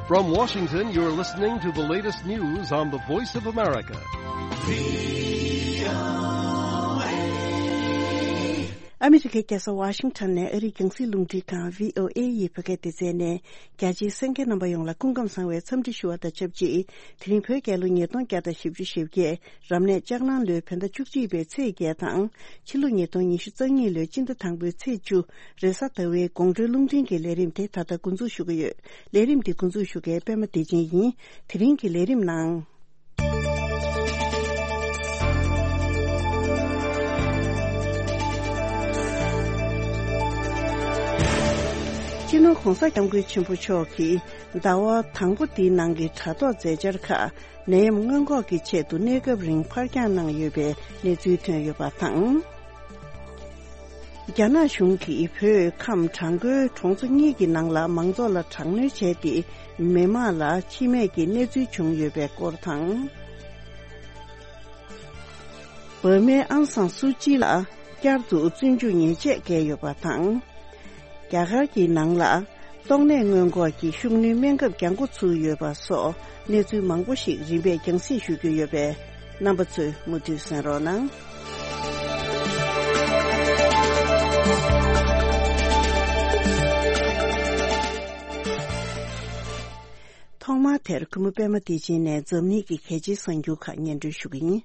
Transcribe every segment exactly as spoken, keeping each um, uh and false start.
From Washington, you're listening to the latest news on the Voice of America. ཨ་མི་རི་ཀའི་རྒྱལ་ས་ཝ་ཤིང་ཊོན་ནས་ཨ་རིའི་རྒྱང་སྲིང་རླུང་འཕྲིན་ཁང་བྷི་ཨོ་ཨེ་ཡི་བོད་སྐད་སྡེ་ཚན་ནས་རྒྱ་ཆེའི་གསན་མཁན་རྣམ་པ་ཡོངས་ལ་སྐུ་ཁམས་བཟང་བའི་འཚམས་འདྲི་ཞུ་བ་དང་ཆབས་ཅིག་དེ་རིང་བོད་རྒྱལ་ལོ་ཉིས་སྟོང་བརྒྱ་དང་བཞི་བཅུ་ཞེ་བརྒྱད། རབ་གནས་ལྕགས་གླང་ལོའི་བོད་ཟླ་བཅུ་གཅིག་པའི་ཚེས་བརྒྱད་དང་། ཕྱི་ལོ་ཉིས་སྟོང་ཉི་ཤུ་རྩ་གཉིས་ལོའི་སྤྱི་ཟླ་དང་པོའི་ཚེས་བཅུ། རེས་གཟའ་ཟླ་བའི་དགོང་དྲོའི་རླུང་འཕྲིན་གྱི་ལས་རིམ་དེ་ད་ལྟ་འགོ་འཛུགས་ཞུ་གི་ཡོད། ལས་རིམ་འདི་འགོ་འཛུགས་ཞུ་མཁན་པད་མ་བདེ་ཆེན་ཡིན། དེ་རིང་གི་ལས་རིམ་ནང་། སྤྱི་ནོར་༸གོང་ས་༸སྐྱབས་མགོན་ཆེན་པོ་མཆོག་གིས་ཟླ་བ་དང་པོ་འདིའི་ནང་གི་དྲ་ཐོག་མཛད་འཆར་ཁག་ནད་ཡམས་སྔོན་འགོག་གི་ཆེད་དུ་གནས་སྐབས་རིང་ཕར་འགྱངས་གནང་ཡོད་པའི་གནས་ཚུལ་ཐོན་ཡོད་པ་དང་། རྒྱ་ནག་གཞུང་གིས་བོད་ཁམས་བྲག་འགོའི་གྲོང་ཚོ་གཉིས་ཀྱི་ནང་ལ་མང་ཚོགས་ལ་དྲག་གནོན་བྱས་ཏེ། མི་མང་ལ་འཆི་རྨས་ཀྱི་གནས་ཚུལ་བྱུང་ཡོད་པའི་སྐོར་དང་། འབར་མའི་ཨང་སང་སུའུ་ཅི་ལ་བསྐྱར་དུ་བཙོན་འཇུག་ཉེས་ཆད་བཀལ་ཡོད་པ་དང་། རྒྱ་གར་གྱི་ནང་ལ་ཏོག་ནད་སྔོན་འགོག་གི་ཤུགས་སྣོན་སྨན་ཁབ་རྒྱང་འགོ་ཚུགས་ཡོད་པ་སོགས་གནས་ཚུལ་མང་པོ་ཞིག་རིམ་པས་རྒྱང་སྲིང་ཞུ་རྒྱུ་ཡོད་པས། རྣམ་པ་ཚོས་མུ་མཐུད་གསན་རོགས་གནང་། ཐོག་མར་དེར་གུས་མོ་པད་མ་བདེ་ཆེན་ནས་འཛམ་གླིང་གི་གལ་ཆེའི་གསར་འགྱུར་ཁག་སྙན་སྒྲོན་ཞུ་གི་ཡིན།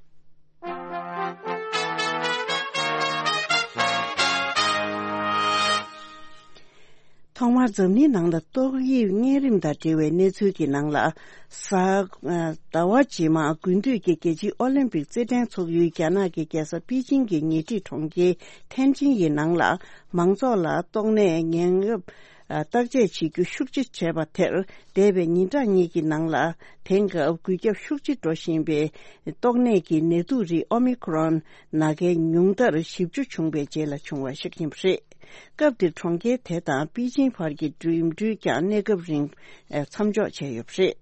ཐོག་མར་འཛམ་གླིང་ནང་ལ་ཏོག་དབྱིབས་གཉན་རིམས་དང་འབྲེལ་བའི་གནས་ཚུལ་གྱི་ནང་ལ། གཟའ་ཟླ་བ་རྗེས་མ་དགུན་དུས་ཀྱི་རྒྱལ་སྤྱིའི་ཨོ་ལིམ་པིག་རྩེད་འགྲན་འཚོགས་ཡུལ་རྒྱ་ནག་གི་རྒྱལ་ས་པེ་ཅིང་གི་ཉེ་འཁྲིས་གྲོང་ཁྱེར་ཐེན་ཅིན་ཡི་ནང་ལ་མང་ཚོགས་ལ་ཏོག་ནད་ངན་རབས་བརྟག་དཔྱད་བྱེད་རྒྱུ་ཤུགས་ཆེ་བྱས་པ་དེར། འདས་པའི་ཉིན་གྲངས་གཉིས་ཀྱི་ནང་ལ་དེང་སྐབས་འགོས་ཁྱབ་ཤུགས་ཆེ་འགྲོ་བཞིན་པའི་ཏོག་ནད་ཀྱི་ནད་དུག་རིགས་ཨོ་མི་ཁོ་རོན་ནང་གལ་ཉུང་མཐར་བཞི་བཅུ་བྱུང་བའི་རྗེས་ལ་བྱུང་བ་ཞིག་ཡིན་པ་རེད། སྐབས་དེར་གྲོང་ཁྱེར་དེ་དང་པེ་ཅིང་བར་གྱི་འགྲིམ་འགྲུལ་ཀྱང་གནས་སྐབས་རིང་མཚམས་འཇོག་བྱས་ཡོད་པ་རེད།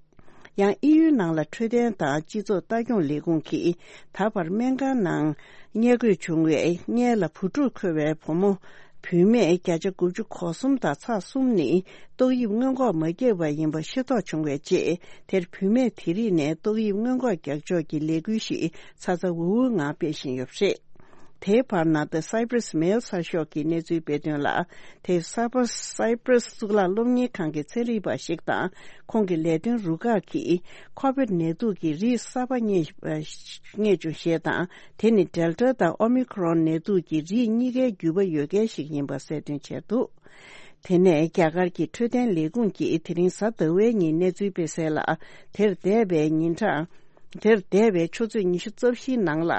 ཡང་ཨི་ཡུའི་ནང་ལ་འཕྲོད་བསྟེན་དང་སྤྱི་ཚོགས་ལྟ་སྐྱོང་ལས་ཁུངས་ཀྱིས་ད་བར་སྨན་ཁང་ནང་ཉལ་དགོས་བྱུང་བའི་སྔོན་ལ་བུ་ཕྲུག་འཁོར་བའི་བུ་མོ་བུད་མེད་བརྒྱ་ཆ་དགུ་བཅུ་གོ་གསུམ་དང་ཚེག་གསུམ་ནི་ཏོག་དབྱིབས་སྔོན་འགོག་མ་བརྒྱབ་པ་ཡིན་པ་ཤེས་རྟོགས་བྱུང་བའི་རྗེས། དེར་བུད་མེད་དེ་རིགས་ནས་ཏོག་དབྱིབས་སྔོན་འགོག་རྒྱག་ཕྱོགས་ཀྱི་ལས་འགུལ་ཞིག་ཚ་ཚ་འུར་འུར་ངང་སྤེལ་བཞིན་ཡོད་པ་རེད། དེའི་བར་ན། The Cyprus Mail གསར་ཤོག་གིས་གནས་ཚུལ་སྤེལ་དོན་ལ། དེ་སཱ་པ་སཱི་པྲས་གཙུག་ལག་སློབ་གཉེར་ཁང་གི་ཚན་རིག་པ་ཞིག་དང་ཁོང་གི་ལས་དོན་རུ་ཁག་གིས་ཁོ་བིད་ནད་དུག་གི་རིགས་གསར་པ་རྙེད་རྙེད་བྱུང་ཞེས་དང་། དེ་ནི་ཌེལ་ཊ་དང་ཨོ་མི་ཁོ་རོན་ནད་དུག་གི་རིགས་གཉིས་ཀའི་རྒྱུད་པ་ཡོད་མཁན་ཞིག་ཡིན་པ་གསལ་སྟོན་བྱས་འདུག་དེ་ནས་རྒྱ་གར་གྱི་འཕྲོད་བསྟེན་ལས་ཁུངས་ཀྱིས་དེ་རིང་གཟའ་ཟླ་བའི་ཉིན་གནས་ཚུལ་སྤེལ་གསལ་ལ། དེར་འདས་པའི་ཉིན་གྲངས། དེར་འདས་པའི་ཆུ་ཚོད་ཉི་ཤུ་རྩ་བཞིའི་ནང་ལ་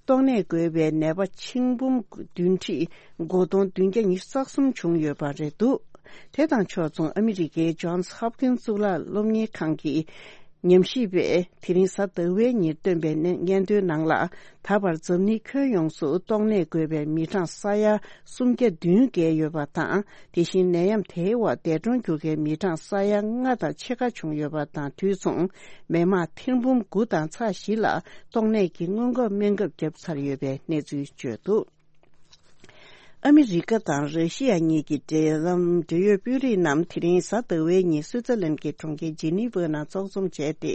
ཏོག་ནད་འགོས་པའི་ནད་པ་ཆིག་འབུམ་བདུན་ཁྲི་དགུ་སྟོང་བདུན་བརྒྱ་ཉི་ཤུ་རྩ་གསུམ་བྱུང་ཡོད་པ་རེད་འདུག་དེ་དང་ཕྱོགས་མཚུངས་ཨ་མི་རི་ཀའི་ཇོན་སི་ཧོབ་ཀིན་སི་གཙུག་ལག་སློབ་གཉེར་ཁང་གི་ཉམས་ཞིབ་པས་དེ་རིང་གཟའ་ཟླ་བའི་ཉིན་བཏོན་པའི་སྙན་ཐོའི་ནང་ལ། ད་བར་འཛམ་གླིང་ཁྱོན་ཡོངས་སུ་ཏོག་ནད་འགོས་པའི་མི་གྲངས་ས་ཡ་སུམ་བརྒྱ་བདུན་བརྒལ་ཡོད་པ་དང་། དེ་བཞིན་ནད་ཡམས་དེའི་འོག་འདས་གྲོངས་གྱུར་མཁན་མི་གྲངས་ས་ཡ་ལྔ་དང་ཕྱེད་ཀ་བྱུང་ཡོད་པ་དང་། དུས་མཚུངས་མི་མང་ཐེར་འབུམ་དགུ་དང་ཚེག་བཞི་ལ་ཏོག་ནད་ཀྱི་སྔོན་འགོག་སྨན་ཁབ་བརྒྱབ་ཚར་ཡོད་པའི་གནས་ཚུལ་བརྗོད་འདུག་ཨ་མི་རི་ཀ་དང་ར་ཤི་ཡ་གཉིས་ཀྱི་འབྲེལ་ལམ་འབྲེལ་ཡོད་དཔོན་རིགས་རྣམས་དེ་རིང་གཟའ་ཟླ་བའི་ཉིན་སུའི་ཙར་ལན་གྱི་གྲོང་ཁྱེར་ཇི་ནི་ཝའི་ནང་ཚོགས་འཛོམས་བྱས་ཏེ།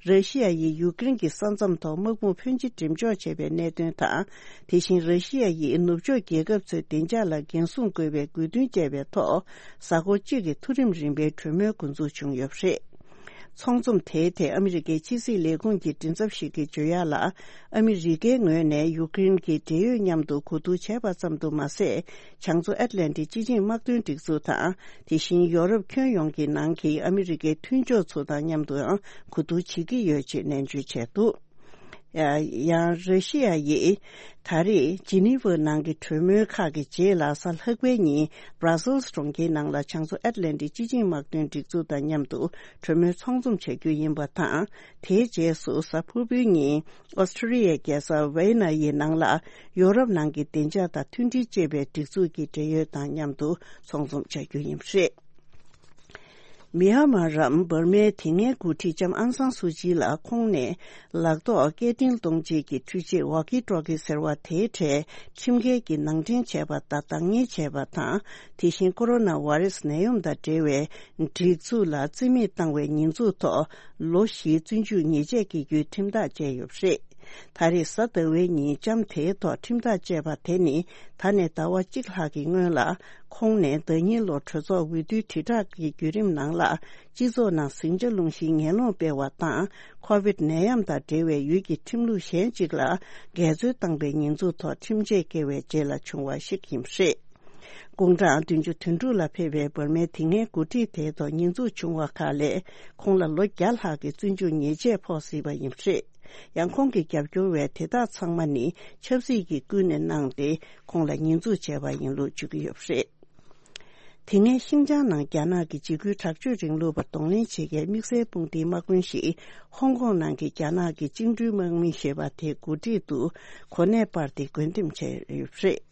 ར་ཤི་ཡ་ཡིས་ཡུཀ་རེན་གྱི་ས་མཚམས་ཐོག་དམག་དཔུང་ཕོན་ཆེ་འགྲེམས་འཇོག་བྱས་པའི་གནད་དོན་དང་། དེ་བཞིན་ར་ཤི་ཡ་ཡིས་ནུབ་ཕྱོགས་རྒྱལ་ཁབ་ཚོའི་བདེ་འཇགས་ལ་འགན་སྲུང་དགོས་པའི་དགོས་འདུན་བཅས་པའི་ཐོག་གཟའ་འཁོར་གཅིག་གི་མཐོ་རིམ་རིམ་པའི་གྲོས་མོལ་འགོ་འཛུགས་བྱུང་ཡོད་པ་རེད། ཚོགས་འཛོམས་དེའི་ཐད་ཨ་མི་རི་ཀའི་ཕྱི་སྲིད་ལས་ཁུངས་ཀྱི་མགྲིན་ཚབ་ཞིག་གིས་བརྗོད་ཡག་ལ། ཨ་མི་རི་ཀའི་ངོས་ནས་ཡུཀ་རེན་གྱི་འབྲེལ་ཡོད་མཉམ་དུ་གོ་བསྡུར་བྱས་པ་ཙམ་དུ་མ་ཟད། བྱང་མཚོ་ཨེཊ་ལན་ཊིག་སྤྱི་ཆིངས་དམག་དོན་སྒྲིག་འཛུགས་དང་། དེ་བཞིན་ཡོ་རོབ་ཁྱོན་ཡོངས་ཀྱི་ནང་གི་ཨ་མི་རི་ཀའི་མཐུན་ཕྱོགས་ཚོ་དང་མཉམ་དུའང་གོ་བསྡུར་བྱེད་ཀྱི་ཡོད་ཅེས་ནན་བརྗོད་བྱས་འདུག་ཡང་ར་ཤི་ཡ་ཡིས་ད་རེས་ཇི་ནི་ཝའི་ནང་གི་གྲོས་མོལ་ཁག་གི་རྗེས་ལ་གཟའ་ལྷག་པའི་ཉིན་Brussels་གྲོང་ཁྱེར་ནང་ལ་བྱང་མཚོ་ཨེཊ་ལན་ཊིག་སྤྱི་ཆིངས་དམག་དོན་སྒྲིག་འཛུགས་དང་མཉམ་དུ་གྲོས་མོལ་ཚོགས་འཛོམས་བྱ་རྒྱུ་ཡིན་པ་དང་། དེའི་རྗེས་སུ་གཟའ་ཕུར་བུའི་ཉིན་ཨོ་སི་ཁྲུ་ལི་ཡའི་རྒྱལ་ས་ཝེ་ན་ཡི་ནང་ལ་ཡོ་རོབ་ནང་གི་བདེ་འཇགས་དང་མཐུན་སྒྲིལ་ཅེས་པའི་སྒྲིག་འཛུགས་ཀྱི་འབྲེལ་ཡོད་དང་མཉམ་དུ་ཚོགས་འཛོམས་བྱ་རྒྱུ་ཡིན་པ་རེད། མི་ཧ་མ་རམ་འབར་མའི་དེ་སྔའི་འགོ་ཁྲིད་ལྕམ་ཨང་སང་སུ་ཅི་ལ་ཁོང་ནས་ལག་ཐོགས་སྐད་འཕྲིན་གཏོང་བྱེད་ཀྱི་འཕྲུལ་ཆས་ཝོ་ཀི་ཊོ་ཀི་ཟེར་བ་དེའི་གྲས་ཁྲིམས་འགལ་གྱི་ནང་འདྲེན་བྱས་པ་དང་བདག་གཉེར་བྱས་པ་དང་། དེ་བཞིན་ཀོ་རོ་ན་བྷ་རེ་སི་ནད་ཡམས་དང་འབྲེལ་བའི་སྒྲིག་འཛུགས་ལ་རྩིས་མེད་བཏང་བའི་ཉེས་འཛུགས་ཐོག་ལོ་བཞིའི་བཙོན་འཇུག་ཉེས་ཆད་འགེལ་རྒྱུའི་ཁྲིམས་ཐག་བཅད་ཡོད་པ་རེད། ད་རེས་གཟའ་ཟླ་བའི་ཉིན་ལྕམ་དེའི་ཐོག་ཁྲིམས་ཐག་བཅད་པ་དེ་ནི་ད་ནས་ཟླ་བ་གཅིག་ལྷག་གི་སྔོན་ལ་ཁོང་ནས་ཟླ་ཉིན་ལོ་གྲོས་ཚོགས་འོས་བསྡུའི་དྲིལ་བསྒྲགས་ཀྱི་བརྒྱུད་རིམ་ནང་ལ་སྤྱི་ཚོགས་ནང་ཟིང་ཆ་སློང་གཞིའི་ངན་སློང་སྤེལ་བ་དང་ཁོ་བིད་ནད་ཡམས་དང་འབྲེལ་བའི་ཡུལ་གྱི་ཁྲིམས་ལུགས་གཞན་གཅིག་ལ་འགལ་འཛོལ་བཏང་པའི་ཉེས་འཛུགས་ཐོག་ཁྲིམས་ཆད་བཀལ་བའི་རྗེས་ལ་བྱུང་བ་ཞིག་ཡིན་པ་རེད། དགུང་གྲངས་བདུན་ཅུ་དོན་དྲུག་ལ་ཕེབས་པའི་འབར་མའི་དེ་སྔའི་འགོ་ཁྲིད་དེའི་ཐོག་ཉེས་འཛུགས་བྱུང་བ་ཁག་ལས་ཁོང་ལ་ལོ་བརྒྱ་ལྷག་གི་བཙོན་འཇུག་ཉེས་ཆད་ཕོག་སྲིད་པ་ཡིན་པ་རེད། ཡང་ཁོང་གི་རྒྱབ་སྐྱོར་བས་དེ་དག་ཚང་མ་ནི་ཆབ་སྲིད་ཀྱིས་ཀུན་ནས་གནང་སྟེ་ཁོང་ལ་ཉེས་འཛུགས་བྱས་པ་ཡིན་ལུགས་བརྗོད་ཀྱི་ཡོད་པ་རེད། དེ་སྔའི་ཤིན་ཅང་ནང་རྒྱ་ནག་གི་འཇིགས་སྐུལ་དྲག་སྤྱོད་རིང་ལུགས་པར་གདོང་ལེན་བྱེད་མཁན་དམིགས་བསལ་དཔུང་སྡེའི་དམག་དཔོན་ཞིག་ཧོང་ཀོང་ནང་གི་རྒྱ་ནག་གི་བཅིངས་འགྲོལ་དམག་མི་ཞེས་པ་དེའི་འགོ་ཁྲིད་དུ་གོ་གནས་སྤར་ཏེ་བགོ་འགྲེམས་བྱས་ཡོད་པ་རེད།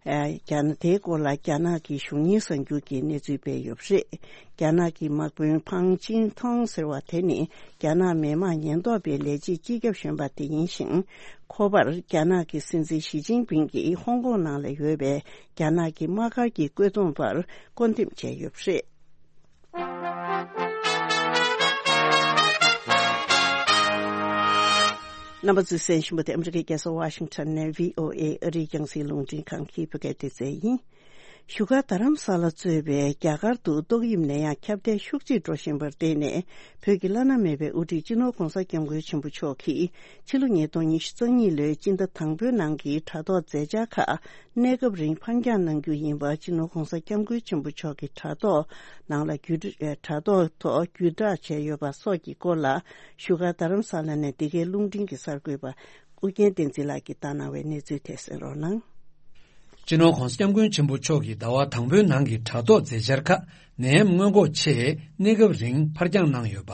ཨ། རྒྱ་ནག་དེའི་སྐོར་ལ་རྒྱ་ནག་གི་གཞུང་གཉེར་གསར་འགྱུར་གྱིས་གནས་ཚུལ་སྤེལ་ཡོད་པ་རེད། རྒྱ་ནག་གི་དམག་དཔོན་ཕང་ཅིན་ཐོང་ཟེར་བ་དེ་ནི་རྒྱ་ནག་མི་དམངས་ཉེན་རྟོག་པའི་ལས་བྱེད་སྤྱི་ཁྱབ་གཞོན་པ་དེ་ཡིན་ཞིང་། ཁོ་པར་རྒྱ་ནག་གི་སྲིད་འཛིན་ཞི་ཅིན་ཕིང་གིས་ཧོང་ཀོང་ནང་ལ་ཡོད་པའི་རྒྱ་ནག་གི་དམག་སྒར་གྱི་བཀོད་འདོམས་པར་བསྐོ་འདེམས་བྱས་ཡོད་པ་རེད། རྣམ་པ་ཚོས་གསན་བཞིན་པ་དེ་ཨ་མི་རི་ཀའི་རྒྱལ་ས་ཝ་ཤིང་ཊོན་ནས་བྷི་ཨོ་ཨེ་ཨ་རིའི་རྒྱང་སྲིང་རླུང་འཕྲིན་ཁང་གི་བོད་སྐད་སྡེ་ཚན་ཡིན། བཞུགས་སྒར་རྡ་རམ་ས་ལ་གཙོས་པའི་རྒྱ་གར་དུ་ཏོག་དབྱིབས་ནད་ཡམས་ཁྱབ་གདལ་ཤུགས་ཆེ་འགྲོ་བཞིན་པར་བརྟེན་ནས། བོད་ཀྱི་བླ་ན་མེད་པའི་དབུ་ཁྲིད་སྤྱི་ནོར་༧གོང་ས་༧སྐྱབས་མགོན་ཆེན་པོ་མཆོག་གིས་ཕྱི་ལོ་ཉིས་སྟོང་ཉི་ཤུ་རྩ་གཉིས་ལོའི་སྤྱི་ཟླ་དང་པོའི་ནང་གི་དྲ་ཐོག་མཛད་འཆར་ཁག་གནས་སྐབས་རིང་ཕར་འགྱངས་གནང་རྒྱུ་ཡིན་པ། སྤྱི་ནོར་༧གོང་ས་༧སྐྱབས་མགོན་ཆེན་པོ་མཆོག་གི་དྲ་ཐོག་ནང་ལ་བརྒྱུད་ཨེ་དྲ་ཐོག་ཐོག་བརྒྱུད་བསྒྲགས་བྱས་ཡོད་པ་སོགས་ཀྱི་སྐོར་ལ། བཞུགས་སྒར་རྡ་རམ་ས་ལ་ནས་འདི་གའི་རླུང་འཕྲིན་གྱི་གསར་འགོད་པ་ཨུ་རྒྱན་བསྟན་འཛིན་ལགས་ཀྱིས་བཏང་གནང་བའི་གནས་ཚུལ་དེ་གསན་རོགས་གནང་། སྤྱི་ནོར་༧གོང་ས་༧སྐྱབས་མགོན་ཆེན་པོ་མཆོག་གིས་ཟླ་བ་དང་པོའི་ནང་གི་དྲ་ཐོག་མཛད་འཆར་ཁག་ནད་ཡམས་སྔོན་འགོག་ཆེད་གནས་སྐབས་རིང་ཕར་འགྱངས་གནང་ཡོད་པ།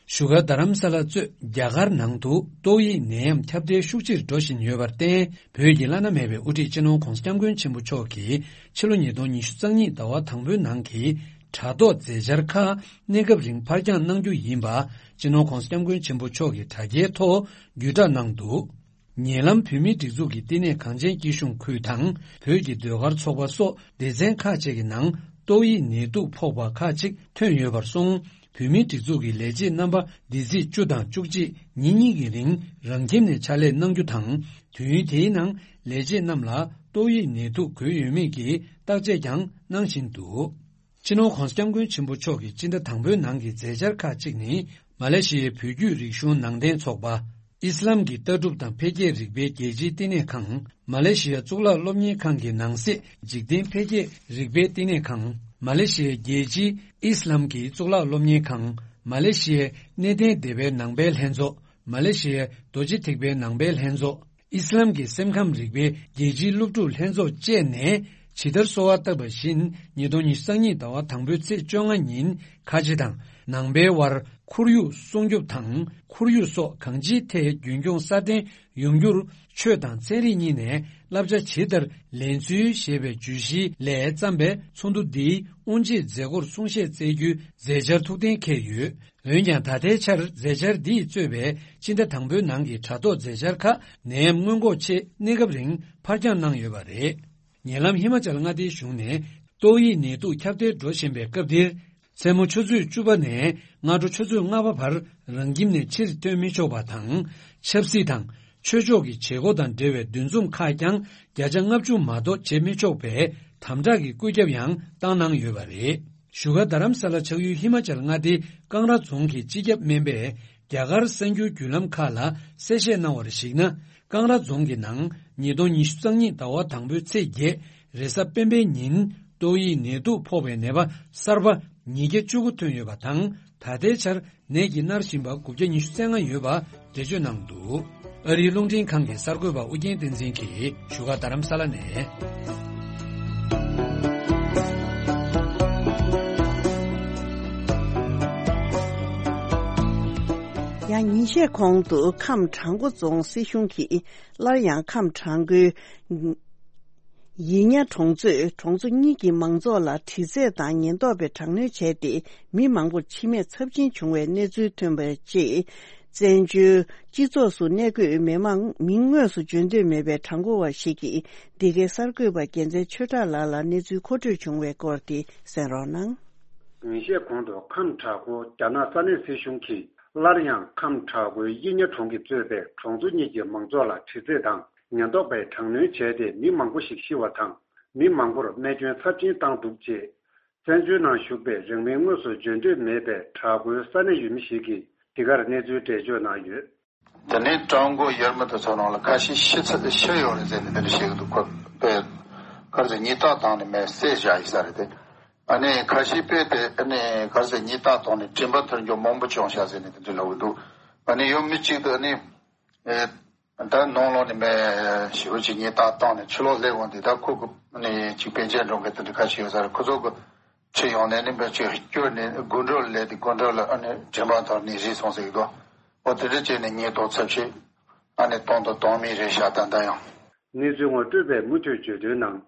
བཞུགས་སྒར་རྡ་རམ་ས་ལ་གཙོས་རྒྱ་གར་ནང་དུ་ཏོག་དབྱིབས་ནད་ཡམས་ཁྱབ་གདལ་ཤུགས་ཆེར་འགྲོ་བཞིན་ཡོད་པར་བརྟེན། བོད་ཀྱི་བླ་ན་མེད་པའི་དབུ་ཁྲིད་སྤྱི་ནོར་༧གོང་ས་༧སྐྱབས་མགོན་ཆེན་པོ་མཆོག་གིས་ཕྱི་ལོ་ཉིས་སྟོང་ཉི་ཤུ་རྩ་གཉིས་ཟླ་བ་དང་པོའི་ནང་གི་དྲ་ཐོག་མཛད་འཆར་ཁག་གནས་སྐབས་རིང་ཕར་འགྱངས་གནང་རྒྱུ་ཡིན་པ། སྤྱི་ནོར་༧གོང་ས་༧སྐྱབས་མགོན་ཆེན་པོ་མཆོག་གིས་དྲ་རྒྱའི་ཐོག་བརྒྱུད་བསྒྲགས་གནང་འདུག་ཉེ་ལམ་བོད་མིའི་སྒྲིག་འཛུགས་ཀྱི་བསྟི་གནས་གངས་ཅན་སྐྱིད་གཤོངས་ཁུལ་དང་བོད་ཀྱི་ཟློས་གར་ཚོགས་པ་སོགས་སྡེ་ཚན་ཁག་ཅིག་གི་ནང་ཏོག་དབྱིབས་ནད་དུག་ཕོག་པ་ཁག་ཅིག་ཐོན་ཡོད་པར་སོང་། བོད་མིའི་སྒྲིག་འཛུགས་ཀྱི་ལས་བྱེད་རྣམ་པ་འདི་ཚེས་བཅུ་དང་བཅུ་གཅིག་ཉིན་གཉིས་ཀྱི་རིང་རང་ཁྱིམ་ནས་ཕྱག་ལས་གནང་རྒྱུ་དང་། དུས་ཡུན་དེའི་ནང་ལས་བྱེད་རྣམས་ལ་ཏོག་དབྱིབས་ནད་དུག་འགོས་ཡོད་མེད་ཀྱི་བརྟག་དཔྱད་ཀྱང་གནང་བཞིན་འདུག་སྤྱི་ནོར་༧གོང་ས་༧སྐྱབས་མགོན་ཆེན་པོ་མཆོག་གི་སྤྱི་ཟླ་དང་པོའི་ནང་གི་མཛད་འཆར་ཁག་ཅིག་ནི། མ་ལེ་ཤི་ཡའི་བོད་བརྒྱུད་རིག་གཞུང་ནང་བསྟན་ཚོགས་པ། ཨི་སི་ལམ་གྱི་ལྟ་གྲུབ་དང་འཕེལ་རྒྱས་རིག་པའི་རྒྱལ་སྤྱིའི་བསྟི་གནས་ཁང་། མ་ལེ་ཤི་ཡའི་གཙུག་ལག་སློབ་གཉེར་ཁང་གི་ནང་གསེས་འཇིག་རྟེན་འཕེལ་རྒྱས་རིག་པའི་བསྟི་གནས་ཁང་། མ་ལེ་ཤི་ཡའི་རྒྱལ་སྤྱིའི་ཨི་སི་ལམ་གྱི་གཙུག་ལག་སློབ་གཉེར་ཁང་། མ་ལེ་ཤི་ཡའི་གནས་བརྟན་སྡེ་པའི་ནང་པའི་ལྷན་ཚོགས། མ་ལེ་ཤི་ཡའི་རྡོ་རྗེ་ཐེག་པའི་ནང་པའི་ལྷན་ཚོགས། ཨི་སི་ལམ་གྱི་སེམས་ཁམས་རིག་པའི་རྒྱལ་སྤྱིའི་སློབ་ཕྲུག་ལྷན་ཚོགས་བཅས་ནས་ཇི་ལྟར་གསོལ་བ་བཏབ་པ་བཞིན། ཉིས་སྟོང་ཉི་ཤུ་རྩ་གཉིས་ཟླ་བ་དང་པོའི་ཚེས་བཅོ་ལྔ་ཉིན་ཁ་ཆེ་དང་ནང་པའི་དབར་ཁོར་ཡུག་སྲུང་སྐྱོབ་དང་ཁོར་ཡུག་སོགས་གང་ཅིའི་ཐད་རྒྱུན་འཁྱོངས་སྲ་བརྟན་ཡོང་རྒྱུར། ཆོས་དང་ཚན་རིག་གཉིས་ནས་བསླབ་བྱ་ཇི་ལྟར་ལེན་ཚུལ་ཞེས་པའི་བརྗོད་གཞི་ལས་བརྩམས་པའི་ཚོགས་འདུ་འདིའི་དབུ་འབྱེད་མཛད་སྒོར་གསུང་བཤད་སྩལ་རྒྱུའི་མཛད་འཆར་ཐུགས་གཏན་འཁེལ་ཡོད། འོན་ཀྱང་ད་ལྟའི་ཆར་མཛད་འཆར་འདིས་གཙོས་པའི་སྤྱི་ཟླ་དང་པོའི་ནང་གི་དྲ་ཐོག་མཛད་འཆར་ཁག་ནད་ཡམས་སྔོན་འགོག་ཆེད་གནས་སྐབས་རིང་ཕར་འགྱངས་གནང་ཡོད་པ་རེད། ཉེ་ལམ་ཧི་མ་ཅལ་མངའ་སྡེའི་གཞུང་ནས་ཏོག་དབྱིབས་ནད་དུག་ཁྱབ་གདལ་འགྲོ་བཞིན་པའི་སྐབས་འདིར། མཚན་མོ་ཆུ་ཚོད་བཅུ་པ་ནས་སྔ་དྲོ་ཆུ་ཚོད་ལྔ་པ་བར་རང་ཁྱིམ་ནས་ཕྱིར་ཐོན་མི་ཆོག་པ་དང་། ཆབ་སྲིད་དང་ཆོས་ཕྱོགས་ཀྱི་བྱེད་སྒོ་དང་འབྲེལ་བའི་འདུ་འཛོམས་ཁག་ཀྱང་བརྒྱ་ཆ་ལྔ་བཅུ་མ་གཏོགས་བྱེད་མི་ཆོག་པའི་དམ་དྲག་གི་བཀོད་ཁྱབ་ཡང་བཏང་གནང་ཡོད་པ་རེད། བཞུགས་སྒར་རྡ་རམ་ས་ལ་ཆགས་ཡུལ་ཧི་མ་ཅལ་མངའ་སྡེའི་ཀང་ར་རྫོང་གི་སྤྱི་ཁྱབ་སྨན་པས་རྒྱ་གར་གསར་འགྱུར་བརྒྱུད་ལམ་ཁག་ལ་གསལ་བཤད་གནང་བར་གཞིགས་ན། ཀང་ར་རྫོང་གི་ནང་ཉིས་སྟོང་ཉི་ཤུ་རྩ་གཉིས་ཟླ་བ་དང་པོའི་ཚེས་བརྒྱད་རེས་གཟའ་སྤེན་པའི་ཉིན་ཏོག་དབྱིབས་ནད་དུག་ཕོག་པའི་ནད་པ་གསར་པ་ཉིས་བརྒྱ་བཅུ་དགུ་ཐོན་ཡོད་པ་དང་། ད་ལྟའི་ཆར་ནད་ཀྱིས་མནར་བཞིན་པ་དགུ་བརྒྱ་ཉི་ཤུ་རྩ་ལྔ་ཡོད་པ་འགྲེལ་བརྗོད་གནང་འདུག་ཨ་རིའི་རླུང་འཕྲིན་ཁང་གི་གསར་འགོད་པ་ཨུ་རྒྱན་བསྟན་འཛིན་གྱིས་བཞུགས་སྒར་རྡ་རམ་ས་ལ་ནས། ཡང་ཉིན་ཤས་གོང་དུ་ཁམས་བྲག་འགོ་རྫོང་སྲིད་གཞུང་གིས་སླར་ཡང་ཁམས་བྲག་འགོའི་ ཡིག་ཉ་གྲོང་ཚོས་གྲོང་ཚོ་གཉིས་ཀྱི་མང་ཚོགས་ལ་དྲི་རྩད་དང་ཉེན་རྟོག་པའི་དྲག་གནོན་བྱས་ཏེ། མི་མང་པོར་འཆི་རྨས་ཚབས་ཆེན་བྱུང་བའི་གནས་ཚུལ་ཐོན་པའི་རྗེས། བཙན་བྱོལ་སྤྱི་ཚོགས་སུ་གནས་འཁོད་མི་མང་མིང་དངོས་སུ་བརྗོད་འདོད་མེད་པའི་གྲངས་འབོར་བ་ཞིག་གིས། འདི་གའི་གསར་འགོད་པ་རྒྱལ་མཚན་ཆོས་གྲགས་ལགས་ལ་གནས་ཚུལ་མཁོ་སྤྲོད་བྱུང་བའི་སྐོར་དེ་གསན་རོགས་གནང་། ཉིན་ཤས་གོང་དུ་ཁམས་བྲག་འགོ་རྒྱ་ནག་ས་གནས་སྲིད་གཞུང་གིས་སླར་ཡང་ཁམས་བྲག་འགོའི་ཡིག་ཉ་གྲོང་གིས་གཙོས་པའི་གྲོང་ཚོ་གཉིས་ཀྱི་མང་ཚོགས་ལ་དྲི་རྩད་དང་ཉེན་རྟོག་པའི་དྲག་གནོན་བྱས་ཏེ། མི་མང་པོ་ཞིག་ཤི་བ་དང་། མི་མང་པོར་རྨས་སྐྱོན་ཚབས་ཆེན་བཏང་འདུག་ཅེས། བཙན་བྱོལ་ནང་བཞུགས་པའི་རང་མིང་དངོས་སུ་བརྗོད་འདོད་མེད་པའི་བྲག་འགོའི་ས་གནས་ཡུལ་མི་ཞིག་གིས་འདི་གར་གནས་ཚུལ་འགྲེལ་བརྗོད་གནང་ཡོད། དེ་ནས་བྲག་འགོ་ཡུལ་མི་དེ་ཚོ་ནང་ལ་ཁ་ཤས་ཤི་ཚ་ཤི་ཡོད་རེད་ཟེར་ནས་འདི་འདྲ་བཤད་ཀྱི་འདུག་ཁོ་པས་ག་རེ་ཟེར། ཉེས་རྡུང་བཏང་ནས་མེར་བསྲེགས་བཞག་ཡིན་ས་རེད་དེ། ཨ་ནི་ཁ་ཤས་པས་དེ་ཨ་ནི་ག་རེ་ཟེར། ཉེས་རྡུང་བཏང་ནས་དྲན་པ་ཐར་རྒྱུ་མང་པོ་བྱུང་ཤག་ཟེར་ནས་འདི་འདྲ་ལབ་ཀྱི་འདུག་ཨ་ནི་ཡུལ་མི་གཅིག་ཏུ་ཨ་ནི། ཨེ། ད་ནང་ལོགས་ནས་མེར་ཞེ་པོ་ཅིག་ཉེས་རྡུང་བཏང་ནས་ཕྱི་ལོགས་སླེབས་འོང་དུས། ད་ཁོ་གི་ནས་ཅིག་པཎ་ཆེན་སྒྲུང་གི་དེ་འདྲ་ཁ་ཤས་ཡོད་ས་རེད། ཁོ་ཚོ་གི་ཁྲིད་ཡོང་ནས་ནི་མེར་ཅིག་སྐྱོར་ནས་སྒོ་འགྲམ་ལ་སླེབས་ཏེ། སྒོ་འགྲམ་ལ་ཨ་ནི་དྲན་པ་ཐོར་ནས་རིལ་སོང་ཟེར་གི་འདུག་འོ་དེ་འདྲ་བྱས་ནས་ཉེས་རྡུང་ཚབས་ཆེ་ཨ་ནི་བཏང་དང་བཏང་མུས་རེད་ཤག་ད་ལྟ་ཡང་། གནས་ཚུལ་ངོ་སྤྲོད་པས་མུ་མཐུད་བརྗོད་དོན་ནང་།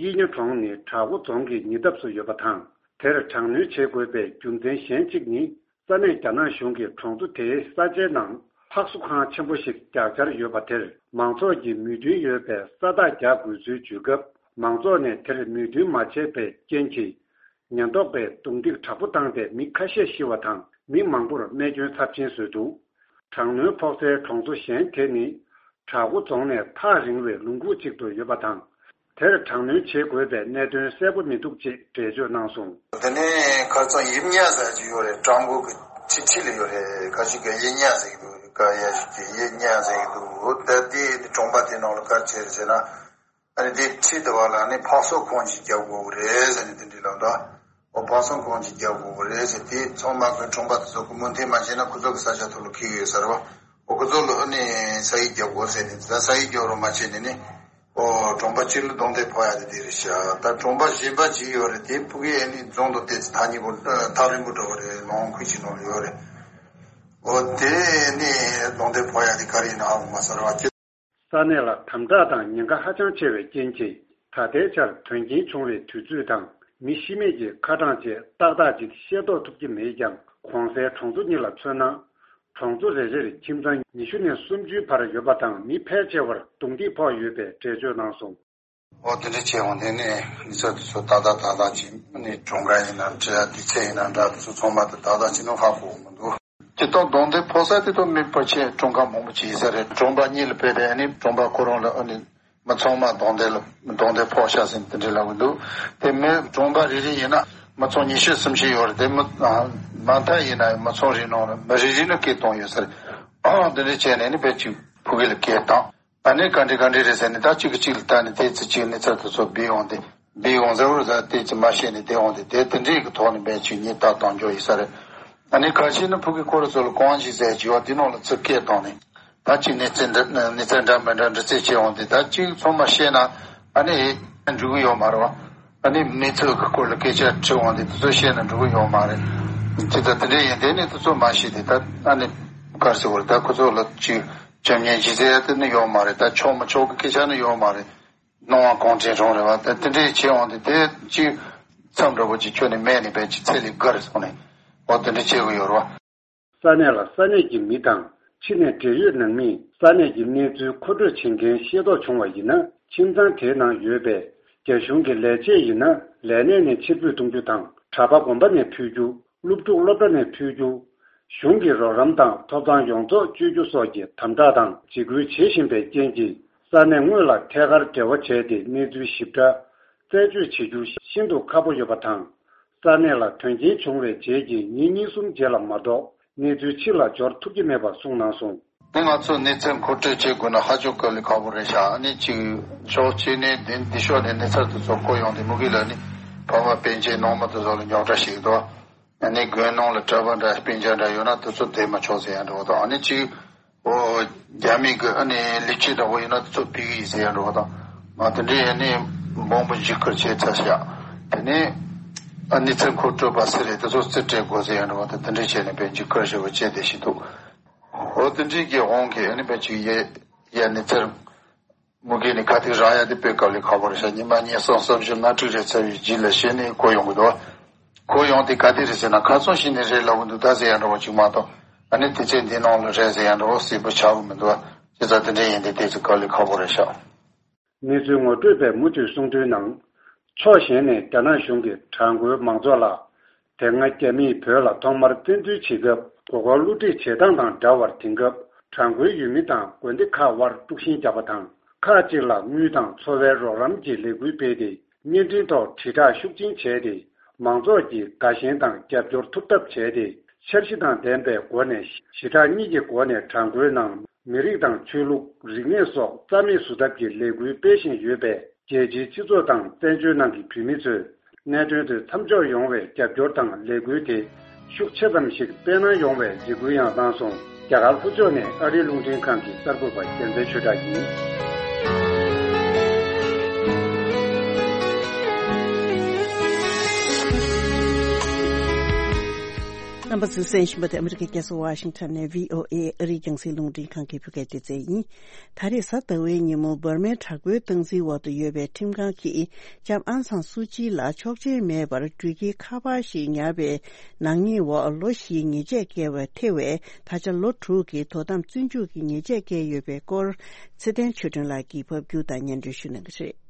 ཡིག་ཉ་གྲོང་ནི་བྲག་འགོ་རྫོང་གི་ཉེ་འདབས་སུ་ཡོད་པ་དང་། དེར་དྲག་གནོན་བྱེད་དགོས་པའི་རྒྱུ་མཚན་གཞན་གཅིག་ནི། ས་གནས་རྒྱ་ནག་གཞུང་གིས་གྲོང་ཚོ་དེའི་ས་ཆའི་ནང་ཕག་གསོ་ཁང་ཆེན་པོ་ཞིག་རྒྱག་འཆར་ཡོད་པ་དེར། མང་ཚོགས་ཀྱིས་མོས་མཐུན་ཡོད་པའི་ས་རྟགས་རྒྱག་དགོས་ཚུལ་བརྗོད་སྐབས། མང་ཚོགས་ནས་དེར་མོས་མཐུན་མ་བྱས་པའི་རྐྱེན་གྱིས། ཉེན་རྟོག་པས་རྡུང་རྡེག་དྲག་པོ་བཏང་སྟེ། མི་ཁ་ཤས་ཤི་བ་དང་། མི་མང་པོར་རྨས་སྐྱོན་ཚབས་ཆེན་བཟོས་འདུག་དྲག་གནོན་ཕོག་སའི་གྲོང་ཚོ་གཞན་དེ་ནི། བྲག་འགོ་རྫོང་ནས་ཐག་རིང་བའི་ལུང་ཁུག་ཅིག་ཏུ་ཡོད་པ་དང་། དེར་དྲག་གནོན་བྱེད་དགོས་པའི་གནད་དོན་གསལ་པོ་མི་འདུག་ཅེས་འགྲེལ་བརྗོད་གནང་སོང་། དེ་ནས་ཁ་སང་ཡིབ་ཉ་ཟེར་གྱི་ཡོད་རེད། བྲག་འགོ་གི་ཁྲི་ཁྲི་ལ་ཡོད་རེད། ཁ་ཅིག་གིས་ཡིབ་ཉ་ཟེར་གྱི་འདུག་ཁ་ཤས་ཤིག་གིས་ཡིབ་ཉ་ཟེར་གྱི་འདུག་འོ་ད་དེ་གྲོང་པ་དེ་ནང་ལ་ག་རེ་བྱས་རེད་ཟེར་ན། ཨ་ནི་དེ་ཁྲི་དེ་བ་ལ་ནི་ཕག་གསོ་ཁང་ཅིག་རྒྱག་དགོས་ཀྱི་རེད་ཟེར་ནས་དེ་འདྲ་ལབ་འདུག་འོ་ཕག་གསོ་ཁང་ཅིག་རྒྱག་དགོས་ཀྱི་རེད་ཟེར། དེ་ཚང་མ་གི་གྲོང་པ་དེ་ཚོ་གིས་མོས་མཐུན་མ་བྱས་ན་ཁོ་ཚོ་གི་ས་ཆ་ཐོག་ལ་འཁེལ་གྱི་ཡོད་ས་རེད་བ། འོ་ཁོ་ཚོ་ལ་ཨ་ནི་ས་ཡིག་རྒྱག་དགོས་ཟེར་ནས། ད་ས་ཡིག་རྒྱག་རོགས་མ་བྱས་ནས་ནི། འོ་གྲོང་པ་གཅིག་ལ་རྡུང་རྡེག་ཕོག་ཡ་དེ་དེ་རེད་ཤག་ད་གྲོང་པ་གཞན་པ་ཅིག་ཡོད་རེད། དེ་ཕ་གིའི་ཨ་ནི་རྫོང་དང་དེ་ཚོ་ཐག་ཉེ་པོ་ཐག་རིང་པོ་འདྲ་བོ་རེད། ལུང་ཁུག་ཅིག་ནང་ལ་ཡོད་རེད། འོ་དེ་ནི་རྡུང་རྡེག་ཕོག་ཡ་དེ་ག་རེ་ཡིན་ན་ཧ་གོ་མ་སོང་ར་བ། ས་གནས་ལ་དམ་དྲག་དང་ཉེན་ཁ་ཧ་ཅང་ཆེ་བའི་རྐྱེན་གྱིས། ད་ལྟའི་ཆར་དོན་རྐྱེན་བྱུང་བའི་དུས་ཚོད་དང་མི་ཤི་རྨས་ཀྱི་ཁ་གྲངས་བཅས་ཏག་ཏག་ཅིག་ཤེས་རྟོགས་ཐུབ་ཀྱི་མེད་ཀྱང་། གོང་གསལ་གྲོང་ཚོ་གཉིས་ལ་མཚོན་ན། གྲོང་ཚོ་རེ་རེར་ཁྱིམ་ཚང་ཉི་ཤུ་ནས་སུམ་ཅུའི་བར་ཡོད་པ་དང་། མི་ཕལ་ཆེ་བར་རྡུང་རྡེག་ཕོག་ཡོད་པའི་འགྲེལ་བརྗོད་གནང་སོང་། འོ་དེ་འདྲ་བྱས་འོང་དེ་ནས་གནས་ཚུལ་དེ་ཚོ་ཏག་ཏག་ཏག་ཏག་ཅིག་ནི་གྲོང་ཁ་ཡིན་ན་འདྲ། སྡེ་ཚན་ཡིན་ན་འདྲ། དེ་ཚོ་ཚང་མ་དེ་ཏག་ཏག་ཅིག་ནི་ཧ་གོ་གི་མི་འདུག་དེ་དག་རྡུང་རྡེག་ཕོག་ས་དེ་དག་མི་ཕལ་ཆེར་གྲོང་ཁ་མང་པོ་ཅིག་ཡིན་ས་རེད། གྲོང་པ་གཉིས་ལ་ཕེབས་ཏེ་ཨ་ནི་གྲོང་པ་ཁོ་རང་ལ་ཨ་ནི་མི་ཚང་མ་རྡུང་རྡེག་ལ་རྡུང་རྡེག་ཕོག་ཤག་ཟེར་དེ་འདྲ་ལབ་ཀྱི་འདུག་དེ་མི་གྲོང་པ་རེ་རེ་ཡིན་ན་མི་ཚང་ཉི་ཤུ་སུམ་ཅུ་ཡོད་རེད། དེ་མི་མ་མཐའ་ཡིན་ན་མི་ཚང་རེ་ནང་ལ་མི་རེ་རེ་ནས་སྐད་གཏོང་ཡོད་ས་རེད། ཨང་དེ་འདྲ་བྱས་ནས་ནི་བེད་ཅིག་ཕ་གི་ལ་སྐད་བཏང་། ཨ་ནི་ག་འདྲ་ག་འདྲ་རེད་ཟེར་ནས། ད་གཅིག་གིས་གཅིག་ལ་ལྟ་ནས་དེ་ཚེ་གཅིག་གནས་ཚུལ་དེ་ཚོ་སྦས་འོང་དེ། སྦས་འོང་ཟེར་བ་རེད། ད་དེ་ཚེ་མ་ཤེས་ནས་བསྡད་འོང་དེ། དེ་དེ་འདྲའི་གི་ཐོག་ནས་བེད་ཅིག་ཉེས་རྡུང་གཏོང་རྒྱུ་ཡིན་ས་རེད། ཨ་ནི་ཁ་ཤས་ནི་ཕ་གི་ཁོ་རང་ཚོ་ལ་གང་ཞིག་ཟེར་བྱས་པ་དེ་ནང་ལ་ཚུར་སྐད་བཏང་ནས། ད་གཅིག་གནས་ཚུལ་འདྲ་གནས་ཚུལ་འདྲ་མི་འདྲ་འདྲི་རྩད་བྱས་འོང་དེ། ད་གཅིག་ཚང་མ་ཤེས་ན་ཨ་ནི་འགྲིག་གི་ཡོད་མ་རེད་བ། ཨ་ནི་གནས་ཚུལ་གི་སྐོར་ལ་སྐད་ཆ་དྲི་འོང་དེ། དེ་ཚོ་ཤེས་ན་འགྲིག་གི་ཡོད་མ་རེད། ཅི་ད་དེ་འདྲ་ཡིན་དེ་ནི་དེ་ཚོ་མ་ཤེས་དེ། ད་ཨ་ནི་ག་རེ་ཟེར་བ་རེད། ད་ཁོ་ཚོ་ལ་ཅིག་བྱམས་སྙིང་རྗེ་ཟེར་ཡ་དེ་ནི་ཡོད་མ་རེད། ད་ཆོག་མི་ཆོག་གི་སྐད་ཆ་ནི་ཡོད་མ་རེད། སྣང་བ་གང་དྲན་རུང་རེད་བ། ད་དེ་འདྲས་བྱས་འོང་དེ། དེ་ཅིག་མཚམས་འདྲ་པོ་ཅིག་ཁྱོན་ནས་མེད་ནས་བེད་ཅིག་ཚེ་ལས་འགལ་སོང་ནས་འོ་དེ་འདྲས་བྱེད་དགོས་ཡོད་རེད་བ། ས་གནས་ལ་ས་གནས་ཀྱི་མི་དང་ཕྱི་ནས་འབྲེལ་ཡོད་ནང་མིས་ས་གནས་ཀྱི་གནས་ཚུལ་མཁོ་སྤྲོད་བྱེད་མཁན་ཤེས་རྟོགས་བྱུང་བ་ཡིན་ན། ཁྱིམ་ཚང་དེའི་ནང་ཡོད་པའི་རྒྱ་གཞུང་གི་ལས་བྱེད་ཡིན་ན། ལས་གནས་ནས་ཕྱིར་འབུད་གཏོང་རྒྱུ་དང་། གྲྭ་པ་དགོན་པ་ནས་ཕུད་རྒྱུ། སློབ་ཕྲུག་སློབ་གྲྭ་ནས་ཕུད་རྒྱུ། གཞུང་གི་རོགས་རམ་དང་ཐོབ་ཐང་ཡོངས་རྫོགས་སྤྱོད་རྒྱུ་སོགས་ཀྱི་དམ་དྲག་དང་འཇིགས་སྐུལ་བྱེད་བཞིན་པའི་རྐྱེན་གྱིས། ས་གནས་དངོས་ལ་ཐད་ཀར་འབྲེལ་བ་བྱས་ཏེ་གནས་ཚུལ་ཞིབ་ཕྲ་རྩད་གཅོད་བྱེད་རྒྱུ་ཤིན་ཏུ་ཁག་པོ་ཡོད་པ་དང་། ས་གནས་ལ་དོན་རྐྱེན་བྱུང་བའི་རྗེས་ཀྱི་ཉིན་གཉིས་གསུམ་རྗེས་ལ་མ་གཏོགས་གནས་ཚུལ་ཕྱི་ལ་འབྱོར་ཐུབ་ཀྱི་མེད་པ་གསུངས་གནང་སོང་། དེ་ང་ཚོས་གནས་ཚུལ་མཁོ་སྤྲོད་བྱེད་དགོས་ན་ཧ་ཅང་དཀའ་ལས་ཁག་པོ་རེད་ཤག་ཨ་ནི་གཅིག་ཕྱོགས་གཅིག་ནས་འདི་འདི་ཕྱོགས་ནས་གནས་ཚུལ་དེ་ཚོ་གོ་ཡོང་དུས་མུ་གེ་ལ་ནི་ཕ་མ་སྤུན་མཆེད་ནང་མི་དེ་ཚོ་ལ་རྙོག་དྲ་ཞིག་འདུག་ཨ་ནི་དགོན་ནང་ལ་གྲྭ་པ་འདྲ་སྤུན་ཆ་འདྲ་ཡོད་ན་དེ་ཚོ་བསྡད་མི་ཆོག་ཟེར་ཡ་འདྲ་བོ་དང་། ཨ་ནི་གཅིག་འོ་རྒྱ་མི་གི་ཨ་ནི་ལས་བྱེད་འདྲ་བོ་ཡིན་ན་དེ་ཚོ་ཕུད་ཀྱི་ཡིན་ཟེར་ཡ་འདྲ་བོ་དང་། ང་དེ་འདྲའི་ཨ་ནི་མང་པོ་འཇིགས་སྐུལ་བྱས་ཚར་ཤག་དེ་ནས་ཨ་ནི་ཚེ་འཁོར་སྤྲོད་པ་ཟེར་རེད། དེ་ཚོ་རྩིས་སྤྲད་དགོས་ཟེར་ཡ་འདྲ་བོ་དང་། དེ་འདྲ་བྱས་ནས་དཔེ་འཇིགས་སྐུལ་ཞེ་པོ་བྱས་བསྡད་བཞིན་འདུག་འོ་དེ་འདྲའི་གི་དབང་གིས་ཨ་ནི་དཔེ་ཅིག་ཡ་ཡ་ནི་ཚེར། མུ་གེ་ནི་ཁ་ཐུག་རག་ཡ་དེ་དཔེ་དཀའ་ལས་ཁག་པོ་རེད་ཤག་ཉི་མ་ཉིས་གསུམ་གསུམ་བཞི་ལྔ་དྲུག་རེ་ཚར་བའི་རྗེས་ལ་གཞི་ནས་གོ་ཡོང་གི་འདུག་གོ་ཡོང་དེ་ག་དེ་རེད་ཟེར་ན། ཁ་ཚོན་བཞི་ནས་རེད་ལབ་གི་འདུག་ད་ཟེར་ཡ་འདྲ་བོ་ཅིག་མ་གཏོགས། ཨ་ནི་དེ་ཚེ་འདི་ནང་ལ་རེད་ཟེར་ཡ་འདྲ་བོ་གསལ་པོ་ཆགས་གི་མི་འདུག་བྱས་ཙང་དེ་འདྲ་ཡིན་དེ་ཏོག་ཙམ་དཀའ་ལས་ཁག་པོ་རེད་ཤག་གནས་ཚུལ་ངོ་སྤྲོད་པས་མུ་མཐུད་གསུངས་དོན་ནང་། ཕྱོགས་གཞན་ནས་རྒྱ་ནག་གཞུང་གིས་གྲངས་མགོའི་མང་ཚོགས་ལ། དེ་སྔ་རྒྱ་མིས་བོད་ལ་ཐོག་མར་བཙན་འཛུལ་བྱེད་སྐབས་མགོ་སྐོར་བསླུ་བྲིད་བྱེད་སྟངས་དང་འདྲ་བར། དེང་སྐབས་གྲངས་མགོའི་ཡུལ་མི་དང་དགོན་སྡེ་ཁག་དབར་དཀྲུག་ཤིང་བརྒྱབ་པ་དང་། ཁག་ཅིག་ལ་དངུལ་དང་འཚོ་བའི་རོགས་རམ་གྱི་ལས་འགུལ་སྤེལ་ཏེ། བརྙན་འཕྲིན་ཐོག་དྲིལ་བསྒྲགས་ཤུགས་ཆེན་བྱས་ཏེ། མང་ཚོགས་ཀྱིས་དགའ་ཞེན་དང་རྒྱབ་སྐྱོར་ཐུབ་ཐབས་བྱས་ཏེ། འཆར་གཞི་དང་ལྡན་པའི་སྒོ་ནས། ཞི་དྲག་གཉིས་ཀྱི་སྒོ་ནས་གྲངས་མགོའི་ནང་མི་རིགས་དང་ཆོས་ལུགས། རིག་གནས་སོགས་རྩ་མེད་བཟོ་ཐབས་ཀྱི་ལས་འགུལ་སྤེལ་བཞིན་ཡོད་པས། རྒྱལ་སྤྱིའི་སྤྱི་ཚོགས་དང་བཙན་བྱོལ་ནང་གི་བོད་མི་ཚོས་གནད་དོན་དེ་མཚམས་འཇོག་ཡོང་བའི་རྒྱབ་སྐྱོར་དང་ལས་འགུལ་དེ་ཤུགས་ཆེ་ཙམ་ཞིག་སྤེལ་གནང་ཡོང་བའི་འཇིགས་སྐུལ་ཡང་བཏང་སོང་། རྒྱ་གར་ལྷོ་ཕྱོགས་ནས་ཨ་རིའི་རླུང་འཕྲིན་ཁང་གི་གསར་འགོད་པ་རྒྱལ་མཚན་ཆོས་གྲགས་ཡིན། རྣམ་པ་ཚོས་གསན་བཞིན་པ་དེ་ཨ་མི་རི་ཀའི་རྒྱལ་ས་ཝ་ཤིང་ཊོན་ནས་བྷི་ཨོ་ཨེ་ཨ་རིའི་རྒྱང་སྲིང་རླུང་འཕྲིན་ཁང་གི་བོད་སྐད་སྡེ་ཚན་ཡིན། ད་རེས་གཟའ་ཟླ་བའི་ཉིན་མོ་འབར་མའི་དྲག་པོའི་སྟངས་འཛིན་འོག་ཏུ་ཡོད་པའི་ཁྲིམས་ཁང་གིས་ལྕམ་ཨང་སང་སུའུ་ཅི་ལ་ཆོག་མཆན་མེད་པར་འགྲུལ་སྐྱེལ་ཁ་པར་ཞིག་ཉར་བའི་ནག་ཉེས་འོག་ལོ་བཞིའི་ཉེས་ཆད་བཀལ་བ་ཐེ་བའི་ད་ཆ་ལོ་དྲུག་གི་དོ་དམ་བཙོན་འཇུག་གི་ཉེས་ཆད་བཀལ་ཡོད་པའི་སྐོར་ཚེ་བརྟན་ཆོས་སྒྲོན་ལགས་ཀྱིས་ཕབ་སྒྱུར་དང་སྙན་སྒྲོན་ཞུ་གནང་གི་རེད།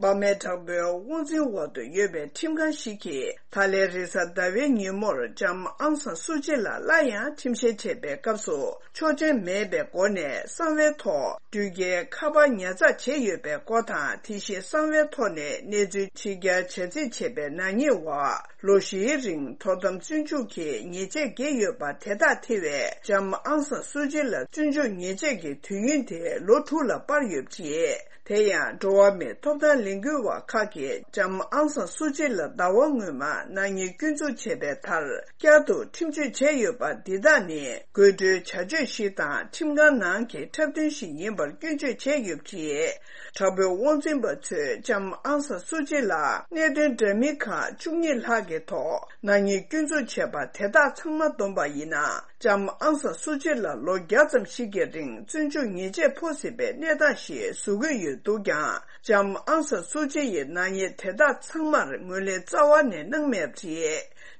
འབར་མའི་དྲག་པོའི་དབང་འཛིན་འོག་ཏུ་ཡོད་པའི་ཁྲིམས་ཁང་ཞིག་གིས་ད་ལན་རེས་གཟའ་ཟླ་བའི་ཉིན་མོར་ལྕམ་ཨང་སང་སུའུ་ཅི་ལ་སླར་ཡང་ཁྲིམས་བཤེར་བྱེད་པའི་སྐབས་སུ་ཆོག་མཆན་མེད་པའི་སྒོ་ནས་གསང་བའི་ཐོག་འགྲུལ་སྐྱེལ་ཁ་པར་ཉར་ཚགས་བྱས་ཡོད་པའི་སྐོར་དང་། དེ་བཞིན་གསང་བའི་ཐོག་ནས་གནས་ཚུལ་ཕྱི་གྱར་བྱ་རྩིས་བྱས་པའི་ནག་ཉེས་འོག་ལོ་བཞིའི་རིང་དོ་དམ་བཙོན་འཇུག་གི་ཉེས་ཆད་བཀལ་ཡོད་པ་དེ་དག་ཐེ་བའི་ལྕམ་ཨང་སང་སུའུ་ཅི་ལ་བཙོན་འཇུག་ཉེས་ཆད་ཀྱི་དུས་ཡུན་དེ་ལོ་དྲུག་ལ་སྤར་ཡོད་པ་རེད། དེ་ཡང་འགྲོ་བ་མིའི་ཐོབ་ཐང་ལས་འགུལ་བ་ཁག་གིས་ལྕམ་ཨང་སང་སུའུ་ཅི་ལ་ཟླ་བ་སྔོན་མ་ནག་ཉེས་སྐྱོན་འཛུགས་བྱས་པའི་མཐར་བསྐྱར་དུ་ཁྲིམས་གཅོད་བྱས་ཡོད་པ་འདི་དག་ནི་དགོད་བྲོའི་བྱ་སྤྱོད་ཞིག་དང་ཁྲིམས་ཁང་ནང་གི་འཁྲབ་སྟོན་ཞིག་ཡིན་པར་སྐྱོན་བརྗོད་བྱས་ཡོད་པ་རེད། དྲག་པོའི་དབང་འཛིན་པ་ཚོས་ལྕམ་ཨང་སང་སུའུ་ཅི་ལ་གནད་དོན་འདྲ་མིན་ཁག་བཅུ་གཉིས་ལྷག་གི་ཐོག་ནག་ཉེས་སྐྱོན་འཛུགས་བྱས་པ་དེ་དག་ཚང་མ་བསྡོམས་པ་ཡིན་ན། ལྕམ་ཨང་སང་སུའུ་ཅི་ལ་ལོ་བརྒྱ་ཙམ་ཞིག་གི་རིང་བཙོན་འཇུག་ཉེས་ཆད་ཕོག་སྲིད་པའི་གནས་སྟངས་ཤིག་བཟོ་གི་ཡོད་འདུག་ཀྱང་། ལྕམ་ཨང་སང་སུའུ་ཅི་ཡིས་ནག་ཉེས་དེ་དག་ཚང་མར་ངོས་ལེན་རྩ་བ་ནས་གནང་མེད་པ་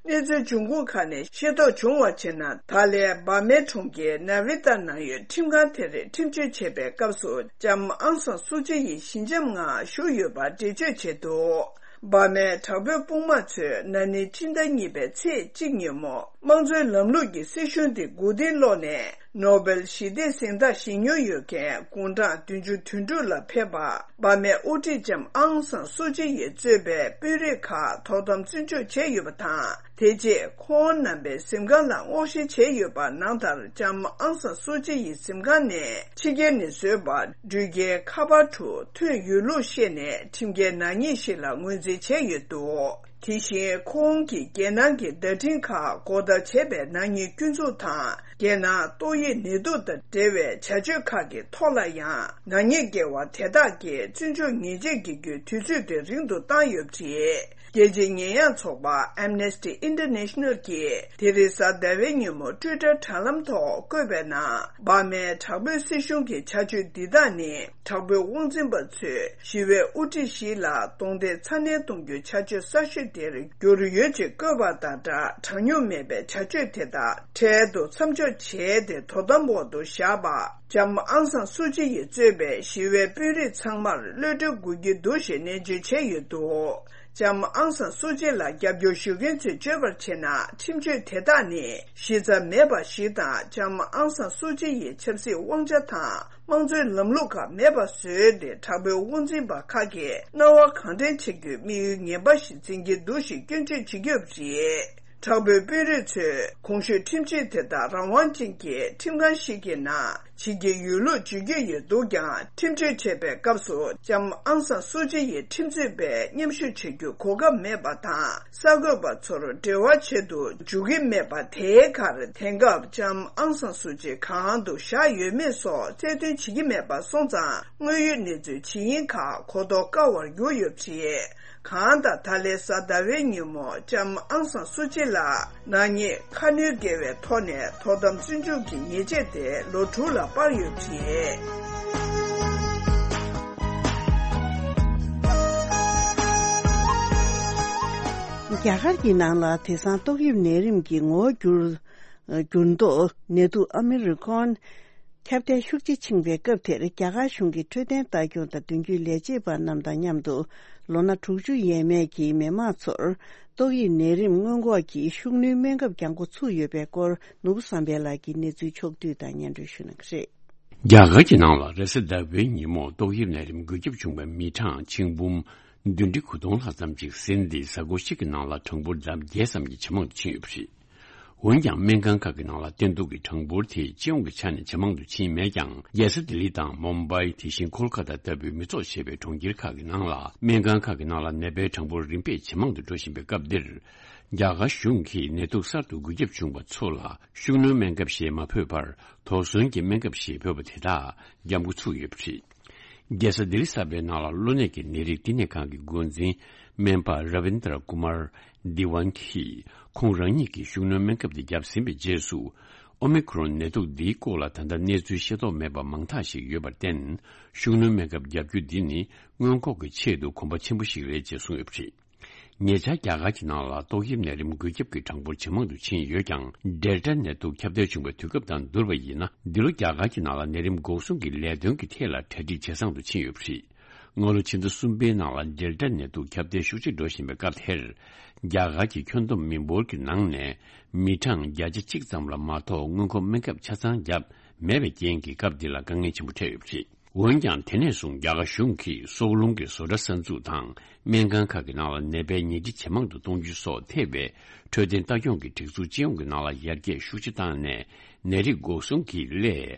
རེད། གནས་ཚུལ་འབྱུང་ཁུངས་ཁག་ནས་ཤེས་རྟོགས་བྱུང་བར་བྱས་ན། ད་ལན་འབར་མའི་གྲོང་ཁྱེར་ནཱ་བི་ཏཱ་ནང་ཡོད་ཁྲིམས་ཁང་དེར་ཁྲིམས་གཅོད་བྱེད་པའི་སྐབས་སུ་ལྕམ་ཨང་སང་སུའུ་ཅི་ཡིས་ཞི་འཇམ་ངང་བཞུགས་ཡོད་པ་འགྲེལ་བརྗོད་བྱས་འདུག་འབར་མའི་དྲག་པོའི་དཔུང་དམག་ཚོས་ན་ནིང་སྤྱི་ཟླ་གཉིས་པའི་ཚེས་གཅིག་ཉིན་མོ། དམངས་གཙོའི་ལམ་ལུགས་ཀྱི་སྲིད་གཞུང་དེ་མགོ་རྟིང་སློག་ནས། ནོ་སྦེལ་ཞི་བདེའི་གཟེངས་རྟགས་བཞེས་མྱོང་ཡོད་མཁན་དགུང་གྲངས་བདུན་ཅུ་དོན་དྲུག་ལ་ཕེབས་པ། འབར་མའི་དབུ་ཁྲིད་ལྕམ་ཨང་སང་སུའུ་ཅི་ཡིས་གཙོས་པའི་དཔོན་རིགས་ཁག་དོ་དམ་བཙོན་འཇུག་བྱས་ཡོད་པ་དང་། དེ་རྗེས་ཁོང་རྣམ་པའི་གཟིམ་ཁང་ལ་སྔོག་བཤེར་བྱས་ཡོད་པ་ནང་ལྟར། ལྕམ་ཨང་སང་སུའུ་ཅི་ཡི་གཟིམ་ཁང་ནས་ཕྱི་རྒྱལ་ནས་བཟོས་པ་འགྲུལ་སྐྱེལ་ཁ་པར་དྲུག་ཐོན་ཡོད་ལུགས་བཤད་ནས། ཁྲིམས་འགལ་ནག་ཉེས་ཤིག་ལ་ངོས་འཛིན་བྱས་ཡོད་འདུག་དེ་བཞིན་ཁོང་གིས་རྒྱལ་ནང་གི་བརྡ་འཕྲིན་ཁག་སྒོ་བརྡར་བྱས་པའི་ནག་ཉེས་སྐྱོན་འཛུགས་དང་། རྒྱལ་ནང་ཏོག་དབྱིབས་ནད་དུག་དང་འབྲེལ་བའི་བྱ་སྤྱོད་ཁག་གི་ཐོག་ལ་ཡང་ནག་ཉེས་འགེལ་བ་དེ་དག་གིས་བཙོན་འཇུག་ཉེས་ཆད་འགེལ་རྒྱུའི་དུས་ཚོད་དེ་རིང་དུ་བཏང་ཡོད་པ་རེད། རྒྱལ་སྤྱིའི་ཉེས་ཡངས་ཚོགས་པ་Amnesty International་གྱིས་དེ་རིང་གཟའ་ཟླ་བའི་ཉིན་མོ་ཊུའི་ཊར་དྲ་ལམ་ཐོག་བཀོད་པའི་ནང་། འབར་མའི་དྲག་པོའི་སྲིད་གཞུང་གི་བྱ་སྤྱོད་འདི་དག་ནི། དྲག་པོའི་དབང་འཛིན་པ་ཚོས་ཞི་བའི་དབུ་ཁྲིད་ཞིག་ལ་གདོང་འདེད་ཚ་ནན་གཏོང་རྒྱུའི་བྱ་སྤྱོད་གསར་ཤོས་དེར་གྱུར་ཡོད་ཅེས་བཀོད་པ་དང་སྦྲགས། དྲང་སྙོམས་མེད་པའི་བྱ་སྤྱོད་དེ་དག་འཕྲལ་དུ་མཚམས་འཇོག་བྱས་ཏེ། དོ་དམ་འོག་ཏུ་བཞག་པ། ལྕམ་ཨང་སང་སུའུ་ཅི་ཡིས་གཙོས་པའི་ཞི་བའི་དཔོན་རིགས་ཚང་མར་གློད་གྲོལ་དགོས་ཀྱི་འདུག་ཞེས་ནན་བརྗོད་བྱས་ཡོད་འདུག་ལྕམ་ཨང་སང་སུའུ་ཅི་ལ་རྒྱབ་སྐྱོར་ཞུ་མཁན་ཚོས་བརྗོད་པར་བྱས་ན། ཁྲིམས་གཅོད་དེ་དག་ནི་གཞི་རྩ་མེད་པ་ཞིག་དང་། ལྕམ་ཨང་སང་སུའུ་ཅི་ཡི་ཆབ་སྲིད་དབང་ཆ་དང་། དམངས་གཙོའི་ལམ་ལུགས་ཁག་མེད་པ་བཟོས་ཏེ། དྲག་པོའི་དབང་འཛིན་པ་ཁག་གིས་སྣང་བ་གང་དྲན་བྱེད་རྒྱུའི་དམིགས་ཡུལ་ངན་པ་ཞིག་འཛིན་གྱི་འདུག་ཞེས་སྐྱོན་བརྗོད་བྱེད་ཀྱི་ཡོད་པ་རེད། དྲག་པོའི་དཔོན་རིགས་ཚོས་གོང་ཞུས་ཁྲིམས་གཅོད་དེ་དག་རང་དབང་ཅན་གྱི་ཁྲིམས་ཁང་ཞིག་གི་ནང་བྱེད་ཀྱི་ཡོད་ལུགས་བརྗོད་ཀྱི་ཡོད་འདུག་ཀྱང་། ཁྲིམས་གཅོད་བྱེད་པའི་སྐབས་སུ་ལྕམ་ཨང་སང་སུའུ་ཅི་ཡི་ཁྲིམས་རྩོད་པས་མཉམ་ཞུགས་བྱེད་རྒྱུའི་གོ་སྐབས་མེད་པ་དང་། གསར་འགོད་པ་ཚོར་འབྲེལ་བ་བྱེད་དུ་འཇུག་གི་མེད་པ། དེའི་ཁར་དེང་སྐབས་ལྕམ་ཨང་སང་སུའུ་ཅི་གང་དུ་བཞག་ཡོད་མེད་སོགས་རྩལ་འདོན་བྱེད་ཀྱི་མེད་པ་སོང་ཙང་། དངོས་ཡོད་གནས་ཚུལ་ཇི་ཡིན་ཁག་གོ་རྟོགས་དཀའ་བར་གྱུར་ཡོད་པ་རེད། གང་ལྟར་ད་ལན་གཟའ་ཟླ་བའི་ཉིན་མོ་ལྕམ་ཨང་སང་སུའུ་ཅི་ལ་ནག་ཉེས་ཁ་སྣོན་འགེལ་བའི་ཐོག་ནས་དོ་དམ་བཙོན་འཇུག་གི་ཉེས་ཆད་དེ་ལོ་དྲུག་ལ་སྤར་ཡོད་པ་རེད། རྒྱ་གར་གྱི་ནང་ལ་དེང་སང་ཏོག་དབྱིབས་ནད་རིམས་ཀྱི་ངོ་བོ་འགྱུར་འགྱུར་ལྡོག་ནད་དུག་ཨ་མི་རི་ཀོན་ཁྱབ་གདལ་ཤུགས་ཆེ་ཕྱིན་པའི་སྐབས་དེར། རྒྱ་གར་གཞུང་གིས་འཕྲོད་བསྟེན་ལྟ་སྐྱོང་དང་མདུན་སྐྱོད་ལས་བྱེད་པ་རྣམས་དང་མཉམ་དུ། ལོ་ན་དྲུག་ཅུ་ཡས་མས་ཀྱི་མི་མང་ཚོར་ཏོག་དབྱིབས་ནད་རིམས་སྔོན་འགོག་གི་ཤུགས་སྣོན་སྨན་ཁབ་བརྒྱབ་འགོ་ཚུགས་ཡོད་པའི་སྐོར། ནོར་བུ་བསམ་འཕེལ་ལགས་ཀྱིས་གནས་ཚུལ་ཕྱོགས་བསྡུས་དང་སྙན་སྒྲོན་ཞུ་གནང་གི་རེད། རྒྱ་གར་གྱི་ནང་ལ་རེས་གཟའ་ཟླ་བའི་ཉིན་མོ་ཏོག་དབྱིབས་ནད་རིམས་འགོས་ཁྱབ་བྱུང་བའི་མི་གྲངས་ཆིག་འབུམ་བདུན་ཁྲི་དགུ་སྟོང་ལྷག་ཙམ་ཅིག་ཟིན་ཏེ། གཟའ་འཁོར་གཅིག་གི་ནང་ལ་གྲངས་འབོར་ལྡབ་བརྒྱད་ཙམ་གྱིས་ཇེ་མང་དུ་ཕྱིན་ཡོད་པ་རེད། འོན་ཀྱང་སྨན་ཁང་ཁག་གི་ནང་ལ་བསྟེན་གཏུག་གི་གྲངས་འབོར་དེ་སྤྱི་ཡོངས་ཀྱི་ཆ་ནས་ཇེ་མང་དུ་ཕྱིན་མེད་ཀྱང་། རྒྱལ་ས་ལྡི་ལི་དང་མུམ་བྷའི། དེ་བཞིན་ཁོལ་ཁ་ཏ་ལྟ་བུའི་མི་ཚོགས་ཆེ་བའི་གྲོང་ཁྱེར་ཁག་གི་ནང་ལ་སྨན་ཁང་ཁག་གི་ནང་ལ་ནད་པའི་གྲངས་འབོར་རིམ་པས་ཇེ་མང་དུ་འགྲོ་བཞིན་པའི་སྐབས་འདིར། རྒྱ་གར་གཞུང་གིས་ནད་དུག་གསར་དུ་འགོས་ཁྱབ་བྱུང་བ་ཚོ་ལ་ཤུགས་སྣོན་སྨན་ཁབ་ཞེས་མ་འབོད་པར། དོགས་ཟོན་གྱི་སྨན་ཁབ་ཞེས་འབོད་པ་དེ་དག་བརྒྱབ་འགོ་ཚུགས་ཡོད་པ་རེད། རྒྱལ་ས་ལྡི་ལི་གསར་པའི་ནང་ལ་གློ་ནད་ཀྱི་ནད་རིགས་བསྟི་གནས་ཁང་གི་འགོ་འཛིན་སྨན་པ་ར་བིན་དྲ་ཀུ་མར་དི་ཝན་གྱིས། ཁོང་རང་ཉིད་ཀྱིས་ཤུགས་སྣོན་སྨན་ཁབ་དེ་བརྒྱབ་ཟིན་པའི་རྗེས་སུ། ཨོ་མི་ཁོ་རོན་ནད་དུག་འདིའི་སྐོར་ལ་ད་ལྟ་གནས་ཚུལ་ཤེས་རྟོགས་མེད་པ་མང་དག་ཞིག་ཡོད་པར་བརྟེན། ཤུགས་སྣོན་སྨན་ཁབ་བརྒྱབ་རྒྱུ་འདི་ནི་སྔོན་འགོག་གི་ཆེད་དུ་གོམ་པ་ཆེན་པོ་ཞིག་རེད་ཅེས་གསུངས་ཡོད་པ་རེད། ཉེ་ཆར་རྒྱ་གར་གྱི་ནང་ལ་ཏོག་དབྱིབས་ནད་རིམས་འགོས་ཁྱབ་ཀྱི་གྲངས་འབོར་ཇེ་མང་དུ་ཕྱིན་ཡོད་ཀྱང་། ཌེལ་ཊ་ནད་དུག་ཁྱབ་གདལ་བྱུང་བའི་དུས་སྐབས་དང་བསྡུར་བ་ཡིན་ན། འདི་ལོ་རྒྱ་གར་གྱི་ནང་ལ་ནད་རིམས་འགོག་སྲུང་གི་ལས་དོན་གྱི་ཐད་ལ་གྲ་སྒྲིག་ཇེ་བཟང་དུ་ཕྱིན་ཡོད་པ་རེད། སྔ་ལོ་ཕྱི་ཟླ་གསུམ་པའི་ནང་ལ་ཌེལ་ཊ་ནད་དུག་ཁྱབ་གདལ་ཤུགས་ཆེ་འགྲོ་བཞིན་པའི་སྐབས་དེར། རྒྱ་གར་གྱི་ཁྱོན་བསྡོམས་མི་འབོར་གྱི་ནང་ནས་མི་གྲངས་བརྒྱ་ཆ་གཅིག་ཙམ་ལ་མ་གཏོགས་སྔོན་འགོག་སྨན་ཁབ་ཆ་ཚང་བརྒྱབ་མེད་པའི་རྐྱེན་གྱིས་སྐབས་འདི་ལ་དཀའ་ངལ་ཆེན་པོ་འཕྲད་ཡོད་པ་རེད། འོན་ཀྱང་དེ་ནས་བཟུང་རྒྱ་གར་གཞུང་གིས་སྲོག་རླུང་གི་བཟོ་གྲྭ་གསར་འཛུགས་དང་། སྨན་ཁང་ཁག་གི་ནང་ལ་ནད་པའི་ཉལ་ཁྲི་ཇེ་མང་དུ་གཏོང་རྒྱུ་སོགས་ཐེ་བའི་འཕྲོད་བསྟེན་ལྟ་སྐྱོང་གི་སྒྲིག་འཛུགས་སྤྱི་ཡོངས་ཀྱི་ནང་ལ་ཡར་རྒྱས་ཤུགས་ཆེ་བཏང་ནས། ནད་རིགས་འགོག་སྲུང་གི་སླད་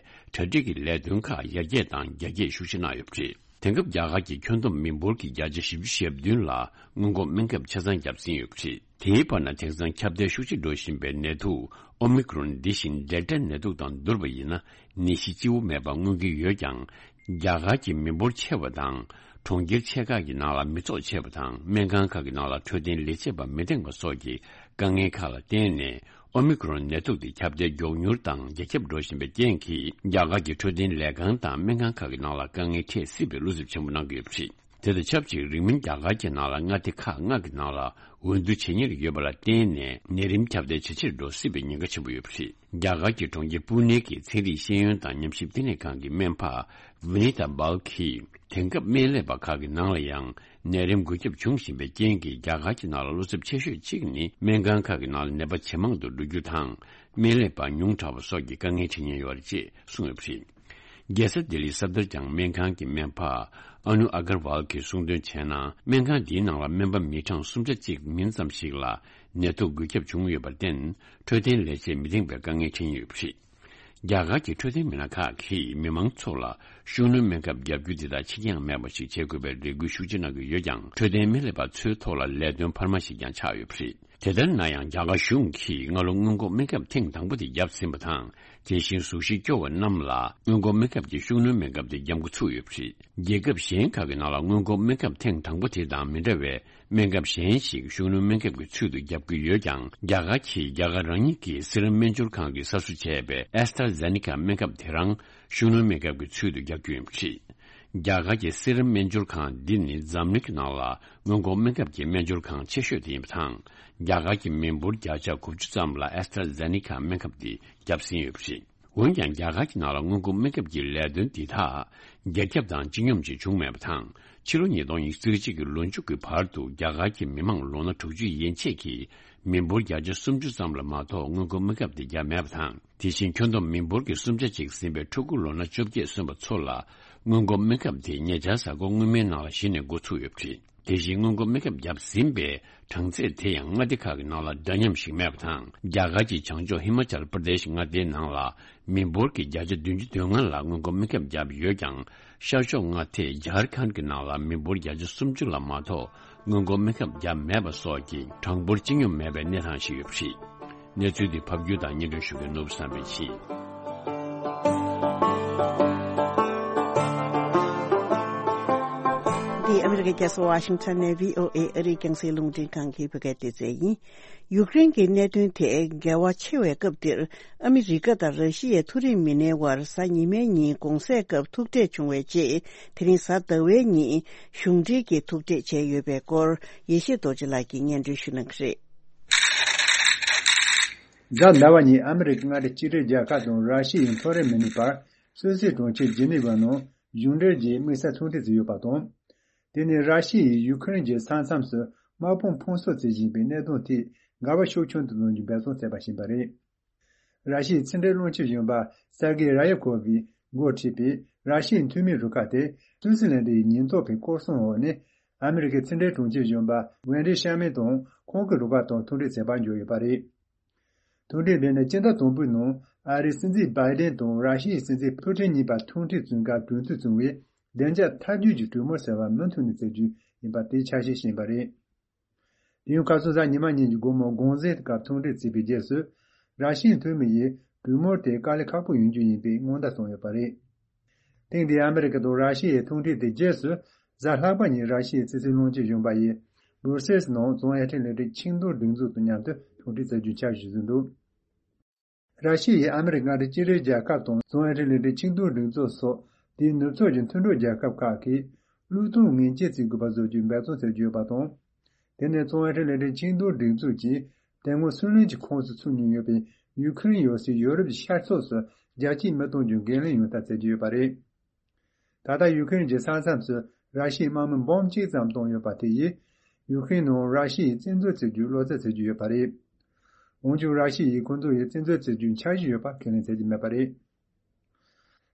གྲ་སྒྲིག་གི་ལས་དོན་ཁག་ཡར་རྒྱས་དང་རྒྱ་སྐྱེད་ཤུགས་ཆེ་གནང་ཡོད་པ་རེད། དེང་སྐབས་རྒྱ་གར་གྱི་ཁྱོན་བསྡོམས་མི་འབོར་གྱི་བརྒྱ་ཆ་བཞི་བཅུ་ཞེ་བདུན་ལ་སྔོན་འགོག་སྨན་ཁབ་ཆ་ཚང་བརྒྱབ་ཟིན་ཡོད་པ་རེད། དེའི་བར་ན་དེང་སང་ཁྱབ་གདལ་ཤུགས་ཆེ་འགྲོ་བཞིན་པའི་ནད་དུག་ཨོ་མི་ཀྲོན་འདི་བཞིན་ཌེལ་ཊ་ནད་དུག་དང་བསྡུར་བ་ཡིན་ན། ནད་གཞི་སྤྱི་བོ་མེད་པ་མངོན་གྱི་ཡོད་ཀྱང་། རྒྱ་གར་གྱི་མི་འབོར་ཆེ་བ་དང་། གྲོང་ཁྱེར་ཆེ་ཁག་གི་ནང་ལ་མི་ཚོགས་ཆེ་བ་དང་། སྨན་ཁང་ཁག་གི་ནང་ལ་འཕྲོད་བསྟེན་ལས་བྱེད་པ་མི་འདང་བ་སོགས་ཀྱི་དཀའ་ངལ་ཁག་ལ་བརྟེན་ནས། ཨོ་མི་ཀྲོན་ནད་དུག་དེ་ཁྱབ་གདལ་མགྱོགས་མྱུར་དང་རྒྱ་ཁྱབ་འགྲོ་བཞིན་པའི་རྐྱེན་གྱིས། རྒྱ་གར་གྱི་འཕྲོད་བསྟེན་ལས་ཁང་དང་སྨན་ཁང་ཁག་གི་ནང་ལ་དཀའ་ངལ་འཕྲད་སྲིད་པའི་བློ་འཚབ་ཆེན་པོ་གནང་གི་ཡོད་པ་རེད། དེ་དང་ཆབས་ཅིག་རིང་མིན་རྒྱ་གར་གྱི་ནང་ལ་མངའ་སྡེ་ཁག་ལྔ་གི་ནང་ལ་འོས་བསྡུ་བྱེད་ཉེར་ཡོད་པ་ལ་བརྟེན་ནས། ནད་རིམས་ཁྱབ་གདལ་ཇེ་ཆེར་འགྲོ་སྲིད་པའི་ཉེན་ཁ་ཆེན་པོ་ཡོད་པ་རེད། རྒྱ་གར་གྱི་གྲོང་ཁྱེར་པུ་ནེ་གི་ཚན་རིག་ཤེས་ཡོན་དང་ཉམས་ཞིབ་བསྟི་གནས་ཁང་གི་སྨན་པ་ཝི་ནི་ཏཱ་བལ་གྱིས། དེང་སྐབས་སྨན་ལས་པ་ཁག་གི་ནང་ལ་ཡང་ནད་རིམས་འགོས་ཁྱབ་འབྱུང་བཞིན་པའི་རྐྱེན་གྱིས། རྒྱ་གར་གྱི་ནང་ལ་བློ་འཚབ་ཆེ་ཤོས་གཅིག་ནི། སྨན་ཁང་ཁག་གི་ནང་ལ་ནད་པ་ཇེ་མང་དུ་འགྲོ་རྒྱུ་དང་། སྨན་ལས་པ་ཉུང་དྲགས་པ་སོགས་ཀྱི་དཀའ་ངལ་འཕྲད་ཉེན་ཡོད་རེད་ཅེས་གསུངས་ཡོད་པ་རེད། རྒྱལ་ས་ལྡི་ལིའི་སབ་དར་ཇང་སྨན་ཁང་གི་སྨན་པ་ཨ་ནུ་ཨ་གར་ཝལ་གྱིས་གསུངས་དོན་བྱས་ན། སྨན་ཁང་འདིའི་ནང་ལ་སྨན་པ་མི་གྲངས་སུམ་ཆ་གཅིག་མིན་ཙམ་ཞིག་ལ་ནད་དུག་འགོས་ཁྱབ་བྱུང་ཡོད་པར་བརྟེན། འཕྲོད་བསྟེན་ལས་བྱེད་མི་འདང་བའི་དཀའ་ངལ་འཕྲད་ཀྱིན་ཡོད་པ་རེད། རྒྱ་གར་གྱི་འཕྲོད་བསྟེན་མི་སྣ་ཁག་གིས་མི་མང་ཚོ་ལ་ཤུགས་སྣོན་སྨན་ཁབ་བརྒྱབ་རྒྱུ་དེ་དག་ཕྱི་འགྱངས་མེད་པ་ཞིག་བྱེད་དགོས་པའི་རེ་སྐུལ་ཤུགས་ཆེ་གནང་གི་ཡོད་ཀྱང་། འཕྲོད་བསྟེན་སྨན་ལས་པ་ཚོའི་ཐོག་ལ་ལས་དོན་འཕར་མ་ཞིག་ཀྱང་ཆགས་ཡོད་པ་རེད། དེ་ལྟར་ན་ཡང་། རྒྱ་གར་གཞུང་གིས་སྔ་ལོ་སྔོན་འགོག་སྨན་ཁབ་ཐེངས་དང་པོ་དེ་བརྒྱབ་ཟིན་པ་དང་། དེ་བཞིན་གཟུགས་གཞི་སྐྱོ་བ་རྣམས་ལ་སྔོན་འགོག་སྨན་ཁབ་ཀྱི་ཤུགས་སྣོན་སྨན་ཁབ་དེ་བརྒྱབ་འགོ་ཚུགས་ཡོད་པ་རེད། རྒྱལ་ཁབ་གཞན་ཁག་གི་ནང་ལ་སྔོན་འགོག་སྨན་ཁབ་ཐེངས་དང་པོ་དེ་དང་མི་འདྲ་བའི་སྨན་ཁབ་གཞན་ཞིག་ཤུགས་སྣོན་སྨན་ཁབ་ཀྱི་ཚུལ་དུ་བརྒྱབ་ཀྱི་ཡོད་ཀྱང་། རྒྱ་གར་གྱིས་རྒྱ་གར་རང་ཉིད་ཀྱི་སི་རམ་སྨན་སྦྱོར་ཁང་གིས་གསར་བཟོ་བྱས་པའི་ཨེ་སི་ཊ་ར་ཛེ་ནི་ཀ་སྨན་ཁབ་དེ་རང་ཤུགས་སྣོན་སྨན་ཁབ་ཀྱི་ཚུལ་དུ་བརྒྱབ་རྒྱུ་ཡིན་པ་རེད། རྒྱ་གར་གྱི་སི་རམ་སྨན་སྦྱོར་ཁང་འདི་ནི་འཛམ་གླིང་གི་ནང་ལ་སྔོན་འགོག་སྨན་ཁབ་ཀྱི་སྨན་སྦྱོར་ཁང་ཆེ་ཤོས་དེ་ཡིན་པ་དང་། རྒྱ་གར་གྱི་མི་འབོར་བརྒྱ་ཆ་དགུ་བཅུ་ཙམ་ལ་ཨེ་སི་ཊ་ར་ཛེ་ནི་ཀ་སྨན་ཁབ་འདི་བརྒྱབ་ཟིན་ཡོད་པ་རེད། འོན་ཀྱང་། རྒྱ་གར་གྱི་ནང་ལ་སྔོན་འགོག་སྨན་ཁབ་ཀྱི་ལས་དོན་འདི་དག་རྒྱ་ཁྱབ་དང་སྤྱི་སྙོམས་ཅིག་བྱུང་མེད་པ་དང་། ཕྱི་ལོ་ཉིས་སྟོང་ཉི་ཤུ་རྩ་གཅིག་གི་ལོ་མཇུག་གི་བར་དུ་རྒྱ་གར་གྱི་མི་མང་ལོ་ན་དྲུག་ཅུ་ཡན་ཆད་ཀྱི་མི་འབོར་བརྒྱ་ཆ་སུམ་ཅུ་ཙམ་ལ་མ་གཏོགས་སྔོན་འགོག་སྨན་ཁབ་དེ་བརྒྱབ་མེད་པ་དང་། དེ་བཞིན་ཁྱོན་བསྡོམས་མི་འབོར་གྱི་སུམ་ཆ་གཅིག་ཟིན་པའི་ཕྲུ་གུ་ལོ་ན་བཅོ་བརྒྱད་སོན་པ་ཚོ་ལ་སྔོན་འགོག་སྨན་ཁབ་དེ་ཉེ་ཆར་གཟའ་འཁོར་སྔོན་མའི་ནང་ལ་གཞི་ནས་འགོ་ཚུགས་ཡོད་པ་རེད། དེ་བཞིན་སྔོན་འགོག་སྨན་ཁབ་བརྒྱབ་ཟིན་པའི་གྲངས་ཚད་དེ་ཡང་མངའ་སྡེ་ཁག་གི་ནང་ལ་འདྲ་མཉམ་ཞིག་མེད་པ་དང་། རྒྱ་གར་གྱི་བྱང་ཕྱོགས་ཧི་མ་ཅལ་པར་དེ་ཤི་མངའ་སྡེའི་ནང་ལ་མི་འབོར་གྱི་བརྒྱ་ཆ་བདུན་ཅུ་དོན་ལྔ་ལ་སྔོན་འགོག་སྨན་ཁབ་བརྒྱབ་ཡོད་ཀྱང་། ཤར་ཕྱོགས་མངའ་སྡེ་ཇར་ཁན་གྱི་ནང་ལ་མི་འབོར་བརྒྱ་ཆ་སུམ་ཅུ་ལ་མ་གཏོགས་སྔོན་འགོག་སྨན་ཁབ་བརྒྱབ་མེད་པ་སོགས་ཀྱི་གྲངས་འབོར་སྤྱི་སྙོམས་མེད་པའི་གནས་སྟངས་ཤིག་ཡོད་པ་རེད། གནས་ཚུལ་འདི་ཕབ་སྒྱུར་དང་སྙན་སྒྲོན་ཞུ་མཁན་ནོར་བུ་བསམ་འཕེལ་ཡིན། འདི་ཨ་མི་རི་ རྒྱལ་ས་ཝ་ཤིང་ཊོན་ནས་བྷི་ཨོ་ཨེ་ཨ་རིའི་རྒྱང་སྲིང་རླུང་འཕྲིན་ཁང་གི་བོད་སྐད་སྡེ་ཚན་ཡིན། ཡུཀ་རེན་གྱི་གནད་དོན་དེ་འགལ་བ་ཆེ་བའི་སྐབས་འདིར། ཨ་མི་རི་ཀ་དང་ར་ཤི་ཡའི་མཐོ་རིམ་མི་སྣའི་དབར་གཟའ་ཉི་མའི་ཉིན་དགོང་ཟས་སྐབས་ཐུག་འཕྲད་བྱུང་བའི་རྗེས། དེ་རིང་གཟའ་ཟླ་བའི་ཉིན་གཞུང་འབྲེལ་གྱི་ཐུག་འཕྲད་བྱས་ཡོད་པའི་སྐོར། ཡེ་ཤེས་རྡོ་རྗེ་ལགས་ཀྱིས་སྙན་སྒྲོན་ཞུ་གནང་གི་རེད། གཟའ་ཟླ་བ་ཉིན་ཨ་མི་རི་ཀའི་མངའ་སྡེ་གཅིག་སྒྲིལ་རྒྱལ་ཁབ་དང་ར་ཤི་ཡའི་མཐོ་རིམ་མི་སྣའི་བར་སུད་སི་གྲོང་ཁྱེར་ཇི་ནི་ཝའི་ནང་གཞུང་འབྲེལ་གྱི་དམིགས་བསལ་ཐུག་འཕྲད་བྱས་ཡོད་པ་དང་། དེ་ནི་ར་ཤི་ཡས་ཡུ་ཁུ་རེན་གྱི་ས་མཚམས་སུ་དམག་དཔུང་ཕུན་སུམ་ཚོགས་བཞིན་པའི་གནད་དོན་ཐད་འགལ་བ་ཤུགས་ཆུང་དུ་གཏོང་རྒྱུ་འབད་བརྩོན་བྱས་པ་ཞིག་ཡིན་པ་རེད། ར་ཤི་ཡའི་ཕྱི་འབྲེལ་བློན་ཆེན་གཞོན་པ་སེར་གེ་ར་ཡེབ་ཁོ་བས་འགོ་ཁྲིད་པའི་ར་ཤི་ཡའི་འཐུས་མིའི་རུ་ཁག་དེ་སུད་སི་ལན་ཌན་གྱི་ཉེན་རྟོག་པའི་སྐོར་སྲུང་འོག་ནས་ཨ་མི་རི་ཀའི་ཕྱི་འབྲེལ་དྲུང་ཆེ་གཞོན་པ་ཝེན་ཌི་ཤར་མན་དང་ཁོང་གི་རུ་ཁག་དང་ཐུག་འཕྲད་བྱེད་པར་འབྱོར་ཡོད་པ་རེད། ཐུག་འཕྲད་འདི་ནི་སྤྱི་ཟླ་དང་པོའི་ནང་ཨ་རིའི་སྲིད་འཛིན་བྷའི་ཌེན་དང་ར་ཤི་ཡའི་སྲིད་འཛིན་ཕུ་ཊིན་གཉིས་བར་ཐུག་འཕྲད་བྱུང་སྐབས་གྲོས་མཐུན་བྱུང་བའི་བདེ་འཇགས་ཐབས་ཇུས་ཀྱི་གྲོས་མོལ་ཟེར་བ་མུ་མཐུད་ནས་བྱེད་རྒྱུ་ཡིན་པ་དེའི་ཆ་ཤས་ཤིག་ཡིན་པ་རེད། དེ་ཡང་ཁ་སང་གཟའ་ཉི་མ་ཉིན་གྱི་དགོང་མོ་དགོང་ཟས་སྐབས་ཐུག་འཕྲད་བྱས་པའི་རྗེས་སུ། ར་ཤི་ཡའི་འཐུས་མི་ཡིས་གྲོས་མོལ་དེ་དཀའ་ལས་ཁག་པོ་ཡོང་རྒྱུ་ཡིན་པའི་སྔོན་བརྡ་བཏང་ཡོད་པ་རེད། ཐེངས་འདིའི་ཨ་མི་རི་ཀ་དང་ར་ཤི་ཡའི་ཐུག་འཕྲད་དེའི་རྗེས་སུ། གཟའ་ལྷག་པ་ཉིན་ར་ཤི་ཡའི་ཕྱི་སྲིད་བློན་ཆེན་གཞོན་པ་ཡིས་སྦུར་སེལ་སི་ནང་རྫོང་ཨེ་ཊལ་ལས་རིགས་ཆིངས་འདོར་སྒྲིག་འཛུགས་དང་མཉམ་དུ་ཐུག་འཕྲད་མཛད་རྒྱུའི་འཆར་གཞི་བཟོས་འདུག་ར་ཤི་ཡས་ཨ་མི་རི་ཀ་མངའ་སྡེ་གཅིག་སྒྲིལ་རྒྱལ་ཁབ་དང་རྫོང་ཨེ་ཊལ་ལས་རིགས་ཆིངས་འདོར་སྒྲིག་འཛུགས་སོགས་དེའི་ནུབ་ཕྱོགས་ཀྱི་མཐུན་གྲོགས་རྒྱལ་ཁབ་ཁག་གིས་བློས་གཏོང་ངན་སྐྱེལ་བྱེད་དགོས་པ་བཟོ་རྒྱུའི་འབད་བརྩོན་བྱེད་ཀྱི་ཡོད་པ་དང་། དེ་ནས་རྫོང་ཨེ་ཊལ་ལས་རིགས་ཆིངས་འདོར་སྒྲིག་འཛུགས་ཀྱིས་དེ་སྔོན་སུའུ་ལེན་གྱི་ཁོངས་སུ་ཚུད་མྱོང་ཡོད་པའི་ཡུ་ཁུ་རེན་ཡོད་སའི་ཡོ་རོབ་ཀྱི་ཤར་ཕྱོགས་སུ་རྒྱ་སྐྱེད་མི་གཏོང་རྒྱུ་འགན་ལེན་ཡོང་ཐབས་བྱེད་ཀྱི་ཡོད་པ་རེད། ད་ལྟ་ཡུ་ཁུ་རེན་གྱི་ས་མཚམས་སུ་ར་ཤི་ཡའི་དམག་མི་འབུམ་གཅིག་ཙམ་བཏང་ཡོད་པ་དེ་ཡིས། ཡུ་ཁུ་རེན་ནང་ར་ཤི་ཡས་བཙན་འཛུལ་བྱེད་རྒྱུའི་བློ་འཚབ་བྱེད་ཀྱི་ཡོད་པ་རེད། འོན་ཀྱང་ར་ཤི་ཡས་ཁོང་ཚོ་ཡིས་བཙན་འཛུལ་བྱེད་རྒྱུའི་འཆར་གཞི་ཡོད་པ་ཁས་ལེན་བྱེད་ཀྱི་མེད་པ་རེད།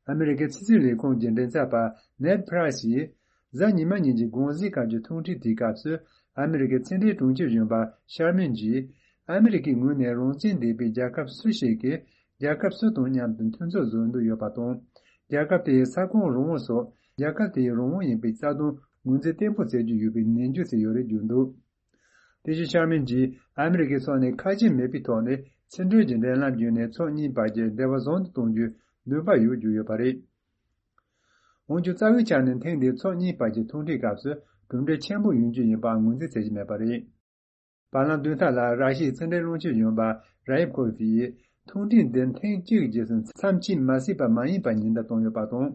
ཨ་མི་རི་ཀའི་ཕྱི་སྲིད་ལས་ཁུངས་ཀྱི་མགྲིན་ཚབ་པ་ནེད་པྲ་ཡེས། གཟའ་ཉི་མ་ཉིན་གྱི་དགོང་ཟས་སྐབས་ཀྱི་ཐུག་འཕྲད་དེའི་སྐབས་སུ། ཨ་མི་རི་ཀའི་ཕྱི་འབྲེལ་དྲུང་ཆེ་གཞོན་པ་ཤར་མན་གྱིས། ཨ་མི་རི་ཀའི་ངོས་ནས་རང་བཙན་ལྡན་པའི་རྒྱལ་ཁབ་སུ་ཞིག་གིས་རྒྱལ་ཁབ་སུ་དང་མཉམ་དུ་མཐུན་ཚོགས་བཟོ་འདོད་ཡོད་པ་དང་། རྒྱལ་ཁབ་དེའི་ས་ཁོངས་རང་དབང་སོགས་རྒྱལ་ཁབ་དེའི་རང་དབང་ཡིན་པའི་རྩ་དོན་ངོས་འཛིན་བརྟན་པོ་བྱེད་རྒྱུ་ཡོད་པའི་ནན་བརྗོད་བྱས་ཡོད་རེད་བརྗོད་འདུག་དེ་བཞིན་ཤར་མན་གྱིས་ཨ་མི་རི་ཀའི་ཕྱོགས་ནས་ཁ་ཞེ་མེད་པའི་ཐོག་ནས་ཕྱི་འབྲེལ་གྱི་འབྲེལ་ལམ་བརྒྱུད་ནས་ཕྱོགས་གཉིས་བར་གྱི་འབྲེལ་བ་བཟང་དུ་གཏོང་རྒྱུའི་འདུན་པ་ཡོད་བརྗོད་ཡོད་པ་རེད། འོན་ཀྱང་རྩ་བའི་ཆ་ནས་ཐེངས་འདིའི་ཕྱོགས་གཉིས་བར་གྱི་ཐུག་འཕྲད་སྐབས་སུ་གྲུབ་འབྲས་ཆེན་པོ་ཡོང་རྒྱུ་ཡིན་པ་ངོས་འཛིན་བྱེད་ཀྱི་མེད་པ་རེད། བར་ལམ་བདུན་ཕྲག་ལ་ར་ཤི་ཡའི་ཕྱི་འབྲེལ་བློན་ཆེན་གཞོན་པ་ར་ཡེབ་ཁོ་ཝི་ཡིས་ཐུག་འཕྲད་འདི་ཐེངས་གཅིག་རྗེས་སུ་མཚམས་ཆད་མ་ཟིན་པ་མ་ཡིན་པར་ཉེན་བརྡ་བཏང་ཡོད་པ་དང་།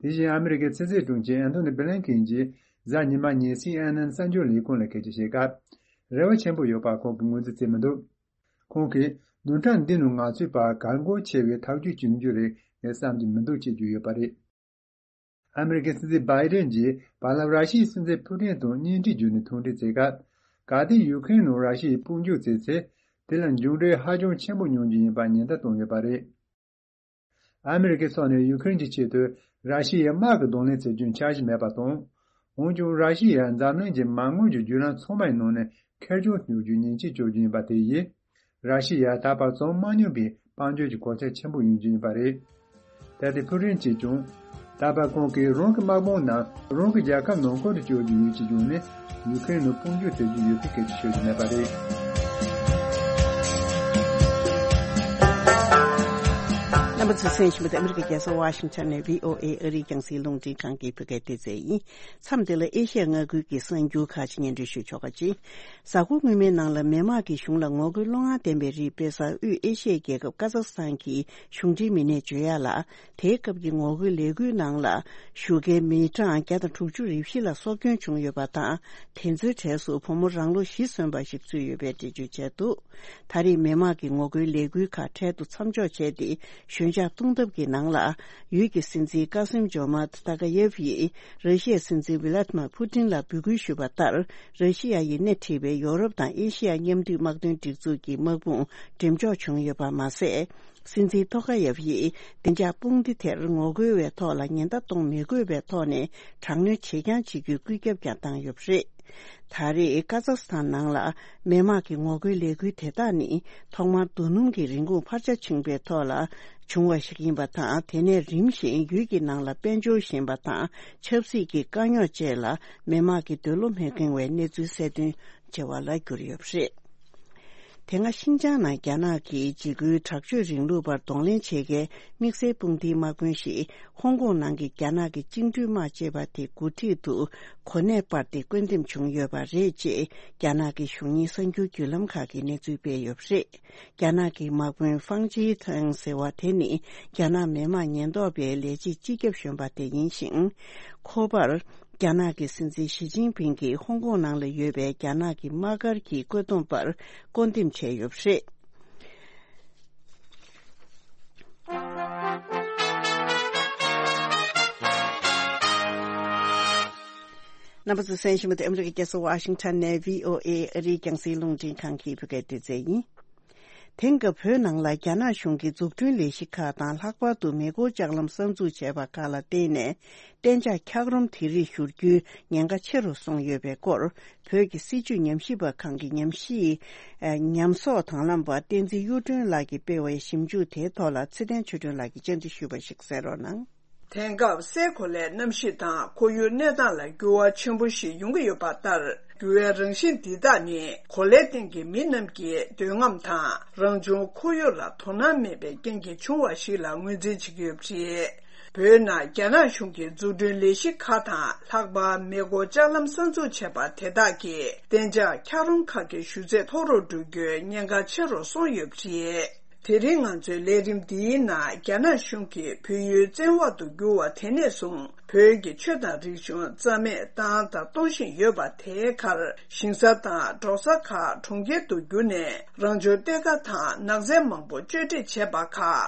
དེ་བཞིན་ཨ་མི་རི་ཀའི་ཕྱི་སྲིད་དྲུང་ཆེ་ཨན་ཐོ་ནི་བྷི་ལན་ཁིན་གྱིས་གཟའ་ཉི་མ་ཉིན་སི་ཨེན་ཨེན་གསར་འགྱུར་ལས་ཁུངས་ལ་སྐད་ཆ་བཤད་སྐབས། རེ་བ་ཆེན་པོ་ཡོད་པ་ཁོང་གིས་ངོས་འཛིན་བྱེད་མི་འདུག་ཁོང་གིས་བདུན་ཕྲག་འདི་ནང་ང་ཚོའི་བར་གལ་འགངས་ཆེ་བའི་ཐག་གཅོད་བྱུང་རྒྱུ་རེད་ངས་བསམ་གྱི་མི་འདུག་ཅེས་བརྗོད་ཡོད་པ་རེད། ཨ་མི་རི་ཀའི་སྲིད་འཛིན་བྷའི་ཌེན་གྱིས་བར་ལམ་ར་ཤི་ཡའི་སྲིད་འཛིན་ཕུ་ཏིན་དང་བརྙན་འཕྲིན་བརྒྱུད་ནས་ཐུག་འཕྲད་བྱས་སྐབས། གལ་ཏེ་ཡུ་ཁུ་རེན་ནང་ར་ཤི་ཡས་དཔུང་འཇུག་བྱས་ཚེ། དེ་ལ་མཇུག་འབྲས་ཧ་ཅང་ཆེན་པོ་ཡོང་རྒྱུ་ཡིན་པར་ཉེན་བརྡ་བཏང་ཡོད་པ་རེད། ཨ་མི་རི་ཀའི་ཕྱོགས་ནས་ཡུ་ཁུ་རེན་གྱི་ཆེད་དུ་ར་ཤི་ཡའི་དམག་གི་གདོང་ལེན་བྱེད་རྒྱུའི་འཆར་གཞི་མེད་པ་དང་། འོན་ཀྱང་ར་ཤི་ཡས་འཛམ་གླིང་གི་མ་དངུལ་གྱི་བརྒྱུད་ལམ་ཚང་མའི་ནང་ནས་ཁེར་རྐྱང་གཏོང་རྒྱུའི་ཉེས་ཆད་གཅོད་རྒྱུ་ཡིན་པ་དེ་ཡིས། ར་ཤི་ཡ་ད་བར་བྱུང་མ་མྱོང་པའི་དཔལ་འབྱོར་གྱི་གོད་ཆག་ཆེན་པོ་ཡོང་རྒྱུ་ཡིན་པ་རེད། ད་ལྟའི་ཕུ་ཏིན་གྱིས་ཀྱང་། ད་བར་ཁོང་གིས་རང་གི་དམག་དཔུང་རྣམས་རང་གི་རྒྱལ་ཁབ་ནང་ཁུལ་དུ་བསྐྱོད་རྒྱུ་ཡོད་ཅེས་བརྗོད་ནས་ཡུ་ཁུ་རེན་ནང་དཔུང་འཇུག་བྱེད་རྒྱུ་ཡོད་པའི་སྐད་ཆ་ཤོད་ཀྱི་མེད་པ་རེད། རྣམ་པ་ཚོས་གསན་བཞིན་པ་དེ་ཨ་མི་རི་ཀའི་རྒྱལ་ས་ཝ་ཤིང་ཊོན་ནས་བྷི་ཨོ་ཨེ་ཨ་རིའི་རྒྱང་སྲིང་རླུང་འཕྲིན་ཁང་གི་བོད་སྐད་སྡེ་ཚན་ཡིན། མཚམས་འདི་ལ་ཨེ་ཤི་ཡ་མངའ་ཁུལ་གྱི་གསར་འགྱུར་ཁག་ཅིག་སྙན་སྒྲོན་ཞུ་ཆོག་ག་ཅིག་གཟའ་འཁོར་སྔོན་མའི་ནང་ལ་མི་དམངས་ཀྱི་གཞུང་ལ་ངོ་རྒོལ་བློ་ངར་ལྡན་པའི་རིགས་སྤེལ་སར་དབུས་ཨེ་ཤི་ཡའི་རྒྱལ་ཁབ་ཀ་ཛག་སི་ཐན་གྱི་གཞུང་འབྲེལ་མི་སྣས་བརྗོད་ཡག་ལ། དེའི་སྐབས་ཀྱི་ངོ་རྒོལ་ལས་འགུལ་ནང་ལ་ཞུགས་མཁན་མི་གྲངས་བརྒྱ་དང་དྲུག་ཅུ་རེ་བཞི་ལ་སྲོག་སྐྱོན་བྱུང་ཡོད་པ་དང་། དེ་ཚོའི་གྲས་སུ་བུ་མོ་རང་ལོ་བཞི་སོན་པ་ཞིག་ཚུད་ཡོད་པའི་འགྲེལ་བརྗོད་བྱས་འདུག་ད་རེས་མི་དམངས་ཀྱི་ངོ་རྒོལ་ལས་འགུལ་ཁག་འཕྲལ་དུ་མཚམས་འཇོག་བྱས་ཏེ། ཞོད་འཇགས་གཏོང་ཐབས་ཀྱི་ནང་ལ། ཡུལ་གྱི་སྲིད་འཛིན་ཀ་སིམ་ཇོ་མཱཏ་ཏཱ་ཀ་ཡེབ་ཡིས་ར་ཤི་ཡའི་སྲིད་འཛིན་ཝི་ལ་ཏི་མར་ཕུ་ཏིན་ལ་འབོད་སྐུལ་ཞུས་པ་ལྟར། ར་ཤི་ཡ་ཡིས་སྣེ་ཁྲིད་པའི་ཡོ་རོབ་དང་ཨེ་ཤི་ཡ་མཉམ་འབྲེལ་དམག་དོན་སྒྲིག་འཛུགས་ཀྱི་དམག་དཔུང་འགྲེམས་འཇོག་བྱུང་ཡོད་པ་མ་ཟད། སྲིད་འཛིན་ཐོ་ཀ་ཡེབ་ཡིས་བདེ་འཇགས་དཔུང་སྡེ་དེར་ངོ་རྒོལ་བའི་ཐོག་ལ་ཉེན་བརྡ་གཏོང་མི་དགོས་པའི་ཐོག་ནས་དྲག་གནོན་བྱེད་རྐྱང་བྱེད་རྒྱུའི་བཀོད་ཁྱབ་ཀྱང་བཏང་ཡོད་པ་རེད། ད་རེས་ཀ་ཛག་སི་ཐན་ནང་ལ་མི་དམངས་ཀྱི་ངོ་རྒོལ་ལས་འགུལ་དེ་དག་ནི་ཐོག་མར་རྡོ་སྣུམ་གྱི་རིན་གོང་འཕར་ཆ་ཕྱིན་པའི་ཐོག་ལ་བྱུང་བ་ཞིག་ཡིན་པ་དང་། དེ་ནས་རིམ་བཞིན་ཡུལ་གྱི་ནང་ལ་དཔལ་འབྱོར་ཞན་པ་དང་ཆབ་སྲིད་ཀྱི་དཀའ་རྙོག་བཅས་ལ་མི་དམངས་ཀྱི་འདོད་བློ་མི་ཁེངས་བའི་གནས་ཚུལ་གསལ་སྟོན་བྱེད་པ་ལ་གྱུར་ཡོད་པ་རེད། དེ་སྔ་ཤིན་ཅང་ནང་རྒྱ་ནག་གིས་འཇིགས་སྐུལ་དྲག་སྤྱོད་རིང་ལུགས་པར་གདོང་ལེན་བྱེད་མཁན་དམིགས་བསལ་དཔུང་སྡེའི་དམག་དཔོན་ཞིག་ཧོང་ཀོང་ནང་གི་རྒྱ་ནག་གི་བཅིངས་འགྲོལ་དམག་ཅེས་པ་དེ་འགོ་ཁྲིད་དུ་གོ་གནས་སྤར་ཏེ་བཀོད་འདེམས་བྱུང་ཡོད་པ་རེད་ཅེས་རྒྱ་ནག་གི་གཞུང་གཉེར་གསར་འགྱུར་བརྒྱུད་ལམ་ཁག་གིས་གནས་ཚུལ་སྤེལ་ཡོད་པ་རེད། རྒྱ་ནག་གི་དམག་དཔོན་ཧྥང་ཅི་ཐང་ཟེར་བ་དེ་ནི་རྒྱ་ནག་མི་དམངས་ཉེན་རྟོག་པའི་ལས་བྱེད་སྤྱི་ཁྱབ་གཞོན་པ་དེ་ཡིན་ཞིང་། ཁོ་པར་རྒྱ་ནག་གི་སྲིད་འཛིན་ཞི་ཅིན་ཕིང་གིས་ཧོང་ཀོང་ནང་ལ་ཡོད་པའི་རྒྱ་ནག་གི་དམག་སྒར་གྱི་བཀོད་འདོམས་པར་བསྐོ་འདེམས་བྱས་ཡོད་པ་རེད། རྣམ་པ་ཚོས་གསན་བཞིན་པ་དེ་ཨ་མི་རི་ཀའི་རྒྱལ་ས་ཝ་ཤིང་ཊོན་ནས་བྷི་ཨོ་ཨེ་ཨ་རིའི་རྒྱང་སྲིང་རླུང་འཕྲིན་ཁང་གི་བོད་སྐད་སྡེ་ཚན་ཡིན། དེང་སྐབས་བོད་ནང་ལ་རྒྱ་ནག་གཞུང་གིས་འཛུགས་སྐྲུན་ལས་གཞི་ཁག་དང་། ལྷག་པར་དུ་མེ་འཁོར་ལྕགས་ལམ་གསར་འཛུགས་བྱས་པ་ཁག་ལ་བརྟེན་ནས། གཏན་འཇགས་འཁྱགས་རོམ་དེ་རིགས་བཞུར་རྒྱུའི་ཉེན་ཁ་ཆེ་རུ་སོང་ཡོད་པའི་སྐོར། བོད་ཀྱི་སྲིད་བྱུས་ཉམས་ཞིབ་པ་ཁང་གི་ཉམས་ཞིབ། ཨ། ཉམས་གསོག་དང་བླངས་པ་བསྟན་འཛིན་གཡུ་སྒྲོན་ལགས་ཀྱིས་སྤེལ་བའི་ཞིབ་འཇུག་དེའི་ཐོག་ལ་ཚེ་བརྟན་ཆོས་སྒྲོན་ལགས་ཀྱིས་བཅར་འདྲི་ཞུས་པ་ཞིག་གསན་རོགས་གནང་། དེང་སྐབས་སའི་གོ་ལའི་གནམ་གཤིས་དང་ཁོར་ཡུག་གནས་སྟངས་ལ་འགྱུར་བ་ཆེན་པོ་ཞིག་ཡོང་གི་ཡོད་པ་ལྟར། འགྱུར་བའི་རང་བཞིན་འདི་དག་ནི་གོ་ལའི་སྟེང་གི་མི་རྣམས་ཀྱི་འདོད་རྔམ་དང་རང་བྱུང་ཁོར་ཡུག་ལ་དོ་སྣང་མེད་པའི་རྐྱེན་གྱིས་བྱུང་བ་ཞིག་ལ་ངོས་འཛིན་བྱེད་ཀྱི་ཡོད་པ་རེད། བོད་ནང་རྒྱ་ནག་གཞུང་གིས་འཛུགས་སྐྲུན་ལས་གཞི་ཁག་དང་། ལྷག་པར་མེ་འཁོར་ལྕགས་ལམ་གསར་འཛུགས་བྱས་པ་དེ་དག་གིས་གཏན་འཇགས་འཁྱགས་རོམ་ཁག་གི་ཞུ་ཚད་མཐོ་རུ་འགྲོ་རྒྱུའི་ཉེན་ཁ་ཆེ་རུ་སོང་ཡོད་པ་རེད། དེ་རིང་ང་ཚོའི་ལས་རིམ་འདིའི་ནང་རྒྱ་ནག་གཞུང་གིས་བོད་ཡུལ་བཙན་འོག་ཏུ་བསྒྱུར་བ་དེ་ནས་བཟུང་བོད་ཀྱི་ཆོས་དང་རིག་གཞུང་རྩ་མེད་བཏང་དང་གཏོང་བཞིན་ཡོད་པ་དེའི་ཁར། ཞིང་ས་དང་འབྲོག་ས་ཁག་གྲོང་ཁྱེར་དུ་བསྒྱུར་ནས་རང་བྱུང་གཏེར་ཁ་དང་ནགས་ཚལ་མང་པོ་གཅོད་འབྲེག་བྱས་པ་ཁག་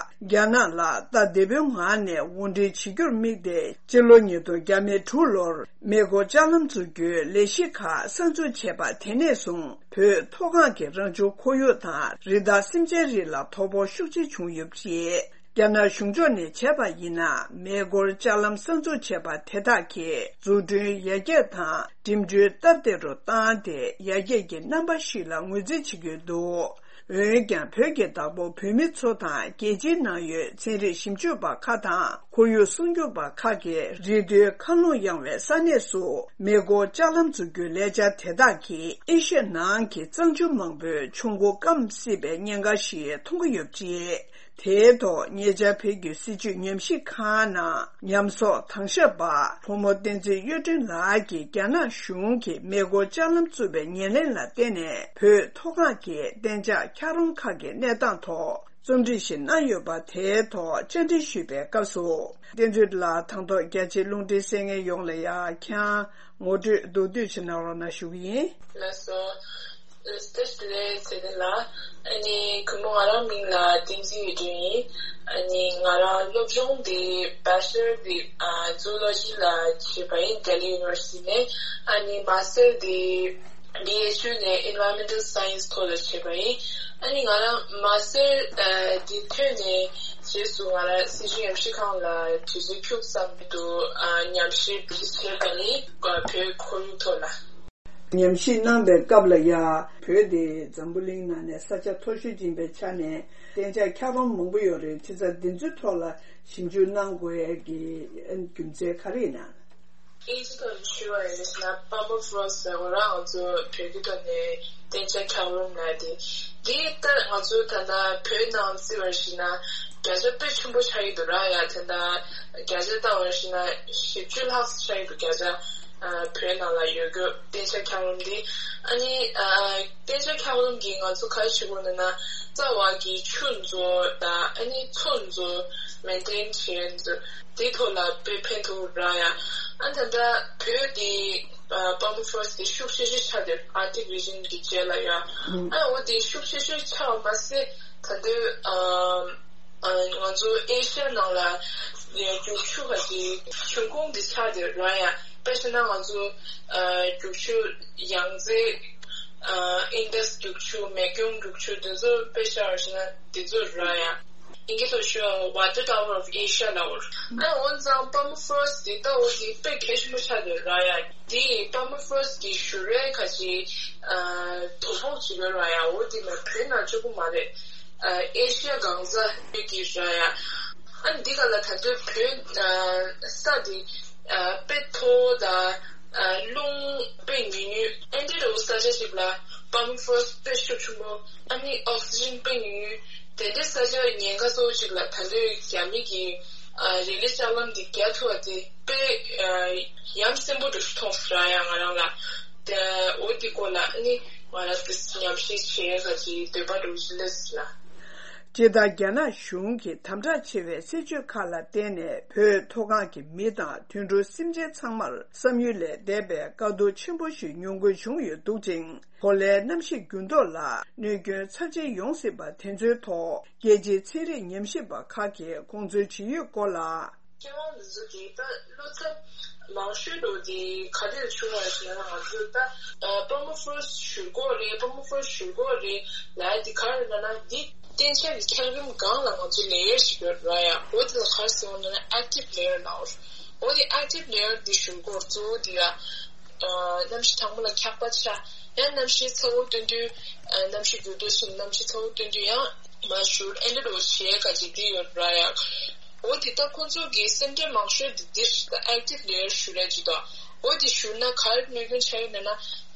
རྒྱ་ནག་ལ་ད་དེ་སྦོའི་ངང་ནས་དབོར་འདྲེན་བྱེད་རྒྱུར་དམིགས་ཏེ། སྤྱི་ལོ་ཉིས་སྟོང་བརྒྱ་མེད་དྲུག་ལོར་མེ་འཁོར་ལྕགས་ལམ་འཛུགས་རྒྱུའི་ལས་གཞི་ཁག་གསར་འཛུགས་བྱས་པ་དེ་ནས་བཟུང་། བོད་མཐོ་སྒང་གི་རང་བྱུང་ཁོར་ཡུག་དང་རི་དྭགས་སེམས་ཅན་རིགས་ལ་དོ་ཕོག་ཤུགས་ཆེ་བྱུང་ཡོད་པ་རེད། རྒྱ་ནག་གཞུང་ཕྱོགས་ནས་བྱས་པ་ཡིན་ན། མེ་འཁོར་ལྕགས་ལམ་གསར་འཛུགས་བྱས་པ་དེ་དག་གིས་འཛུགས་སྐྲུན་ཡར་རྒྱས་དང་འགྲིམ་འགྲུལ་སྟབས་བདེ་རུ་བཏང་སྟེ། ཡར་རྒྱས་ཀྱི་རྣམ་པ་ཞིག་ལ་ངོས་འཛིན་བྱེད་ཀྱི་འདུག་འོན་ཀྱང་། བོད་ཀྱི་བདག་པོ་བོད་མི་ཚོ་དང་རྒྱལ་སྤྱིའི་ནང་ཡོད་ཚན་རིག་ཞིབ་འཇུག་པ་ཁག་དང་ཁོར་ཡུག་སྲུང་སྐྱོབ་པ་ཁག་གིས། རི་མཐོའི་མཁའ་རླུང་ཡངས་པའི་ས་གནས་སུ་མེ་འཁོར་ལྕགས་ལམ་འཛུགས་རྒྱུའི་ལས་འཆར་དེ་དག་གིས་ཨེ་ཤ་ཡ་ནང་གི་གཙང་ཆུ་མང་པོའི་ཆུ་མགོ་སྐམ་སྲིད་པའི་ཉེན་ཁ་ཞིག་མཐོང་གི་ཡོད་པ་རེད། དེའི་ཐོག་ཉེ་ཆར་བོད་ཀྱི་སྲིད་བྱུས་ཉམས་ཞིབ་ཁང་ནང་ཉམས་གསོག་དྭང་ཞབས་པ་ཕོ་མོ་བསྟན་འཛིན་གཡུ་སྒྲོན་ལགས་ཀྱིས་རྒྱ་ནག་གཞུང་གིས་མེ་འཁོར་ལྕགས་ལམ་བཙུགས་པའི་ཉེར་ལེན་ལ་བརྟེན་ནས། བོད་མཐོ་སྒང་གི་གཏན་འཇགས་འཁྱགས་རོམ་ཁག་གི་གནས་སྟངས་ཐོག་རྩོམ་སྒྲིག་ཞིག་གནང་ཡོད་པ། དེའི་ཐོག་བཅར་འདྲི་ཞུས་པའི་སྐབས་སུ། བསྟན་འཛིན་ལགས། དང་ཐོག་རྒྱ་ཆེའི་རླུང་འཕྲིན་གསན་མཁན་ཡོངས་ལ་ཡང་ཁྱེད་རང་ངོ་སྤྲོད་མདོར་བསྡུས་ཤིག་གནང་རོགས་གནང་ཞུ་གི་ཡིན། ལགས་སོ། བཀྲ་ཤིས་བདེ་ལེགས་ཚེ་བརྟན་ལགས། ཨ་ནི་གུས་མོ། ང་རང་མིང་ལ་བསྟན་འཛིན་གཡུ་སྒྲོན་ཡིན། ཨ་ནི་ང་རང་སློབ་སྦྱོང་འདི་Bachelor འདི་ཨ་Zoology ལ་བྱས་པ་ཡིན། Delhi University ནས། ཨ་ནི་Master འདི་B H U ནས་Environmental Science ཐོག་ལ་བྱས་པ་ཡིན། ཨ་ནི་ང་རང་Master ཨ་འདི་ཐོན་ནས་རྗེས་སུ་ང་རང་སྲིད་བྱུས་ཉམས་ཞིབ་ཁང་ལ་དུས་ཚོད་ཁྱུག་ཙམ་དུ་ཨ་ཉམས་ཞིབ་བྱས་པ་ཡིན། བོད་ཁོར་ཡུག་ཐོག་ལ། ཉམས་ཞིབ་གནང་པའི་སྐབས་ལ་ཡ། བོད་དེ་འཛམ་བུ་གླིང་ནང་ནས་ས་ཆ་མཐོ་ཤོས་ཅིག་ཡིན་པའི་ཆ་ནས་གཏན་འཇགས་འཁྱགས་རོམ་མང་པོ་ཡོད་རེད། བྱས་ཙང་འདི་ཚོའི་ཐོག་ལ་ཞིབ་འཇུག་གནང་དགོས་ཡ་གི་རྒྱུ་མཚན་ག་རེ་ཡིན་ན། ཨིན་ཇི་ཐོག་ནས་ཞུས་པ་ཡིན་ན། Permafrost ཟེར་བ་རང་ང་ཚོ་བོད་སྐད་ཐོག་ནས་གཏན་འཇགས་འཁྱགས་རོམ་ལབ་དེ། འདི་ལྟར་ང་ཚོ་ད་ལྟ་བོད་ནང་བརྩི་བ་ཞིག་ན་བརྒྱ་ཆ་དཔེ་ཆེན་པོ་ཆགས་ཀྱི་འདུག་ར་ཡ། ད་ལྟ་བརྒྱ་ཆ་བཏང་བ་ཞིག་ན་བཞི་བཅུ་ལྷག་ཙམ་ཆགས་ཀྱི་འདུག་བརྒྱ་ཆ་ཨ་བོད་ནང་ལ་ཡོད་རྒྱུ་གཏན་འཇགས་འཁྱགས་རོམ་འདི། ཨ་ནི་ཨ་གཏན་འཇགས་འཁྱགས་རོམ་གྱིས་ང་ཚོ་ག་རེ་བྱེད་དགོས་ན་ན། རྩ་བ་གི་ཆུ་མཛོད་དང་ཨ་ནི་མཚོ་མཛོད་མེན་ཊེན་བྱེད་མཛོད་དེ་ཐོག་ལ་དཔེ་ཕན་ཐོགས་ར་ཡ། ཨ་ད་ལྟ་བོད་འདི་ཨ་Permafrost འདི་ཤུགས་ཆེ་ཤོས་ཆགས་བསྡད་Arctic region གི་རྗེས་ལ་ཡ། ཨ་འོ་དེ་ཤུགས་ཆེ་ཤོས་ཆགས་པ་མ་ཟད་ད་དུང་ཨ་ཨ་ང་ཚོ་ཨེ་ཤ་ཡ་ནང་ལ་རྒྱུག་ཆུ་ཁ་ཅིག་འབྱུང་ཁུངས་འདི་ཆགས་བསྡད་ར་ཡ། དཔེ་བྱས་ན་ང་ཚོ་ཨ་རྒྱུག་ཆུ་ཡང་རྩེ་ཨ་ཨིན་ཌས་རྒྱུག་ཆུ། མེ་སྐྱོན་རྒྱུག་ཆུ་འདི་ཚོ་དཔེ་བཞག་པ་ཞིག་ན་འདི་ཚོ་ར་ཡ། ཨིན་སྐད་ཐོག་ཞུ་བ་Water Tower of Asia ལབ་ཡོད། ཨ་འོན་ཙང་Permafrost འདི་ལྟ་བུ་འདི་དཔེ་གལ་ཆེན་པོ་ཆགས་བསྡད་ར་ཡ། འདི་Permafrost གི་བཞུར་རའི་ཁ་ཅིག་ཨ་དོ་ཕོག་ཅིག་ཡོད་ར་ཡ། འོ་འདི་ལ་བོད་ནང་གཅིག་པུ་མ་རེད། ཨ་ཨེ་ཤི་ཡ་གང་ས་ཡོད་ཀྱི་ར་ཡ། ཨ་འདི་ག་ལ་ད་ལྟ་བོད་ཨ་ས་འདི་ཨ་དཔེ་མཐོ་བོ་དང་ཨ་རླུང་དཔེ་ཉུང་ཉུང་ཨེ་འདྲ་བོ་ས་ཆ་ཞིག་ལ། པར་མ་ཕོ་རོ་སི་དཔེ་ཤུགས་ཆེན་པོ། ཨ་ནི་ཨོག་སི་ཇན་དཔེ་ཉུང་ཉུང་། དེ་འདྲའི་ས་ཆ་ཉེན་ཁ་གཙོ་བོ་གཅིག་ལ་ད་ལྟའི་རྒྱ་མི་གི་ཨ་རི་ལི་ལྕགས་ལམ་འདི་རྒྱག་ཐུབ་པ་དེ་དཔེ་ཨ་ཡ་མཚན་པོ་འདྲ་ཞིག་མཐོང་སོང་ར་ཡ། ང་རང་ལ་དེ་འོ་དེ་སྐོར་ལ་ཨ་ནི་ང་རང་གི་ཉམས་ཞིབ་བྱེད་ཡ་ག་ཅིག་འདོད་པ་འདྲ་བོ་ཞིག་སླེབས་སོང་ལ། སྤྱིར་བཏང་རྒྱ་ནག་གཞུང་གིས་དམ་དྲག་ཆེ་བའི་སྲིད་བྱུས་ཁག་ལ་བརྟེན་ནས་བོད་མཐོ་སྒང་གི་མི་དང་དུད་འགྲོ་སེམས་ཅན་ཚང་མར་བསམ་ཡུལ་ལས་འདས་པའི་དཀའ་སྡུག་ཆེན་པོ་ཞིག་མྱོང་དགོས་བྱུང་ཡོད་འདུག་ཅིང་། གོ་ལའི་གནམ་གཤིས་འགྱུར་ལྡོག་ལ་གནོད་སྐྱོན་ཚབས་ཆེན་ཡོང་སྲིད་པ་དེ་ཚོའི་ཐོག་རྒྱལ་སྤྱིའི་ཚན་རིག་ཉམས་ཞིབ་པ་ཁག་གིས་དགོངས་ཚུལ་ཇི་ཡོད་སྐོར་ལ། མཁས་དབང་འདི་ཚོ་གིས་ད་བློ་འཚབ་མང་ཤོས་འགྲོ་དེ་ག་རེ་ལ་བྱུང་བ་ཞེ་ན། ང་ཚོས་ད་ཨ་པར་མ་ཕོ་རོ་སི་ཞུ་སྒོ་རེད། པར་མ་ཕོ་རོ་སི་ཞུ་སྒོ་རེད་ལབ་ཡ་དེ་ག་རེ་ལབ་ན། འདི་གཏན་འཇགས་ཀྱི་འཁྱགས་རོམ་སྒང་ལ་ང་ཚོའི་ལེ་ཡར་ཞིག་ཡོད་ར་ཡ། འོ་དེ་ལ་ག་རེ་ཟེར་བ་ན་ཨེག་ཊིབ་ལེ་ཡར་ལབ། འོ་དེ་ཨེག་ཊིབ་ལེ་ཡར་འདི་ཞུ་སྒོ་གཙོ་བོ་འདི་ལ་ཨ་གནམ་གཤིས་གྲང་མོ་ལ་འཁྱགས་པ་ཆགས། ཡང་གནམ་གཤིས་ཚ་བོ་སྟོན་དུས་ཨ་གནམ་གཤིས་འགྱུར་ལྡོག་ཕྱིན། གནམ་གཤིས་ཚ་བོ་སྟོན་དུས་ཡང་མར་བཞུར། ཨེ་འདྲ་འདྲ་བོ་བྱེད་ཡ་ག་ཅིག་འདི་ཡོད་ར་ཡ། འོ་དེ་ད་ཁོང་ཚོ་གི་སེམས་ཁྲལ་མང་ཤོས་དེ་འདིར་ད་ཨེག་ཊིབ་ལེ་ཡར་ཞུ་ར་ཅིག་དང་། འོ་དེ་ཞུ་ན་ག་རེ་གནོད་སྐྱོན་ཆགས་ཡོད་ན་ན།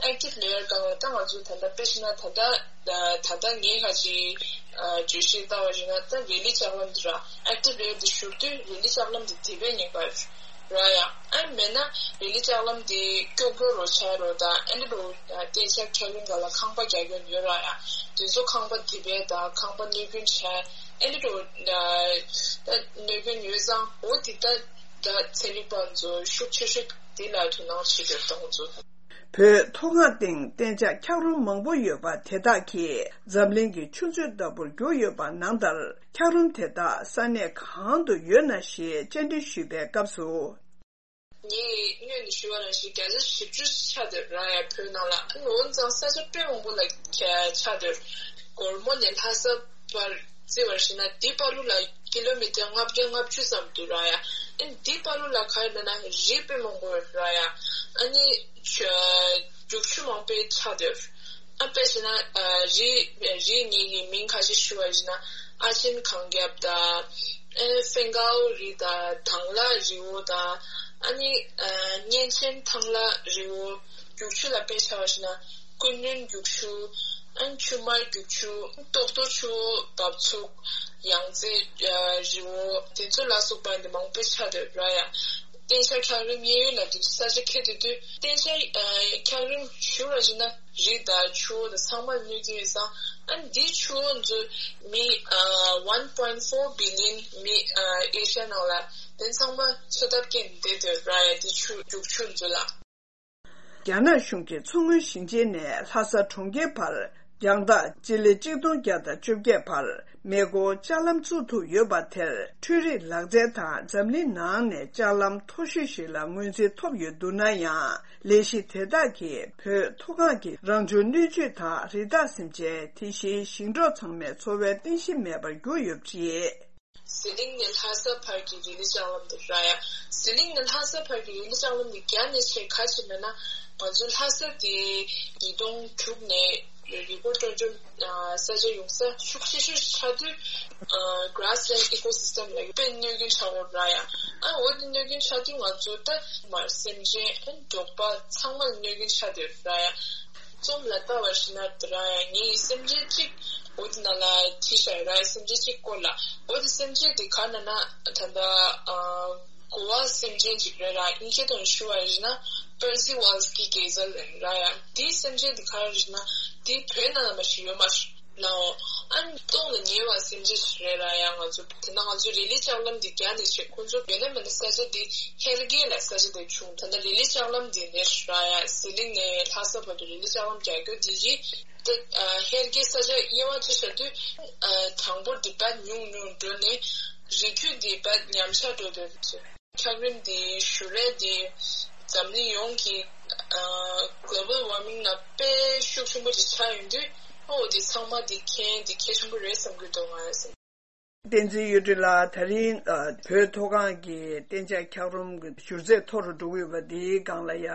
ཨེག་ཊིབ་ལེ་ཡར་སྒང་ལ་ད་ང་ཚོ་ད་ལྟ་དཔེ་བཞག་ན་ད་ལྟ་ད་ལྟ་ངས་ག་ཅིག་ཨ་བརྗོད་གཞི་བཏང་བ་ཞིག་ན། ད་རི་ལི་ལྕགས་ལམ་འདི་ར། ཨེག་ཊིབ་ལེ་ཡར་འདི་ཞུ་དུས་རི་ལི་ལྕགས་ལམ་འདི་དེད་པའི་ཉེན་ཁ་ར་ཡ། ཨ་མེད་ན་རི་ལི་ལྕགས་ལམ་འདི་ཀྱོག་ཀྱོག་རོ་ཆགས་རོ་དང་། ཨེ་འདྲ་འདྲ་བོ་གཏན་འཇགས་འཁྱགས་རོམ་སྒང་ལ་ཁང་པ་རྒྱག་མཁན་ཡོད་ར་ཡ། དེ་ཚོ་ཁང་པ་དེད་པའི་དང་ཁང་པ་གནོད་སྐྱོན་ཆགས། ཨེ་འདྲ་འདྲ་བོ་ད་གནོད་སྐྱོན་ཡོད་ཙང་། འོ་དེ་ད་ད་ཚན་རིག་པ་ཚོ་ཤུགས་ཆེ་ཤོས་དེ་ལ་དོ་སྣང་བྱེད་དགོས་ད་ཁོང་ཚོ། བོད་མཐོ་སྒང་སྟེང་གཏན་འཇགས་འཁྱགས་རོམ་མང་པོ་ཡོད་པ་དེ་དག་གིས་འཛམ་གླིང་གི་ཆུ་མཛོད་ལྟ་བུར་གྱུར་ཡོད་པ་ནང་ལྟར། འཁྱགས་རོམ་དེ་དག་ས་གནས་གང་དུ་ཡོད་ན་ཞེས་བཅར་འདྲི་ཞུས་པའི་སྐབས་སུ། ངས་སྔོན་ནས་ཞུས་པ་ནང་བཞིན་བརྒྱ་ཆ་བཞི་བཅུ་ཆགས་བསྡད་ར་ཡ་བོད་ནང་ལ། ཨ་ནི་འོན་ཙང་ས་ཆ་དཔེ་མང་པོ་ལ་ཆགས་བསྡད། སྒོར་མོ་ནས་ལྷ་ས་བར་བརྩི་བར་བྱས་ན་འདི་བར་དུ་ལ་ཀི་ལོ་མི་ཊར་ལྔ་བརྒྱ་ལྔ་བཅུ་ཙམ་འདུག་ར་ཡ། ཨ་ནི་འདི་བར་དུ་ལ་ག་རེ་ལབ་ན་རི་དཔེ་མང་པོ་ཡོད་ར་ཡ། ཨ་ནི་ཆུ་རྒྱུག་ཆུ་མང་པོ་ཆགས་བསྡད། ཨ་དཔེ་བྱས་ན་ཨ་རི་རི་གཉིས་ཀྱི་མིང་ཁ་ཤས་ཞུ་བ་ཡིན་ན། ཨ་ཆེན་གངས་རྒྱབ་དང་། ཨེ་ཧྥེང་ཀའོ་རི་དང་། དང་ལ་རི་བོ་དང་། ཨ་ནི་ཨ་གཉན་ཆེན་ཐང་ལྷ་རི་བོ། རྒྱུག་ཆུ་ལ་དཔེ་ཆ་བ་ཞིག་ན་ཀུན་སྣོན་རྒྱུག་ཆུ། ཨ་ནི་ཆུ་དམར་རྒྱུག་ཆུ། ཏོག་ཏོ་ཆུ་བོ་འབབ་ཚུགས། ཡང་རྩེ་ཨ་རི་བོ། དེ་ཚོ་ལ་སོགས་པ་འདི་མང་པོ་ཆགས་བསྡད་ར་ཡ། གཏན་འཇགས་འཁྱགས་རོམ་གཡས་གཡོན་ལ་དེ་ཚོ་ས་ཆ་ཁྱེར་ཏེ་དུས། གཏན་འཇགས་ཨ་འཁྱགས་རོམ་ཞུ་བ་ཞིག་ན་རི་དང་ཆུ་བོ་དང་ཚང་མ་གནོད་ཀྱི་ཡོད་ཙང་། ཨ་ནི་འདི་ཆུ་བོ་ཚོ་མི་ཨ་one point four billion མི་ཨ་ཨེ་ཤ་ཡ་ནང་ལ་དེ་ཚང་མ་འཚོ་ཐབས་སྐྱེལ་བསྡད་ཡོད་ར་ཡ། འདི་ཆུ་རྒྱུག་ཆུ་ཚོ་ལ། རྒྱ་ནག་གཞུང་གིས་མཚོ་སྔོན་ཞིང་ཆེན་ནས་ལྷ་ས་གྲོང་ཁྱེར་བར་རྒྱང་ཐག་སྤྱི་ལེ་གཅིག་སྟོང་བརྒྱ་དང་བཅོ་བརྒྱད་བར་མེ་འཁོར་ལྕགས་ལམ་བཙུགས་ཐུབ་ཡོད་པ་དེར། འཕྲུལ་རིག་ལག་རྩལ་དང་འཛམ་གླིང་ནང་ནས་ལྕགས་ལམ་མཐོ་ཤོས་ཤིག་ལ་ངོས་འཛིན་ཐོབ་ཡོད་འདུག་ན་ཡང་། ལས་གཞི་དེ་དག་གིས་བོད་མཐོ་སྒང་གི་རང་བྱུང་སྣོད་བཅུད་དང་རི་དྭགས་སེམས་ཅན། དེ་བཞིན་ཞིང་འབྲོག་ཚང་མའི་འཚོ་བའི་རྟེན་གཞི་མེད་པར་གྱུར་ཡོད་པ་རེད། ཟི་ལིང་ནས་ལྷ་ས་བར་གྱི་རི་ལི་ལྕགས་ལམ་དེ་ར་ཡ། ཟི་ལིང་ནས་ལྷ་ས་བར་གྱི་རི་ལི་ལྕགས་ལམ་དེ་རྒྱ་ནས་ཆེ་ག་ཅིག་མེད་ན། ང་ཚོ་ལྷ་ས་དེ་ཉིས་སྟོང་དྲུག་ནས་རི་སྐོར་སྤྲོ་འཆམ་ས་ཆ་ཡོང་ས་ཤུགས་ཆེ་ཤོས་ཆགས་དུས། Grassland Ecosystem ལ་དཔེ་གནོད་སྐྱོན་ཆགས་ཡོད་ར་ཡ། ཨ་འོ་དེ་གནོད་སྐྱོན་ཆགས་དུས་ང་ཚོ་ད་མར་སེམས་ཅན་ཨ་འབྲོག་པ་ཚང་མ་ལ་གནོད་སྐྱོན་ཆགས་བསྡད་ཡོད་ར་ཡ། རྩོམ་ལ་ལྟ་བ་ཞིག་ན་དེ་ར་ཡ་ངའི་སེམས་ཅན་གཅིག་འོ་དེ་ནང་ལ་བྲིས་བཞག་ཡོད་ར་ཡ། སེམས་ཅན་གཅིག་སྐོར་ལ། འོ་དེ་སེམས་ཅན་དེ་ག་ན་ན་ད་ལྟ་ཨ་གོ་བ་སེམས་ཅན་གཅིག་རེད་ར། ཨིན་སྐད་ཐོག་ནས་ཞུ་བ་ཡིན་ན་Percy Wallski Gazelle ཡིན་ར་ཡ། དེའི་སེམས་ཅན་དེ་ག་རེ་རེད་ན་དེ་བོད་ནང་ལ་མ་ཞིག་ཡོད་མ་རེད། ལའོ། ཨ་ནི་སྟོང་ལ་ཉེ་བ་སེམས་ཅན་ཞིག་རེད་ར་ཡ། ང་ཚོ་དེ་ན་ང་ཚོའི་རི་ལི་ལྕགས་ལམ་འདི་རྒྱ་ནས་ཆེ། ཁོང་ཚོ་ཡོད་ན་མེད་ན་ས་ཆ་འདི་ཧེལ་གེ་ལ་ས་ཆ་འདི་བྱུང་། ད་ལྟ་རི་ལི་ལྕགས་ལམ་འདི་ནས་ར་ཡ་ཟི་ལིང་ནས་ལྷ་ས་བར་དུ་རི་ལི་ལྕགས་ལམ་རྒྱག་རྒྱུ་འདི་རི་དེ་ཨ་ཧེལ་གེ་ས་ཆ་དབྱེ་བ་ཕྱེ་བཞག་དུས་ཨ་གྲངས་འབོར་འདི་ད་ཉུང་ཉུང་འགྲོ་ནས་རི་རྒྱུད་འདི་ད་ཉམས་ཆག་འགྲོ་འདོད་ཚོད། འཁྱགས་རོམ་དེ་ཞུ་རེས་དེ་འཛམ་གླིང་ཡོངས་ཀྱི་ཨ་global warming ནང་དཔེ་ཤུགས་ཆེན་པོ་ཅིག་ཆགས་ཡོང་དུས། ཨོ་དེ་ཚང་མ་དེ་མཁྱེན་དེ་གལ་ཆེན་པོ་རེད་བསམ་གྱི་འདུག་ང་ཡང་བསམ། བསྟན་འཛིན་གཡུ་སྒྲོན་ལགས། ད་རིང་ཨ་བོད་མཐོ་སྒང་གི་གཏན་འཇགས་འཁྱགས་རོམ་གྱི་བསྒྱུར་ཚད་མཐོ་རུ་འགྲོ་གི་ཡོད་པ་འདིའི་སྒང་ལ་ཡ་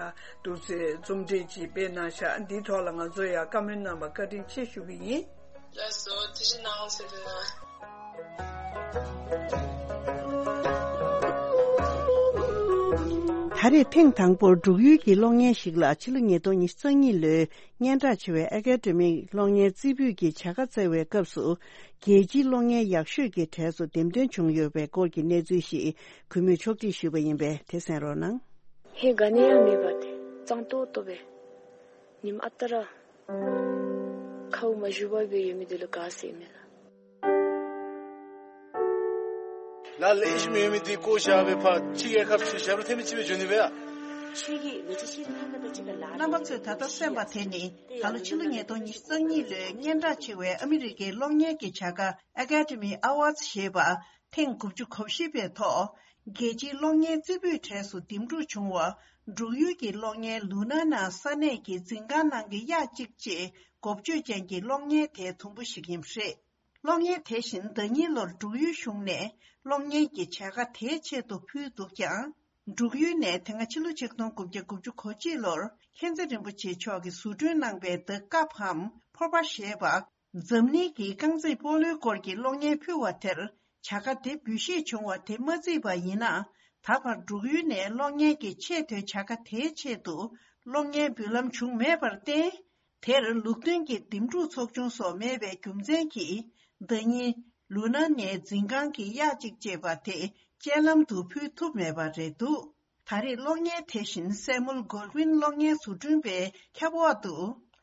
འདུག་སེ་རྩོམ་སྒྲིག་ཅིག་སྤེལ་གནང་ཤག་འདིའི་ཐོག་ལ་ང་ཚོ་ཡ་བཀའ་མོལ་གནང་བར་བཀའ་དྲིན་ཆེ་ཞུ་གི་ཡིན། ལགས་སོ། ཐུགས་རྗེ་གནང་ཟེར་དུས་ན། ད་རེས་ཐེངས་དང་པོར་འབྲུག་ཡུལ་གྱི་གློག་བརྙན་ཞིག་ལ་ཕྱི་ལོ་ཉིས་སྟོང་ཉི་ཤུ་རྩ་གཉིས་ལོའི་སྙན་གྲགས་ཆེ་བའི་ཨེ་ཀ་ཌེ་མིག་གློག་བརྙན་རྩེ་ཕུད་ཀྱི་བྱ་དགའ་བསྩལ་བའི་སྐབས་སུ། རྒྱལ་སྤྱིའི་གློག་བརྙན་ཡག་ཤོས་ཀྱི་གྲས་སུ་འདེམས་ཐོན་བྱུང་ཡོད་པའི་སྐོར་གྱི་གནས་ཚུལ་ཞིག་གུས་མོས་ཕྱོགས་སྒྲིག་ཞུས་པ་ཡིན་པས་དེ་གསན་རོགས་གནང་། ཧེ་ག་ནས་ཡང་མེད་པ་དེ་གཙང་ཏོག་ཏོ་བས། ཉིམ་ཨ་ཏ་ར། ཁའུ་མ་ཞུ་བ་བའི་ཡོད་མི་དེ་ལ་ག་ཟེར་མེད་ལ། ལ་ལས་ཤི་མེད་མི་དེ་ཀོ་ཞག་བའི་ཕ་ཅི་གའི་ཁབ་ཆུ་ཞབས་རུ་ཐེ་མི་ཆི་བའི་ཇོ་ནི་བའི་ཨ། ཆོས་ཀྱི་མི་ཅི་ཤི་ནི་ཁ་ཁ་ད་ཅི་ག་ལ། རྣམ་པ་ཚོས་ད་ལྟ་གསན་པ་དེ་ནི་ད་ལོ་ཕྱི་ལོ་ཉིས་སྟོང་ཉི་ཤུ་རྩ་གཉིས་ལོའི་སྙན་གྲགས་ཆེ་བའི་ཨ་མི་རི་ཀའི་གློག་བརྙན་གྱི་བྱ་དགའ་Academy Awards ཞེས་པ་ཐེངས་དགུ་བཅུ་གོ་བཞི་པའི་ཐོག་རྒྱལ་སྤྱིའི་གློག་བརྙན་རྩེ་ཕུད་གྲས་སུ་འདེམས་སྒྲུག་བྱུང་བ། འབྲུག་ཡུལ་གྱི་གློག་བརྙན་ལུ་ན་ན་ས་གནས་ཀྱི་འཛིན་ཁང་ནང་གི་གཡག་གཅིག་ཅེས་འགོ་བརྗོད་ཅན་གྱི་གློག་བརྙན་དེའི་དུམ་བུ་ཞིག་ཡིན་པ་རེད། གློག་བརྙན་དེ་བཞིན་ཟླ་ཉིན་ལོར་འབྲུག་ཡུལ་གཞུང་ནས་གློག་བརྙན་གྱི་བྱ་དགའ་དེའི་ཆེད་དུ་ཕུལ་འདུག་ཀྱང་། འབྲུག་ཡུལ་ནས་དེ་སྔ་ཕྱི་ལོ་ཆིག་སྟོང་དགུ་བརྒྱ་དགུ་བཅུ་གོ་གཅིག་ལོར་མཁྱེན་བརྩེ་རིན་པོ་ཆེ་མཆོག་གིས་བཟོ་སྐྲུན་གནང་པའི་The Cup འམ་ཕོར་པ་ཞེས་པ། འཛམ་གླིང་གི་རྐང་རྩེད་སྤོ་ལོའི་སྐོར་གྱི་གློག་བརྙན་ཕུལ་བ་དེར་བྱ་དགའ་དེ་འབུལ་བཞེས་བྱུང་བ་དེ་མ་བརྩིས་པ་ཡིན་ན། ད་བར་འབྲུག་ཡུལ་ནས་གློག་བརྙན་གྱི་ཆེས་མཐོའི་བྱ་དགའ་དེའི་ཆེད་དུ་གློག་བརྙན་འབུལ་ལམ་བྱུང་མེད་པར་བརྟེན། དེར་ལུགས་མཐུན་གྱི་འདེམས་སྒྲུག་ཚོགས་ཆུང་སོགས་མེད་པའི་རྒྱུ་མཚན་གྱིས། ཟླ་ཉིན་ལུ་ན་ནའི་འཛིན་ཁང་གི་གཡག་གཅིག་ཅེས་པ་དེ་སྤྱན་ལམ་དུ་ཕུལ་ཐུབ་མེད་པ་རེད་འདུག་ད་རེས་གློག་བརྙན་དེ་བཞིན་སེ་མུལ་གོལ་ཝིན་གློག་བརྙན་བཟོ་སྐྲུན་པའི་ཁྱབ་འོག་ཏུ་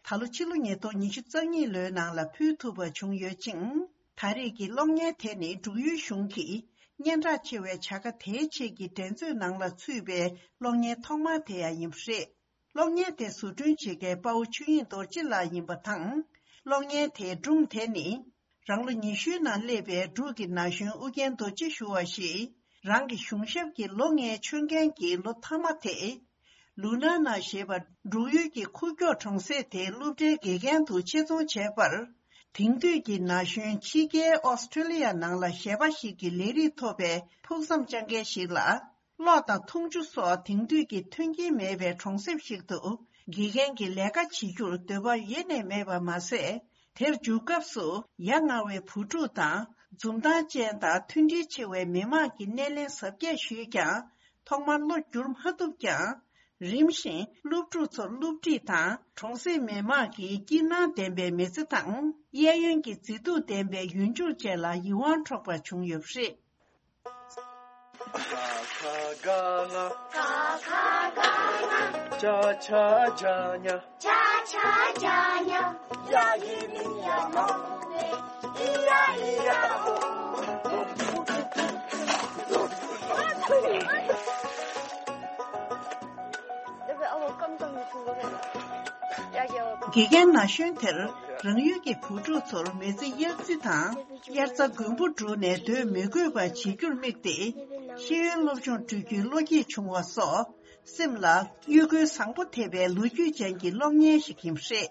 ད་ལོ་ཕྱི་ལོ་ཉིས་སྟོང་ཉི་ཤུ་རྩ་གཉིས་ལོའི་ནང་ལ་ཕུལ་ཐུབ་པ་བྱུང་ཡོད་ཅིང་། ད་རེས་ཀྱི་གློག་བརྙན་དེ་ནི་འབྲུག་ཡུལ་གཞུང་གིས་སྙན་གྲགས་ཆེ་བའི་བྱ་དགའ་དེའི་ཆེད་ཀྱི་འགྲན་རྩོད་ནང་ལ་ཚུད་པའི་གློག་བརྙན་ཐོག་མ་དེ་ཡང་ཡིན་པ་རེད། གློག་བརྙན་དེ་བཟོ་སྐྲུན་བྱེད་མཁན་དཔའ་བོ་ཆོས་དབྱིངས་རྡོ་རྗེ་ལགས་ཡིན་པ་དང་། གློག་བརྙན་དེའི་སྒྲུང་དེ་ནི། རང་ལོ་ཉི་ཤུའི་ནང་སླེབས་པའི་འབྲུག་གི་ན་གཞོན་ཨུ་རྒྱན་རྡོ་རྗེ་ཞུ་བ་ཞིག་རང་གི་གཞུང་ཞབས་ཀྱི་ལོ་ལྔའི་ཆོད་མཁན་གྱི་ལོ་མཐའ་མ་དེ། ལུ་ན་ན་ཞེས་པ་འབྲུག་ཡུལ་གྱི་ཁུག་ཀྱོག་གྲོང་གསེབ་དེའི་སློབ་གྲྭའི་དགེ་རྒན་དུ་ཆེད་རྫོང་བྱས་པར། དེང་དུས་ཀྱི་ན་གཞོན་ཕྱི་རྒྱལ་ཨོ་སི་ཀྲི་ལི་ཡ་ནང་ལ་གཞས་པ་ཞིག་གི་ལས་རིགས་ཐོབ་པའི་ཕུགས་བསམ་བཅངས་མཁན་ཞིག་ལ། གློག་དང་འཐུང་ཆུ་སོགས་དེང་དུས་ཀྱི་མཐུན་རྐྱེན་མེད་པའི་གྲོང་གསེབ་ཞིག་ཏུ་དགེ་རྒན་གྱི་ལས་ཀ་བྱེད་རྒྱུར་འདོད་པ་ཡེ་ནས་མེད་པ་མ་ཟད། དེར་འཇུག་སྐབས་སུ་ཡ་ང་བའི་བུ་ཕྲུག་དང་འཛུམ་མདངས་ཅན་དང་མཐུན་སྒྲིལ་ཆེ་བའི་མི་མང་གི་སྣེ་ལེན་གཟབ་རྒྱས་ཞུས་ཀྱང་། ཐོག་མར་བློ་བསྒྱུར་མ་ཐུབ་ཀྱང་། རིམ་བཞིན་སློབ་ཕྲུག་ཚོར་སློབ་ཁྲིད་དང་གྲོང་གསེབ་མི་མང་གི་སྐྱིད་སྣང་ལྡན་པའི་མི་ཚེ་དང་གཡས་གཡོན་གྱི་མཛེས་སྡུག་ལྡན་པའི་ཡུལ་ལྗོངས་བཅས་ལ་ཡིད་དབང་འཕྲོག་པ་བྱུང་ཡོད་པ་རེད། ཀ་ཁ་ག་ང་། ཀ་ཁ་ག་ང་། ཅ་ཆ་ཇ་ཉ། ཅ་ཆ་ཇ་ཉ། ཡ་ཡི་མི་ཡ་མ་ཨི་ཡ་ཨི་ཡ་ཨོ། དགེ་རྒན་ན་གཞོན་དེར་རང་ཡུལ་གྱི་བུ་ཕྲུག་ཚོར་མི་ཚེ་གཡག་རྩེ་དང་། དབྱར་རྩྭ་དགུན་འབུ་བསྒྲུགས་ནས་སྡོད་མི་དགོས་པ་བྱེད་རྒྱུར་དམིགས་ཏེ། ཤེས་ཡོན་སློབ་སྦྱོང་སྤྲོད་རྒྱུའི་བློ་སྐྱེད་བྱུང་བ་སོགས། སེམས་ལ་དབྱུ་གུའི་བཟང་པོ་ཐེབས་པའི་ལོ་རྒྱུས་ཅན་གྱི་གློག་བརྙན་ཞིག་ཡིན་པ་རེད།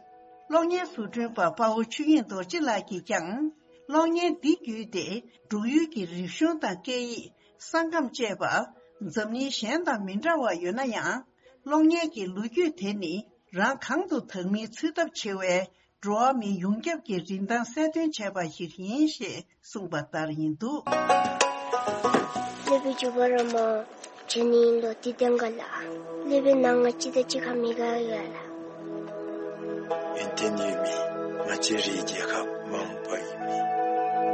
གློག་བརྙན་བཟོ་སྐྲུན་པ་དཔའ་བོ་ཆོས་དབྱིངས་རྡོ་རྗེ་ལགས་ཀྱིས་ཀྱང་། གློག་བརྙན་འདི་བརྒྱུད་དེ་འབྲུག་ཡུལ་གྱི་རིག་གཞུང་དང་སྐད་ཡིག་ས་ཁམས་བཅས་པ། འཛམ་གླིང་གཞན་དང་མི་འདྲ་བ་ཡོད་ན་ཡང་། གློག་བརྙན་གྱི་ལོ་རྒྱུས་དེ་ནི་རང་གང་དུ་དག་མིན་འཚོལ་ཐབས་ཆེ་བའི་འགྲོ་བ་མིའི་ཡོངས་ཁྱབ་ཀྱི་རིན་ཐང་གསལ་སྟོན་བྱས་པ་ཞིག་ཡིན་ཞེས་གསུངས་པ་ལྟར་ཡིན་འདུག་སློབ་དཔོན་ཇོ་བོ་ར་མ་བྱོན་ནི་ཡིན་ལོ་དེ་ལྟན་ག་ལ། སློབ་དཔོན་ནང་ང་ཅི་དང་ཅི་ཁ་མི་དགའ་ཡ་ལ། ཡོན་ཏན་ཡོད་མི་ང་བཅས་རའི་རྒྱལ་ཁབ་མ་འོངས་པ་ཡིན་མི་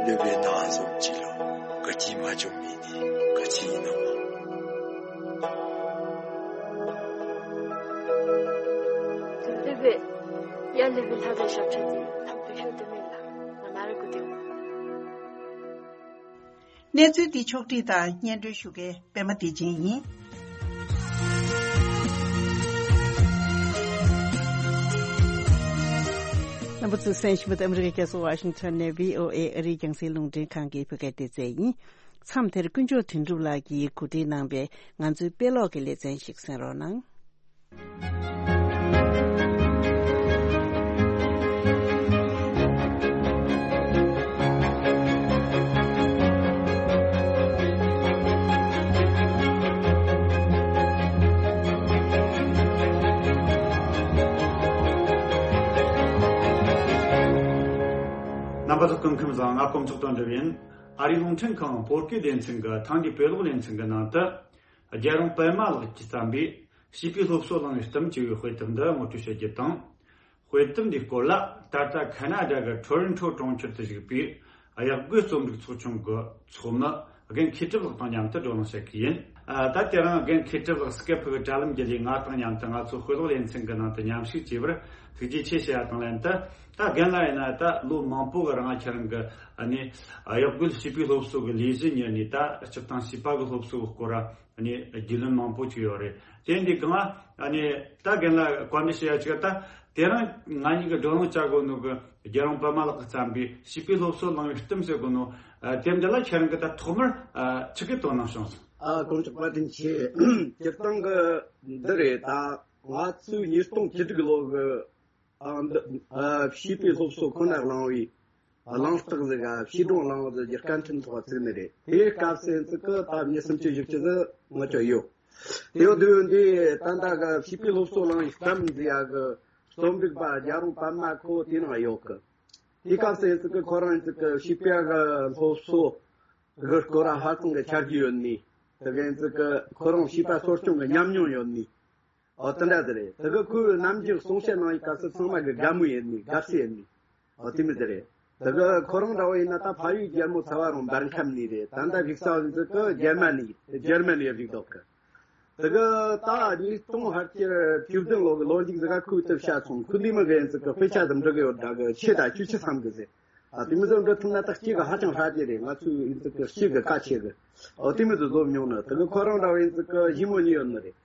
སློབ་དཔོན་ནང་བཟུམ་ཅིག་ལ་དགའ་སྐྱིད་མ་བྱུང་མི་དེ་ག་ཅི་ཡིན་ནམ། སློབ་དཔོན། ཡ་སློབ་དཔོན་ལྷ་དང་ཞབས་ཁྲ་དེ་ཐམ་པའི་ཤོག་དེ་མིན་ལ་ང་ན་རེ་གོ་དེ། གནས་ཚུལ་འདི་ཕྱོགས་བསྒྲིགས་དང་སྙན་སྒྲོན་ཞུ་མཁན་པད་མ་བདེ་ཆེན་ཡིན། རྣམ་པ་ཚོས་གསན་བཞིན་པ་དེ་ཨ་མི་རི་ཀའི་རྒྱལ་ས་ཝ་ཤིང་ཊོན་ནས་བྷི་ཨོ་ཨེ་ཨ་རིའི་རྒྱང་སྲིང་རླུང་འཕྲིན་ཁང་གི་བོད་སྐད་སྡེ་ཚན་ཡིན། མཚམས་དེར་དཀོན་མཆོག་དོན་གྲུབ་ལགས་ཀྱིས་གོ་སྒྲིག་གནང་པའི་ང་ཚོའི་དཔེ་ཀློག་གི་ལེ་ཚན་ཞིག་གསན་རོགས་གནང་། རྣམ་པ་ཚོ་སྐུ་ཁམས་བཟང་། ང་དཀོན་མཆོག་དོན་གྲུབ་ཡིན། ཨ་རིའི་རླུང་འཕྲིན་ཁང་བོད་སྐད་སྡེ་ཚན་གྱི་ཐེངས་འདིའི་དཔེ་ཀློག་ལེ་ཚན་གྱི་ནང་དུ། རྒྱལ་རོང་པད་མ་ལགས་ཀྱིས་བརྩམས་པའི་བྱིས་པའི་སློབ་གསོ་བླང་བའི་གཏམ་ཅེས་པའི་དཔེ་དེབ་འདི་ངོ་སྤྲོད་ཞུ་རྒྱུ་དང་། དཔེ་དེབ་འདིའི་སྐོར་ལ་ད་ལྟ་ཁ་ན་ཌ་གི་ཊོ་རོན་ཊོ་གྲོང་ཁྱེར་དུ་བཞུགས་པའི་གཡག་རྒོད་རྩོམ་སྒྲིག་ཚོགས་ཆུང་གི་ཚོགས་མི་རྒན་མཁས་གྲུབ་ལགས་དང་མཉམ་དུ་བགྲོ་གླེང་བྱེད་ཀྱི་ཡིན། ཨ། ད་དེ་རིང་རྒན་མཁས་གྲུབ་ལགས་སྐད་ཕུག་གི་དྲ་ལམ་བརྒྱུད་ལས་ང་དང་མཉམ་དུ་ང་ཚོའི་དཔེ་ཀློག་ལེ་ཚན་གྱི་ནང་དུ་མཉམ་ཞུགས་བྱས་པར་ཐུགས་རྗེ་ཆེ་ཞུ་ཡ་དང་ལྷན་དུ། ད་རྒན་ལགས་ཡིན་ན་ད་ལོ་མང་པོ་གི་རིང་ཁྱེད་རང་གི་ཨ་ནི་གཡག་རྒོད་བྱིས་པའི་སློབ་གསོ་གི་ལས་གཞི་གཉེར་ནས། ད་སྤྱིར་བཏང་བྱིས་པ་གི་སློབ་གསོ་གི་སྐོར་ཨ་ནི་རྒྱུས་ལོན་མང་པོ་ཅིག་ཡོད་རེད། དེ་འདི་གང་ཨ་ནི་ད་རྒན་ལགས་བཀའ་འདྲི་ཞུ་ཡ་ཅིག་ད་དེ་རིང་ང་གཉིས་ཀྱི་བགྲོ་གླེང་བྱ་དགོས་ནོ་གི་རྒྱལ་རོང་པད་མ་ལགས་ཀྱིས་བརྩམས་པའི་བྱིས་པའི་སློབ་གསོ་བླང་བའི་གཏམ་ཟེར་གོ་ནོ། ཨ། དེབ་འདི་ལ་ཁྱེད་རང་གིས་ད་ཐོག་མར་ཨ་ཆི་གི་དོ་སྣང་བྱུང་སོང་། ཨ། དཀོན་མཆོག་བཀའ་དྲིན་ཆེ། སྤྱིར་བཏང་གི་འདི་རེད། ད་ང་ཚོའི་ཉིས་སྟོང་བཅུ་དྲུག་ལོ་གི་ཨ། འདི། ཨ། བྱིས་པའི་སློབ་གསོ་ཁོ་ན་བླངས་བའི་གླེང་སྟེགས་ཟིག་ག་བྱིས་སྒྲུང་གླེང་བ་ཟིག་གི་སྐད་འཕྲིན་ཚོགས་པ་བཙུགས་ནི་རེད། དེའི་སྐབས་སུ་ཡིན་ཙི་གི་ད་མི་སུམ་ཅུ་བཞི་བཅུ་ཟིག་ངོ་ཅོག་ཡོད། དེའི་དུས་འདི་ད་ལྟ་གི་བྱིས་པའི་སློབ་གསོ་བླང་བའི་གཏམ་ཟེར་ཡ་གི་རྩོམ་སྒྲིག་པ་རྒྱལ་རོང་པད་མ་ཁོ་དེ་ནང་ཡོད་གི། དེའི་སྐབས་སུ་ཡིན་ཙི་གི་ཁོ་རང་ཡིན་ཙི་གི་བྱིས་པ་གི་སློབ་གསོ་གི་སྐོར་ལ་ཧ་ཅང་གི་ཆ་རྒྱུས་ཡོད་ནི། དེ་གི་ཡིན་ཙི་གི་ཁོ་རང་བྱིས་པ་གསོ་སྐྱོང་གི་ཉམས་མྱོང་ཡོད་ནི། ཨོ། དེ་འདྲ་ཟིག་རེད། དེ་གི་ཁོས་ནམ་རྒྱུན་གསུང་བཤད་གནང་བའི་སྐབས་སུ་ཚང་མ་གི་དགའ་མོས་ཡིན་ནི། དགའ་བསུ་ཡིན་ནི། ཨོ། དེ་མོ་ཟིག་རེད། དེ་གི་ཁོ་རང་འདྲ་བོ་ཡིན་ན་ད་ཕ་ཡུལ་རྒྱལ་མོ་ཚ་བ་རང་འབར་ཁམས་ནས་རེད། ད་ལྟ་བཞུགས་ས་བ་ཡིན་ཙི་གི་རྒྱ་མ་ནས། རྒྱ་མ་ནས་བཞུགས་འདུག་གི། དེ་གི་ད་ཉིས་སྟོང་ཕལ་ཆེར་བཅུ་བདུན་ལོ་གི་ལོ་མཇུག་ཟིག་ག་ཁོས་དེབ་བཤད་སོང་། ཁོས་འདི་མོ་གི་ཡིན་ཙི་གི་དཔེ་ཆ་དེ་འབྲི་གི་ཡོད་འདྲ་གི། ཆེ་ད་བཅུ་ཆ་ཙམ་གི་ཟེར། ཨ། དེ་མོ་ཟིག་འབྲི་ཐུབ་ན་ད་སྐྱེས་གི་ཧ་ཅང་ཧྲ་རྒྱུ་རེད། ང་ཚོའི་ཡིན་ཙི་གི་སྐྱེས་གི་ཁ་ཆེ་གི། ཨོ། དེ་མོ་ཟིག་བཟོ་མྱོང་ནི། དེ་གི་ཁོ་རང་འདྲ་བོ་ཡིན་ཙི་གི་ཞི་མོ་གཉིས་ཡོད་ནི་རེད།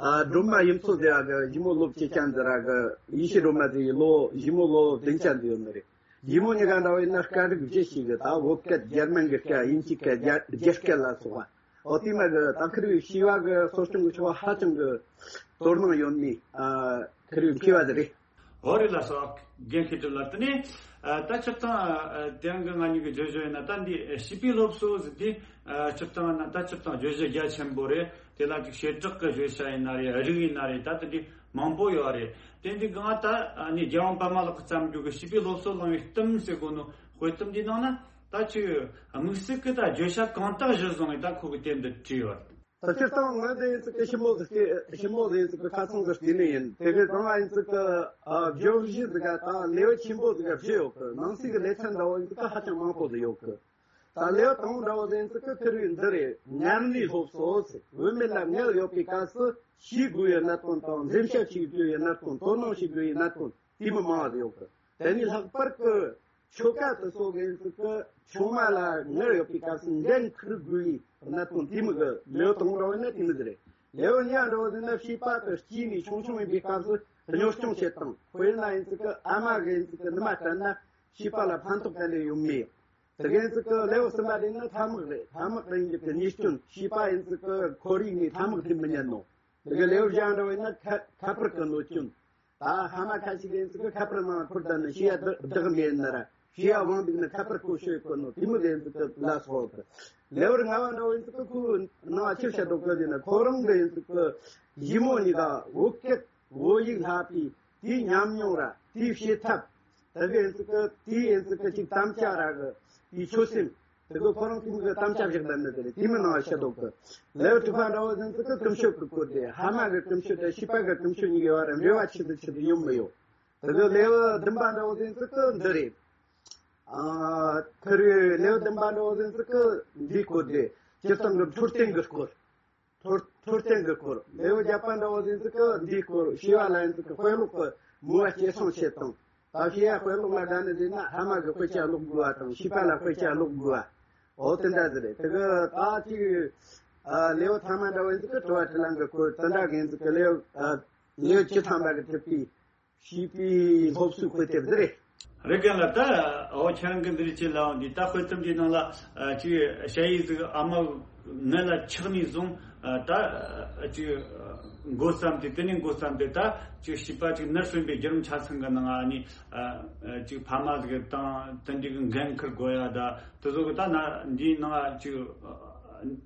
ཨ། སྒྲོལ་མ་ཡུམ་མཚོ་ཟེར་ཡ་གི་ཞི་མོ་ལོ་བཅུ་ཅན་ཟེར་ར་གི། ཡེ་ཤེས་སྒྲོལ་མ་ཟེར་ཡི་ལོ་ཞི་མོ་ལོ་བདུན་ཅན་ཟིག་ཡོད་ནི་རེད། ཞི་མོ་གཉིས་ཀ་འདྲ་བོ་ཡིན་ན་སྐད་རིགས་བཞི་ཞིག་གི། ད་བོད་སྐད། འཇར་མན་གི་སྐད། དབྱིན་ཇིའི་སྐད། རྒྱ་རྒྱ་སྐད་ལ་སོགས་པ། ཨོ། དེ་མོ་གི་ད་ཁིར་བའི་བྱིས་པ་གི་གསོ་སྐྱོང་གི་ཕྱོགས་ཧ་ཅང་གི་དོ་སྣང་ཡོད་ནི། ཨ། ཁིར་བའི་མཁས་པ་ཟིག་རེད། ཨོ། རེད་ལགས་སོ། རྒན་མཁས་གྲུབ་ལགས། དེ་ནས་ཨ་ད་སྤྱིར་བཏང་ཨ་དེ་རིང་གི་ང་གཉིས་ཀྱི་བརྗོད་གཞི་ཡིན་ན། ད་འདི་བྱིས་པའི་སློབ་གསོ་ཟེར་དུས་ཨ་སྤྱིར་བཏང་ན་ད་སྤྱིར་བཏང་བརྗོད་གཞི་རྒྱ་ཆེན་པོ་རེད། དེ་ལ་ཅིག་བྱེ་བྲག་གི་བརྗོད་བྱ་ཡིན་ན་རེད། རིགས་ཡིན་ན་རེད། ད་དེ་འདྲའི་མང་པོ་ཡོད་རེད། དེ་འདི་གང་ད་ཨ་ནི་རྒྱལ་དབང་པད་མ་ལགས་ཀྱིས་བརྩམས་རྒྱུ་གི་བྱིས་པའི་སློབ་གསོ་བླང་བའི་གཏམ་ཟེར་གོ་ནོ་དཔེ་གཏམ་འདིའི་ནང་ན། ད་ཅིག་དམིགས་བསལ་གྱི་ད་བརྗོད་བྱ་གང་དག་གཞིར་བཟུང་བའི་ད་ཁོ་གི་དེབ་འདི་བྲིས་ཡོད་རེད། ད་སྤྱིར་བཏང་ང་འདི་ཡིན་ཙི་གི་ཞིབ་མོ་ཟིག་སྟེ། ཞིབ་མོ་ཟིག་ཡིན་ཙི་གི་ཁ་ཚང་ཟིག་བལྟས་ནི་ཡིན། དེ་གི་གང་ལ་ཡིན་ཙི་གི་ཨ་བརྗོད་གཞི་ཟིག་ག་ད་ལེའུ་ཆེན་པོ་ཟིག་ག་བཞི་ཡོད་གི། ནང་གསེས་གི་ལེ་ཚན་འདྲ་བོ་ཡིན་ཙི་གི་ཧ་ཅང་མང་པོ་ཟིག་ཡོད་གི། ད་ལེའུ་དང་པོ་འདྲ་བོ་ཟིག་ཡིན་ཙི་གི་ཁིར་བའི་འདི་རེད། མངལ་ནུས་སློབ་གསོ་ཟེར། བུད་མེད་ལ་མངལ་ཡོད་པའི་སྐབས་སུ་ཤེས་དགོས་པའི་གནད་དོན་དང་། འཛེམ་ཟོན་བྱེད་དགོས་པའི་གནད་དོན། དོ་སྣང་བྱེད་དགོས་པའི་གནད་དོན་དེ་མོ་མང་བ་ཟིག་ཡོད་གི། དེ་ནས་ལྷག་པར་གྱི་ཆོ་ག་དེ་ཚོ་གི་ཡིན་ཙི་གི་ཆུང་མ་ལ་མངལ་ཡོད་པའི་སྐབས་སུ་འགན་འཁུར་དགོས་པའི་གནད་དོན་དེ་མོ་གི་ལེའུ་དང་པོ་འདྲ་བོ་ཡིན་ན་དེ་མོ་ཟིག་རེད། ལེའུ་གཉིས་པ་འདྲ་བོ་ཟིག་ན་བྱིས་པ་དེ་སྐྱེས་ནས་ཆུང་ཆུང་ཡིན་པའི་སྐབས་སུ་གཉོར་སྐྱོང་བྱེད་སྟངས། དཔེར་ན་ཡིན་ཙི་གི་ཨ་མ་གི་ཡིན་ཙི་གི་ནུ་མ་སྤྲད་ན་བྱིས་པ་ལ་ཕན་ཐོགས་ག་འདྲ་ཡོད་མེད། དེ་གི་ཡིན་ཙི་གི་ལེའུ་གསུམ་པ་དེ་ན་ཐ་མག་རེད། ཐ་མག་རིགས་འཇིག་གི་ཉེས་སྐྱོན། བྱིས་པ་ཡིན་ཙི་གི་ཁོར་ཡུག་ནས་ཐ་མག་འཐེན་མི་ཉན་ནོ། དེ་གི་ལེའུ་བཞི་པ་འདྲ་བོ་ཡིན་ན་ཁ་ཁ་པར་གི་གནོད་སྐྱོན། ད་ཕ་མ་ཁ་ཤས་ཀྱིས་ཡིན་ཙི་གི་ཁ་པར་ནང་འཁུར་བསྡད་ནས་བྱིས་པ་བདག་མེད་ན་ར། བྱིས་པ་དབང་འདུག་ན་ཁ་པར་ཁོ་ཤོད་གོ་ནོ་དེ་མོ་ཟིག་ཡིན་ཙི་གི་ལ་སོགས་གི། ལེའུ་ལྔ་པ་འདྲ་བོ་ཡིན་ཙི་གི་ཁོའི་ནང་ཆི་བཤད་འདུག་གི་ཟེར་ན། ཁོ་རང་གི་ཡིན་ཙི་གི་ཞི་མོ་གཉིས་ཀ་བོད་སྐད་བོད་ཡིག་ལྷག་པའི་དེའི་ཉམས་མྱོང་ར། དེའི་བྱེད་ཐབས། དེ་གི་ཡིན་ཙི་གི་དེའི་ཡིན་ཙི་གི་ཅིག་དམ་བཅའ་ར་གི་དེའི་ཆོད་སེམས། དེ་གི་ཁོ་རང་གི་མི་གི་དམ་བཅའ་བཞག་བསྡད་ནི་དེ་རེད། དེ་མི་ནང་བཤད་འདུག་གི། ལེའུ་དྲུག་པ་འདྲ་བོ་ཟིག་ཡིན་ཙི་གི་ཀུན་སྤྱོད་ཀྱི་སྐོར་དེ། ཕ་མ་གི་ཀུན་སྤྱོད་དང་བྱིས་པ་གི་ཀུན་སྤྱོད་གཉིས་ཀྱི་བར་འབྲེལ་བ་ཆི་ཟིག་ཆི་ཟིག་ཡོད་མི་ཡོད། དེ་གི་ལེའུ་བདུན་པ་འདྲ་བོ་ཟིག་ཡིན་ཙི་གི་འདི་རེད། ཨ། ཁིར་བའི་ལེའུ་བདུན་པ་འདྲ་བོ་ཟིག་ཡིན་ཙི་གི་འདིའི་སྐོར་དེ། སྤྱིར་བཏང་གི་འཕྲོད་བསྟེན་གི་སྐོར། འཕྲོད་འཕྲོད་བསྟེན་གྱི་སྐོར། ལེའུ་བརྒྱད་པ་འདྲ་བོ་ཟིག་ཡིན་ཙི་གི་འདིའི་སྐོར། བྱིས་པ་ལ་ཡིན་ཙི་གི་དཔེ་ཀློག་གི་མོས་པ་སྐྱེད་སྲིང་བྱེད་སྟངས། ད་བྱིས་པ་དཔེ་ཀློག་ལ་དགའ་ནི་ཟིག་ན་ཕ་མ་གིས་དཔེ་ཆ་ཀློག་དགོས་པ་དང་། བྱིས་པ་ལ་དཔེ་ཆ་ཀློག་དགོས་པ། འོ་དེ་འདྲ་ཟིག་རེད། དེ་གི་ད་ཅིག་ཨ་ལེའུ་ཐ་མ་འདྲ་བོ་ཡིན་ཙི་གི་དྲི་བ་དྲིས་ལན་གྱི་སྐོར་དེ་འདྲ་གི་ཡིན་ཙི་གི། ལེའུ་ཨ་ལེའུ་བཅུ་ཐམ་པ་གི་གྲུབ་པའི་བྱིས་པའི་སློབ་གསོའི་དཔེ་དེབ་འདི་རེད། རེད། རྒན་ལགས། ད་འོ་ཁྱེད་རང་གིས་འདི་རིགས་ཅིག་ལབ་འོང་དུས། ད་དཔེ་དེབ་འདིའི་ནང་ལ་ཨ་ཅིག་ཞ་ཡི་ཟིག་ཨ་མ་མངལ་ལ་ཆགས་ནས་བཟུང་ཨ་ད་ཨ་ཅིག་འགོ་བརྩམས་ཏེ། དེ་ནས་འགོ་བརྩམས་ཏེ་ད་ཅིག་བྱིས་པ་ཅིག་ནར་སོན་པའི་བརྒྱུད་རིམ་ཆ་ཚང་གི་ནང་ཨ་ནི་ཨ་ཅིག་ཕ་མ་ཟིག་དང་དེ་འདྲའི་གི་འགན་འཁུར་དགོས་ཡ། ད་དེ་ཚོ་གི་ད་ན་འདིའི་ནང་ཨ་ཅིག་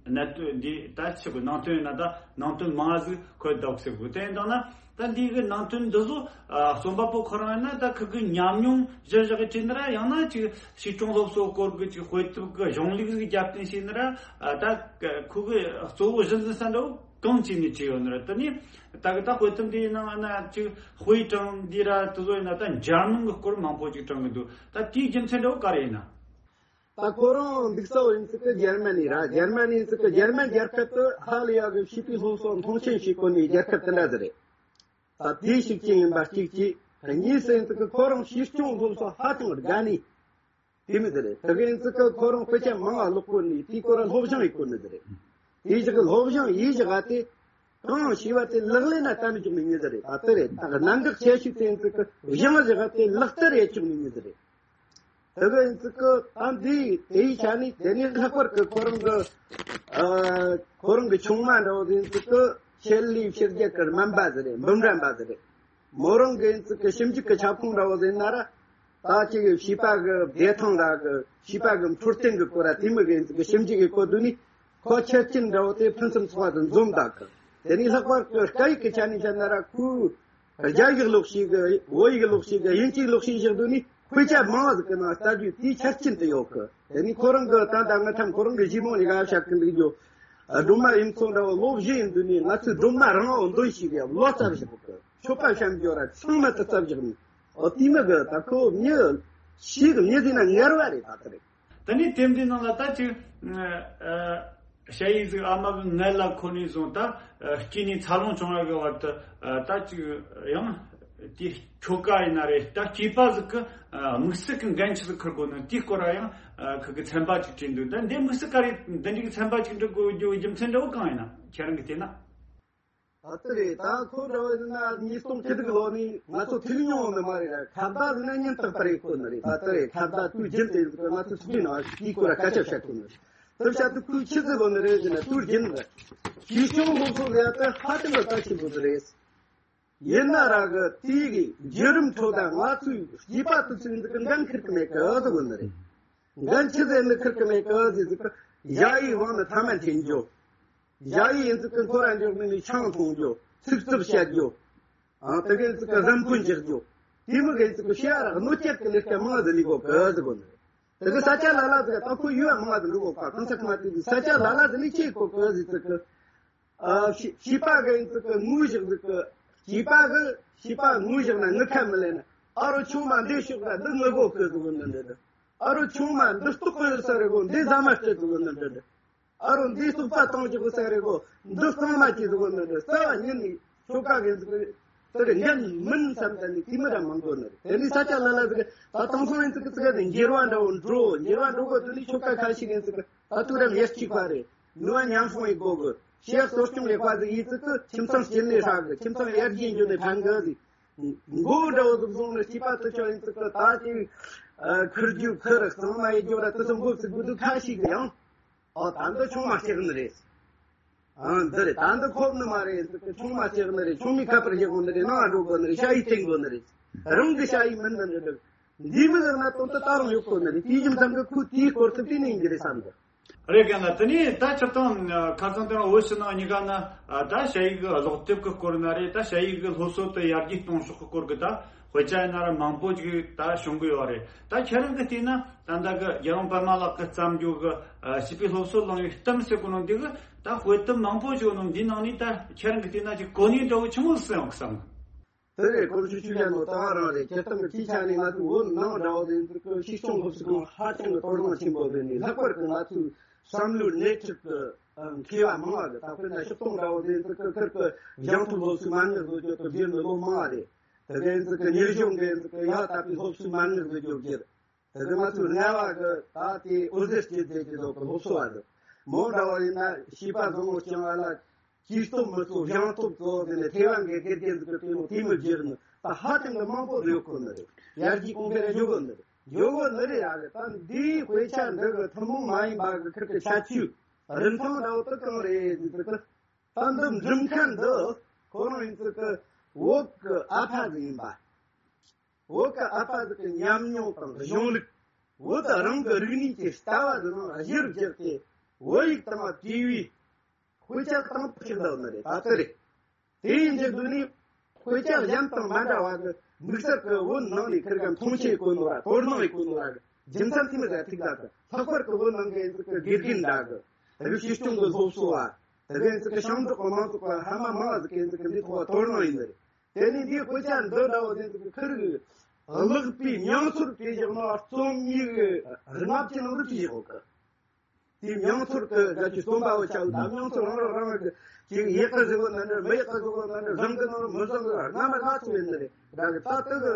གནད་དོན་འདི་ད་ཆི་གི་ནང་དོན་ཡིན་ན་ད་ནང་དོན་མང་ཟིག་འཁོད་འདུག་ཟེར་གི། དེ་ཡིན་དང་ན་ ད་འདི་གི་ནང་དོན་འདི་ཚོ་ཨ་རྩོམ་པ་པོ་ཁོ་རང་ཡིན་ན་ད་ཁོ་གི་ཉམས་མྱོང་གཞིར་བཞག་གི་བྲིས་ན་ར། ཡང་ན་ཅིག་ཞིབ་སྦྱོང་སློབ་གསོ་སྐོར་གི་ཅིག་དཔེ་དེབ་གི་གཞུང་ལུགས་ཀྱི་རྒྱབ་རྟེན་བྱས་ན་ར། ཨ་ད་ཁོ་གི་གཙོ་བོ་གཞི་འཛིན་ས་འདྲ་བོ་གང་བྱས་ནས་བྲིས་ཡོད་ན་ར། དེ་ནས་ད་གི་ད་དཔེ་དེབ་འདིའི་ནང་ན་ཅིག་དཔེ་དྲངས་འདི་ར་དེ་ཚོ་ཡིན་ན་ད་འཇར་མན་གི་སྐོར་མང་པོ་ཅིག་དྲངས་གི་འདུག་ད་དེའི་རྒྱུ་མཚན་འདྲ་བོ་ག་རེ་ཡིན་ན། ད་ཁོ་རང་འདུག་ས་བོ་ཡིན་ཙི་གི་འཇར་མ་ནི་ར། འཇར་མ་ནི་ཡིན་ཙི་གི་འཇར་མན་རྒྱལ་ཁབ་ཏུ་ཧ་ལས་ཡག་གི་བྱིས་པའི་སློབ་གསོ་མཐོང་ཆེན་བྱེད་གོ་ནི་རྒྱལ་ཁབ་དེ་འདྲ་ཟིག་རེད། ད་དེ་ཞིག་ཅིག་ཡིན་པ་གཅིག་གཅིག་གཉིས་སུ་ཡིན་ཙི་གི་ཁོ་རང་ཞིབ་སྦྱོང་སློབ་གསོ་ཧ་ཅང་དགའ་ནི་དེ་མི་ཟིག་རེད། དེ་གི་ཡིན་ཙི་གི་ཁོ་རང་དཔེ་ཆ་མང་བ་ཀློག་གོ་ནི་དེའི་སྐོར་ལ་སློབ་སྦྱོང་ཡེད་གོ་ནི་ཟིག་རེད། དེ་ཞིག་གི་སློབ་སྦྱོང་ཡེད་བཞག་ག་དེ། གང་ཤེས་པ་དེ་ལག་ལེན་ན་བསྟར་འཇུག་ནི་མྱི་ཟིག་རེད། ད་དེ་རེད། ད་གནད་འགག་ཆེ་ཤོས་དེ་ཡིན་ཙི་གི་སྦྱང་བཞག་ག་དེ་ལག་བསྟར་ཡེད་བཅུག་ནི་མྱི་ཟིག་རེད། དེ་གི་ཡིན་ཙི་གི་ད་འདི་དེའི་ཆ་ནས་དེ་ནས་ལྷག་པར་གི་ཁོ་རང་གི་ཨ་ཁོ་རང་གི་ཆུང་མ་འདྲ་བོ་ཡིན་ཙི་གི་ཆེད་ལས་ཕྱི་རྒྱལ་གི་སྨན་པ་ཟིག་རེད། འབུམ་རམས་པ་ཟིག་རེད། མོ་རང་གི་ཡིན་ཙི་གི་ཞིབ་འཇུག་གི་ཁྱབ་ཁོངས་འདྲ་བོ་ཟིག་ཡིན་ན་ར། ད་ཅིག་བྱིས་པ་གི་བདེ་ཐང་ར་གི་བྱིས་པ་གི་འཕྲོད་བསྟེན་གི་སྐོར་ར་དེ་མོ་གི་ཡིན་ཙི་གི་ཞིབ་འཇུག་གི་སྐོར་དུ་ནི་ཁོ་ཆ་རྐྱེན་འདྲ་བོ་དེ་ཕུན་སུམ་ཚོགས་པ་དུ་འཛོམས་དག་གི། དེ་ནས་ལྷག་པར་གི་སྐད་ཡིག་གི་ཆ་ནས་བཤད་ན་ར་ཁོའི་རྒྱ་ཡིག་ཀློག་ཤེས་གི། བོད་ཡིག་ཀློག་ཤེས་གི། དབྱིན་ཇི་ཡིག་ཀློག་ཤེས་བཞག་དུས་ནི་དཔེ་ཆ་མང་བ་ཟིག་གི་ནང་ལྟ་རྒྱུ་དེའི་ཆ་རྐྱེན་དུ་ཡོད་གི། དེ་ནི་ཁོ་རང་གི་ད་ལྟ་ང་ཐམ་ཁོ་རང་གི་གཞི་མོ་ནས་ག་བཤད་གི་འདུག་རྒྱུ། སྒྲོལ་མ་ཡུམ་ཚོ་འདྲ་བོ་ལོ་བཞི་ཡིན་དུས་ནི་ང་ཚོའི་སྒྲོལ་མ་རང་བོ་འདོན་ཤེས་གི་ལོ་ཙཱ་བཞག་གི། ཆོས་པ་བཤད་རྒྱུ་ར་ཚང་མ་དུ་ཙཱ་བཞག་ནི། ཨོ་དེ་མོ་གི་ད་ཁོ་མྱི་ཤེས་གི་མྱི་ཟིག་ན་ངར་བ་རེད། ད་དེ་རེད། ད་ནི་དེབ་འདི་ནང་ལ་ད་ཅིག་ཨ་ཞ་ཡི་ཟིག་ཨ་མ་གི་མངལ་ལ་འཁོར་ནས་བཟུང་ད་ཨ་སྐྱེས་ནས་འཚར་ལོངས་བྱུང་བ་གི་བར་དུ་ཨ་ད་ཅིག་ཡང་དེ་ཁྱོ་ག་ཡིན་ན་རེད། ད་སྐྱེས་པ་ཟིག་གི་ཨ་དམིགས་བསལ་གི་འགན་ཆི་ཟིག་འཁུར་དགོས་ན་དེའི་སྐོར་ལ་ཡང་ཨ་ཁི་གི་ཚན་པ་ཅིག་བྲིས་འདུག་ད་འདི་དམིགས་བསལ་ག་རེ་འདི་འདྲའི་གི་ཚན་པ་ཅིག་འབྲི་དགོས་རྒྱུ་རྒྱུ་མཚན་འདྲ་བོ་གང་ཡིན་ན་ཁྱེད་རང་གི་བལྟས་ན། ཨ་ཙི་རེད། ད་ཁོ་འདྲ་བོ་ཡིན་ན་ཉིས་སྟོང་བཅུ་དྲུག་ལོ་ནས་ང་ཚོ་ཐུག་མྱོང་ནི་མ་རེད་ར། ཁ་བརྡ་ཟེར་ན་ཉིན་རྟག་པར་ཡེད་གོ་ནི་རེད། ད་ལྟ་རེད། ཁ་བརྡ་དུས་རྒྱུན་དུ་ཡིན་ཟེར་ང་ཚོ་ཚོགས་པའི་ནང་དེའི་སྐོར་ལ་སྐད་ཆ་བཤད་གོ་ནི་རེད། དེ་བཤད་དུས་ཁོས་ཆི་ཟེར་གོ་ནི་རེད་ཟེར་ན་དུས་རྒྱུན་རེད། ཞིབ་སྦྱོང་སློབ་གསོ་ལས་ཀ་ཧ་ཅང་གི་གལ་ཆེན་པོ་ཟིག་རེད། ཡིན་ན་ར་གི་དེའི་གི་བརྒྱུད་རིམ་ཁྲོད་ད་ང་ཚོའི་སྐྱེས་པ་དུས་ཚོད་འདི་གི་འགན་འཁུར་གི་མེད་གི་ཟེར་གོ་ནི་རེད། འགན་ཆི་ཟིག་ནི་འཁུར་གི་མེད་གི་ཟེར་ཟེར་གི་ཞ་ཡི་དབང་ནི་ཐ་མ་འཐེན་རྒྱུ། ཞ་ཡི་ཡིན་ཙི་གི་འཁོར་ར་འཇོག་ནི་ནི་ཆང་འཐུང་རྒྱུ། ཚིག་རྩུབ་བཤད་རྒྱུ། ཨང་དེ་གི་ཡིན་ཙི་གི་རང་འཁོན་འཇོག་རྒྱུ། དེ་མོ་གི་ཡིན་ཙི་གི་ཤེས་ཡ་ར་གནོད་སྐྱེལ་གི་ལས་ཀ་མང་ཟིག་ལས་གོ་གི་ཟེར་གོ་ནི། དེ་གི་ས་ཆ་ལ་ལ་ཟིག་ད་ཁོ་ཡུལ་མང་ཟིག་འགྲོ་གོ་ག་གང་ས་ཁ་མ་དེ་ས་ཆ་ལ་ལ་ཟིག་ནི་ཆེ་གོ་གི་ཟེར་ཙི་གི། ཨ་བྱིས་བྱིས་པ་གི་ཡིན་ཙི་གི་ངུ་བཞག་ཟིག་གི། བྱིས་པ་གི་བྱིས་པ་ངུ་བཞག་ན་ངུ་ཁ་མི་ལེན་ན། ཨ་རོ་ཆུང་མ་འདི་ཤོག་ར་འདི་ངུ་གོ་གི་ཟེར་གོ་ནི་འདི་འདི། ཨ་རོ་ཆུང་མ་འདི་ལྟོགས་གི་ཡོད་ས་རེད་གོ། འདི་ཟ་མ་སྤྲད་ཟེར་གོ་ནི་འདི་འདི། ཨ་རོ་འདི་སོག་པ་བཏང་ཅིག་གོ་ས་རེད་གོ། འདི་གཙང་མ་ཅིག་ཟེར་གོ་ནི་འདི། རྩ་བ་ཉིད་ནས་ཆོ་ག་གི་ཟིག་གི་དེ་གི་འགན་མིན་བསམ་ད་ནི་དེ་མི་ར་མང་གོ་ནི་རེད། དེ་ནི་ས་ཆ་ལ་ལ་ཟིག་གི་ད་དེང་སང་ཡིན་ཙི་གི་ཙི་གི་ནི་འགྱུར་བ་འདྲ་བོ་འགྲོ། འགྱུར་བ་འགྲོ་གོ་དུས་ནི་ཆོ་ག་ཁ་ཤས་ཡིན་ཙི་གི་ད་དུས་རབས་ཉེར་གཅིག་པ་རེད། ནུས་པ་ཉམས་སོང་ཡི་གོ་གི། ཤེས་གསོ་སྐྱོང་ལས་པ་ཟིག་ཡིན་ཙི་གི་ཁྱིམ་ཚང་སྐྱིད་ལས་ཧྲ་གི། ཁྱིམ་ཚང་ཡར་རྒྱས་འགྱོ་ནས་ཕན་གི་ཟིག་མགོ་འདྲ་བོ་ཟིག་བཟུང་ནས་སྐྱེས་པ་དུ་ཆོག་ཡིན་ཙི་གི་ད་ཅིག་ཁུར་རྒྱུ་ཁུར་གཙང་མ་ཡི་རྒྱུ་ར་དུ་སོང་མགོ་ཚིག་དགོས་དུས་ཁ་ཤས་གི་ཡང་། ཨོ་ད་འདི་ཆུང་མ་སྐྱེག་ནི་རེད། ཨ་འདི་རེད། ད་འདི་ཁོབ་ནི་མ་རེད། ཆུང་མ་སྐྱེག་ནི་རེད། ཆུང་མའི་ཁ་པར་བཞག་དགོས་ནི་རེད། ནང་འགྲོ་དགོས་ནི་རེད། ཤ་ཡི་བསྟེན་དགོས་ནི་རེད། རང་གི་ཤ་ཡི་མིན་ནི་རེད། འདི་མི་ཟེར་ན་དོན་དུ་ད་རུང་ཡོད་དགོས་ནི་རེད། དེའི་རྒྱུ་མཚན་གི་ཁོས་དེའི་སྐོར་དུ་བལྟས་ནས་ཡིན་གྱི་རེད་བསམ་གི། རེད་ག་ལ་དེ་ནས་ད་སྤྱིར་བཏང་ཁ་སང་དེ་རིང་བོད་ཕྱི་ནང་གཉིས་ཀ་ན་ད་ཞ་ཡི་གི་ཀློག་དེབ་གི་སྐོར་ན་རེད། ད་ཞ་ཡི་གི་སློབ་གསོ་དེ་ཡར་རྒྱས་གཏོང་ཕྱོགས་གི་སྐོར་གི་ད་དཔེ་ཆ་ཡིན་ན་ར་མང་པོ་ཅིག་ད་བྱུང་གི་ཡོད་རེད། ད་ཁྱེད་རང་གི་བལྟས་ན། ད་ལྟ་གི་རྒྱལ་དབང་པདྨ་ལགས་ཀྱིས་བརྩམས་རྒྱུ་གི་ཨ་བྱིས་པའི་སློབ་གསོ་གླེང་བའི་གཏམ་ཟེར་གོ་ནོ་འདི་གི་ད་དཔེ་དེབ་མང་པོ་ཞིག་ནོ་འདིའི་ནང་ནས་ད་ཁྱེད་རང་གི་བལྟས་ན་ཅིག་གོ་གནས་འདྲ་བོ་ཆི་མོ་ཟིག་ཡོང་གི་བསམ་གི། དེ་རེད། གོམས་ཤུགས་ཆུ་ཡན་ནོ་ད་རང་རེད། སྤྱིར་བཏང་གི་ཅིའི་ཆ་ནས་ང་ཚོའི་བོད་ནང་འདྲ་བོ་དེ་འདིར་གི་ཤིས་སྐྱོང་སློབ་གསོ་ཁང་ཧ་ཅང་གི་དོ་སྣང་ཆེན་པོ་བྱས་ནས། ལྷག་པར་གི་ང་ཚོའི་བསམ་བློའི་སྣེ་ཁྲིད་ཀྱི་མཁས་པ་མང་བ་གི། ད་དཔེར་ན་ཤིས་སྐྱོང་འདྲ་བོ་དེ་འདིར་གི་ཁིར་གི་སྦྱང་ཐུབ་སློབ་གསོའི་མ་དངུལ་བཟོ་རྒྱུ་གི་བསྒྱུར་ནི་ལོ་མང་བ་རེད། དེ་གའི་འདི་གི་ཉིན་གཞུང་གི་འདི་གི་ཡག་དག་པའི་སློབ་གསོའི་མ་དངུལ་བཟོ་རྒྱུ་བསྒྱུར། དེ་གི་ང་ཚོའི་རྔ་བ་གི་ད་དེ་འོད་ཟེར་སྐྱེད་མཛད་ཀྱི་འདུག་གི་སློབ་གསོ་བ་འདི། མོ་འདྲ་བ་ཡིན་ན་བྱིས་པ་བཟང་བོ་སྐྱོང་བ་ལ་ཅིག་སྟོབས་མི་གསོ་སྦྱང་སྟོབས་གཙོ་བོ་དེ་ནས་ཐེ་ཝན་གི་དགེ་རྒན་ཚོ་གི་དེ་མོ་དེ་མོ་བསྒྱུར་ནི་ད་ཧ་ཅང་གི་མང་པོ་ཡོད་གོ་ནི་རེད། ཡར་རྒྱས་གོང་འཕེལ་ལ་འཇུག་གོ་ནི་རེད། འཇུག་གོ་ནི་རེད། ཡ་གི་ད་འདིའི་དཔེ་ཆ་འདི་གི་ཐུན་མོང་མ་ཡིན་པ་གི་ཁིར་གི་ཁྱད་ཆོས་རིན་ཐང་འདྲ་བོ་དེ་གང་རེད་ཟེར་དུས། ད་འདི་འབྲི་མཁན་འདི་ཁོ་རང་ཡིན་ཙི་གི་བོད་གི་ཨ་ཕ་ཟིག་ཡིན་པ། བོད་གི་ཨ་ཕ་ཟིག་གི་ཉམས་མྱོང་དང་གཞུང་ལུགས། བོད་རང་གི་རིག་གནས་ཀྱི་ལྟ་བ་ཟིག་ནང་གཞིར་བཞག་སྟེ་བོད་ཡིག་དང་བྲིས་པའི་དཔེ་ཆ་དང་པོ་ཞིག་འདུག་ནི་རེད། ད་ལྟ་རེད། དེ་ཡིན་གྱི་འདུག་ནི། དཔེ་ཆ་གཞན་དང་མ་འདྲ་བ་གི་དམིགས་བསལ་གི་བོད་ནང་ནས་ཁིར་ག་མཐོང་ཆེན་གོ་ནོ་ར་དོ་སྣང་ཡེ་གོ་ནོ་ར་གི་རྒྱུ་མཚན་དེ་མི་ཟ་ཐིག་ད་གི་ལྷག་པར་གི་བོད་ནང་གི་ཨེ་ཙི་གི་དགེ་རྒན་འདྲ་གི་དེ་གི་སྲིད་སྐྱོང་གི་སློབ་གསོ་བ་དེ་གི་ཨེ་ཙི་གི་ཞིང་འབྲོག་གི་མང་ཚོགས་གི་ཧ་མ་མང་ཟིག་གི་ཨེ་ཙི་གི་འདི་ཐོག་དོ་སྣང་ཡེ་ནི་རེད། དེ་ནས་འདིའི་དཔེ་ཆ་འདི་འདྲ་བོ་དེ་ཚོ་ཁིར་གི་ཀློག་པའི་མྱོང་ཚོར་དེ་བཞག་ན་རྩོམ་ཡིག་ལྔ་བཅུ་ནང་དུ་བྲིས་ཡོད་གི། དེའི་མྱོང་ཚོར་གི་ག་ཅིག་རྩོམ་པ་བོ་ཆགས་ད་མྱོང་ཚོར་རང་རང་རང་གི་ཅིག་ཡག་གི་ཟིག་ན་འདྲ་མི་ཡག་གི་ཟིག་ན་འདྲ་བཟང་གི་ན་མི་བཟང་གི་རྣམ་པ་སྣ་ཚོགས་ཡོད་ནི་རེད། ད་གི་ད་དེ་གི་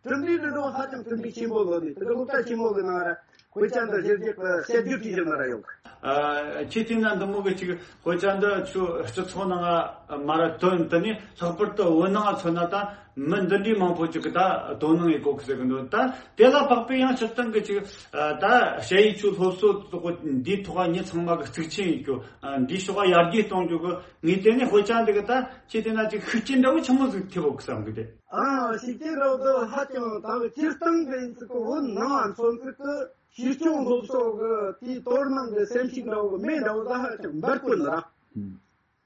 གྲུབ་འབྲས་འདི་འགྲོ་ཧ་ཅང་གྲུབ་འབྲས་ཆེན་པོ་ལོ་ནི་དེ་གི་སློབ་གྲྭ་ཆེན་མོ་གི་ནང་ར་དཔེ་ཆ་འདི་ཞིབ་རྒྱས་གི་དཔྱད་བསྡུར་བྲིས་བཞག་ན་ར་ཡོང་གི། ཨ། ཁྱེད་བལྟས་ན་འདི་མོ་གི་ཅིག་དཔེ་ཆ་འདི་ཚོ་སྤྱི་ཚོགས་ནང་ང་མ་ར་ཐོན་དུ་ནི་ལྷག་པར་དུ་བོད་ནང་ང་མཚོན་ན་ད་མི་འདི་འདྲའི་མང་པོ་ཅིག་གི་ད་དོ་སྣང་ཡེ་གོ་གི་ཟེར་གི་འདུག་ད་དེ་ལ་དཔག་པའི་ཡང་སྤྱིར་བཏང་གི་ཅིག་ད་ཞ་ཡི་ཆོས་སློབ་གསོ་དོ་འདིའི་ཐོག་ཉིད་ཚང་མ་གི་གཙིགས་ཆེན་ཡིན་རྒྱུ་འདིའི་ཕྱོགས་ཡར་རྒྱས་གཏོང་རྒྱུ་གི་ངས་དེ་ནས་དཔེ་ཆ་འདི་གི་ད་ཁྱེད་བལྟས་ན་ཅིག་ཤུགས་རྐྱེན་འདྲ་བོ་ཆེན་མོ་ཟིག་ཐེབས་ཡོད་གི་བསམ་གི་དེ། ཨ་ཤུགས་རྐྱེན་རོགས་དོ་ཧ་ཅང་ད་གི་སྤྱིར་བཏང་གི་ཡིན་ཚུལ་གི་བོད་ནང་ང་མཚོན་ཚུལ་གི་ཤེས་སྐྱོང་སློབ་གསོ་གི་དེའི་དོ་སྣང་གི་སེམས་ཤུགས་འདྲ་བོ་མེད་འདྲ་བོ་ད་ཧ་ཅང་འབར་དགོས་ནི་ར།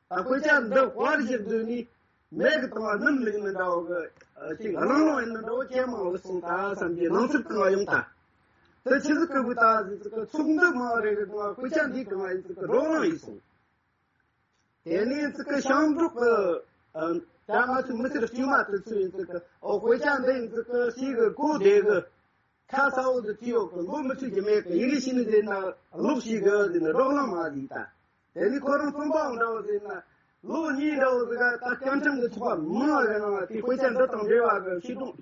ད་དཔེ་ཆ་འདི་དཔར་ཞིག་བསྡུས་ནས་མེད་གི་བཏང་བ་སྣུམ་ལུག་ནི་འདྲ་བོ་གི་ཅིག་གླང་ལོང་ཡིན་ནི་འདྲ་བོ་ཇེ་མང་ལ་སོང་ད་བསམ་གྱི་སྣང་ཚུལ་བཏང་བ་ཡོང་ད། དེ་ཆི་ཟིག་གི་བུ་ད་ཟིག་ཚིག་གི་ཚོགས་འདུ་མང་རེ་གི་བཏང་བ་དཔེ་ཆ་འདི་གང་བ་ཡིན་ཚིག་གི་རོགས་རམ་ཡིན་སོང་། དེ་ནས་ཚིག་གི་ཞིང་འབྲོག་གི་ད་ང་ཚོའི་མི་ཚེ་ར་དཀྱུས་མ་དེ་ཚོ་ཡིན་ཚིག་གི་ཨོ་དཔེ་ཆ་འདི་ཡིན་ཚིག་གི་ཞིག་གི་གོ་བདེ་གི་ཁ་ས་འོག་ཏུ་བྲིས་ཡོད་གི་ལོ་མི་ཚོད་ཀྱི་མེད་གི་ཡི་གེ་ཤེས་ནི་དེ་ན་ལོག་ཤེས་གི་དེ་ནི་རོགས་རམ་མ་ཟིག་ད། དེ་ནི་ཁོ་རང་རྩོམ་པ་འདྲ་བོ་ཟེར་ན་ལོ་གཉིས་འདྲ་བོ་ཟིག་ག་ད་སྐྱབས་ཁྲིམས་ཀྱི་ཚོགས་པ་མང་བ་གི་ནང་ལ་དེ་དཔེ་ཆ་འདི་དང་འབྲེལ་བ་གི་ཤེས་དོན་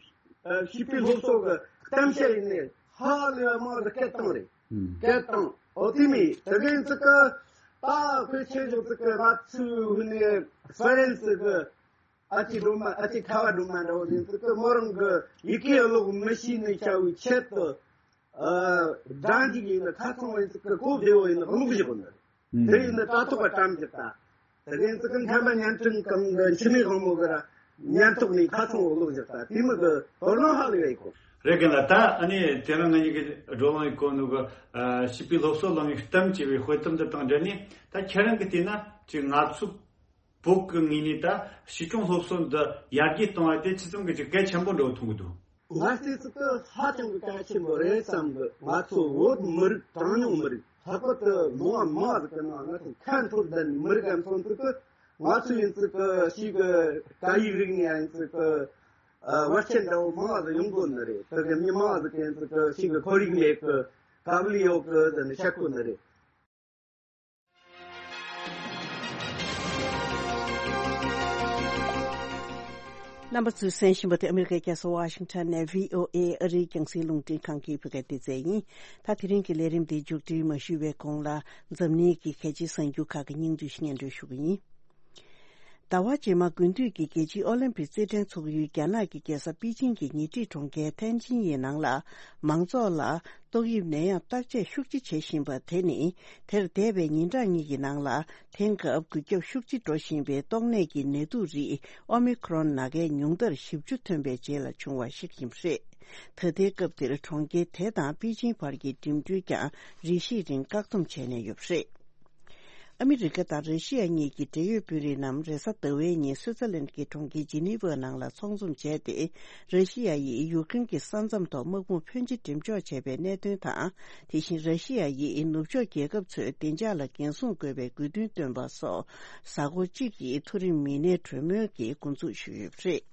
ཤེས་པའི་སློབ་གསོ་གི་གཏམ་བཤད་ཡིན་ནི་ཧ་ལས་པ་མང་ཟིག་སྐད་བཏང་རེད། སྐད་བཏང་ཨོ་དེ་མི་དེ་གི་ཚིག་གི་ད་དཔེ་ཆ་ཞིག་ཚིག་གི་ང་ཚོའི་ཧུ་ནི་ཧྥ་རན་སི་གི་ཨ་ཅེ་སྒྲོལ་མ་ཨ་ཅེ་ཁ་བ་སྒྲོལ་མ་འདྲ་བོ་ཡིན་ཚུལ་གི་མོ་རང་གི་ཡི་གེ་ཀློག་མི་ཤེས་ནི་བྱ་བའི་ཆེད་དུ་ཨ་སྦྲང་ཅིག་ཡིན་ན་ཁ་ཚང་བ་ཡིན་ཚུལ་གི་གོ་བདེ་བོ་ཡིན་ན་ཀློག་བཞག་གོ་ནི་རེད། དེ་ཡིན་ན་དྲ་ཐོག་ག་བཀྲམ་བཞག་ད། དེ་ཡིན་ཚུལ་གི་མཁན་པ་ཉན་ཁྲིན་གང་གི་འཆི་མེད་དབང་མོ་གི་ར་ཉན་ཐོག་ནས་ཁ་ཚང་བོ་ཀློག་བཞག་ད་དེ་མི་གི་དོ་སྣང་ཧ་ལས་ཡོད་གོ། རེད་གི་ལ་ད་ཨ་ནི་དེ་རིང་ང་གཉིས་ཀྱི་བགྲོ་གླེང་གི་གོ་ནོ་གི་ཨ་བྱིས་པའི་སློབ་གསོ་གླེང་བའི་གཏམ་ཅེས་པའི་དཔེ་གཏམ་འདི་དང་འབྲེལ་ནས་ད་ཁྱེད་རང་གི་བལྟས་ན་ཅིག་ང་ཚོ་བོད་ཀྱི་ངོས་ནས་ད་ཕྱི་སྐྱོང་སློབ་གསོ་འདི་ཡར་རྒྱས་གཏོང་བ་དེ་ཅི་ཙམ་གྱི་ཅིག་གལ་ཆེན་པོ་འགྲོ་མཐོང་གི་འདུག་ང་སྲིད་ཚུལ་དུ་ཧ་ཅང་གི་གལ་ཆེན་པོ་རེད་བསམ་གི། ང་ཚོ་བོད་མི་རིགས་གྲངས་ཉུང་མི་རིགས་ལྷག་པར་དུ་ལོ་མང་ཟིག་གི་ནང་ང་ཚོ་ཁ་འཐོར་བསྡད་ནས་མི་རིགས་ཨ་མཚོན་ཚུལ་དུ་ང་ཚོ་ཡིན་ཚུལ་གི་ཞིག་གི་སྐད་ཡིག་རིག་ནས་ཡིན་ཚུལ་གི་བར་ཆད་འདྲ་བོ་མང་ཟིག་ཡོང་དགོས་ནི་རེད། དེ་གི་མི་མང་ཟིག་གི་ཡིན་ཚུལ་གི་ཞིག་གི་ཁོར་ཡུག་མེད་གི་དཀའ་ལས་ཡོད་གི་ཟེར་ནས་བཤད་དགོས་ནི་རེད། རྣམ་པ་ཚོས་གསན་བཞིན་པ་དེ་ཨ་མི་རི་ཀའི་རྒྱལ་ས་ཝ་ཤིང་ཊོན་ནས་བྷི་ཨོ་ཨེ་ཨ་རིའི་རྒྱང་སྲིང་རླུང་འཕྲིན་ཁང་གི་བོད་སྐད་སྡེ་ཚན་ཡིན། ད་དེ་རིང་གི་ལས་རིམ་འདི་མཇུག་སྒྲིལ་མ་ཞུས་པའི་གོང་ལ་འཛམ་གླིང་གི་གལ་ཆེའི་གསར་འགྱུར་ཁག་གི་སྙིང་བསྡུས་ཤིག་སྙན་སྒྲོན་ཞུ་གི་ཡིན། ཟླ་བ་རྗེས་མ་དགུན་དུས་ཀྱི་རྒྱལ་སྤྱིའི་ཨོ་ལིམ་པིག་རྩེད་འགྲན་འཚོགས་ཡུལ་རྒྱ་ནག་གི་རྒྱལ་ས་པེ་ཅིང་གི་ཉེ་འཁྲིས་གྲོང་ཁྱེར་ཐན་ཅིན་ཡི་ནང་ལ་མང་ཚོགས་ལ་ཏོག་དབྱིབས་ནད་ཡམས་བརྟག་དཔྱད་ཤུགས་ཆེ་བྱེད་བཞིན་པ་དེ་ནི་དེར་འདས་པའི་ཉིན་གྲངས་གཉིས་ཀྱི་ནང་ལ་དེང་སྐབས་འགོས་ཁྱབ་ཤུགས་ཆེ་འགྲོ་བཞིན་པའི་ཏོག་ནད་ཀྱི་ནད་དུག་རིགས་ཨོ་མི་ཁྲོན་ནང་ཁའི་ཉུང་མཐར་བཞི་བཅུ་ཐོན་པའི་རྗེས་ལ་བྱུང་བ་ཞིག་ཡིན་པ་རེད། ད་ལྟའི་སྐབས་འདིར་གྲོང་ཁྱེར་དེ་དང་པེ་ཅིང་བར་གྱི་འགྲིམ་འགྲུལ་ཀྱང་རེ་ཞིག་རིང་བཀག་སྡོམ་བྱས་ནས་ཡོད་པ་རེད། ཨ་མི་རི་ཀ་དང་ར་ཤི་ཡ་གཉིས་ཀྱི་འབྲེལ་ཡོད་དཔོན་རིགས་རྣམས་རེས་གཟའ་ཟླ་བའི་ཉིན་སུའུ་ཙེར་ལན་གྱི་གྲོང་ཁྱེར་ཇི་ནི་ཝ་ནང་ལ་ཚོགས་འཛོམས་བྱས་ཏེ། ར་ཤི་ཡ་ཡིས་ཡུཀ་རེན་གྱི་ས་མཚམས་ཐོག་དམག་དཔུང་ཕོན་ཆེ་འགྲེམས་འཇོག་བྱས་པའི་གནད་དོན་དང་། དེ་བཞིན་ར་ཤི་ཡ་ཡིས་ནུབ་ཕྱོགས་རྒྱལ་ཁབ་ཚོས་བདེ་འཇགས་ལ་འགན་སྲུང་དགོས་པའི་དགོས་འདུན་བཏོན་པ་སོགས་གཟའ་འཁོར་གཅིག་གི་མཐོ་རིམ་མི་སྣའི་གྲོས་མོལ་གྱི་འགོ་འཛུགས་ཞུས་ཡོད་པ་རེད།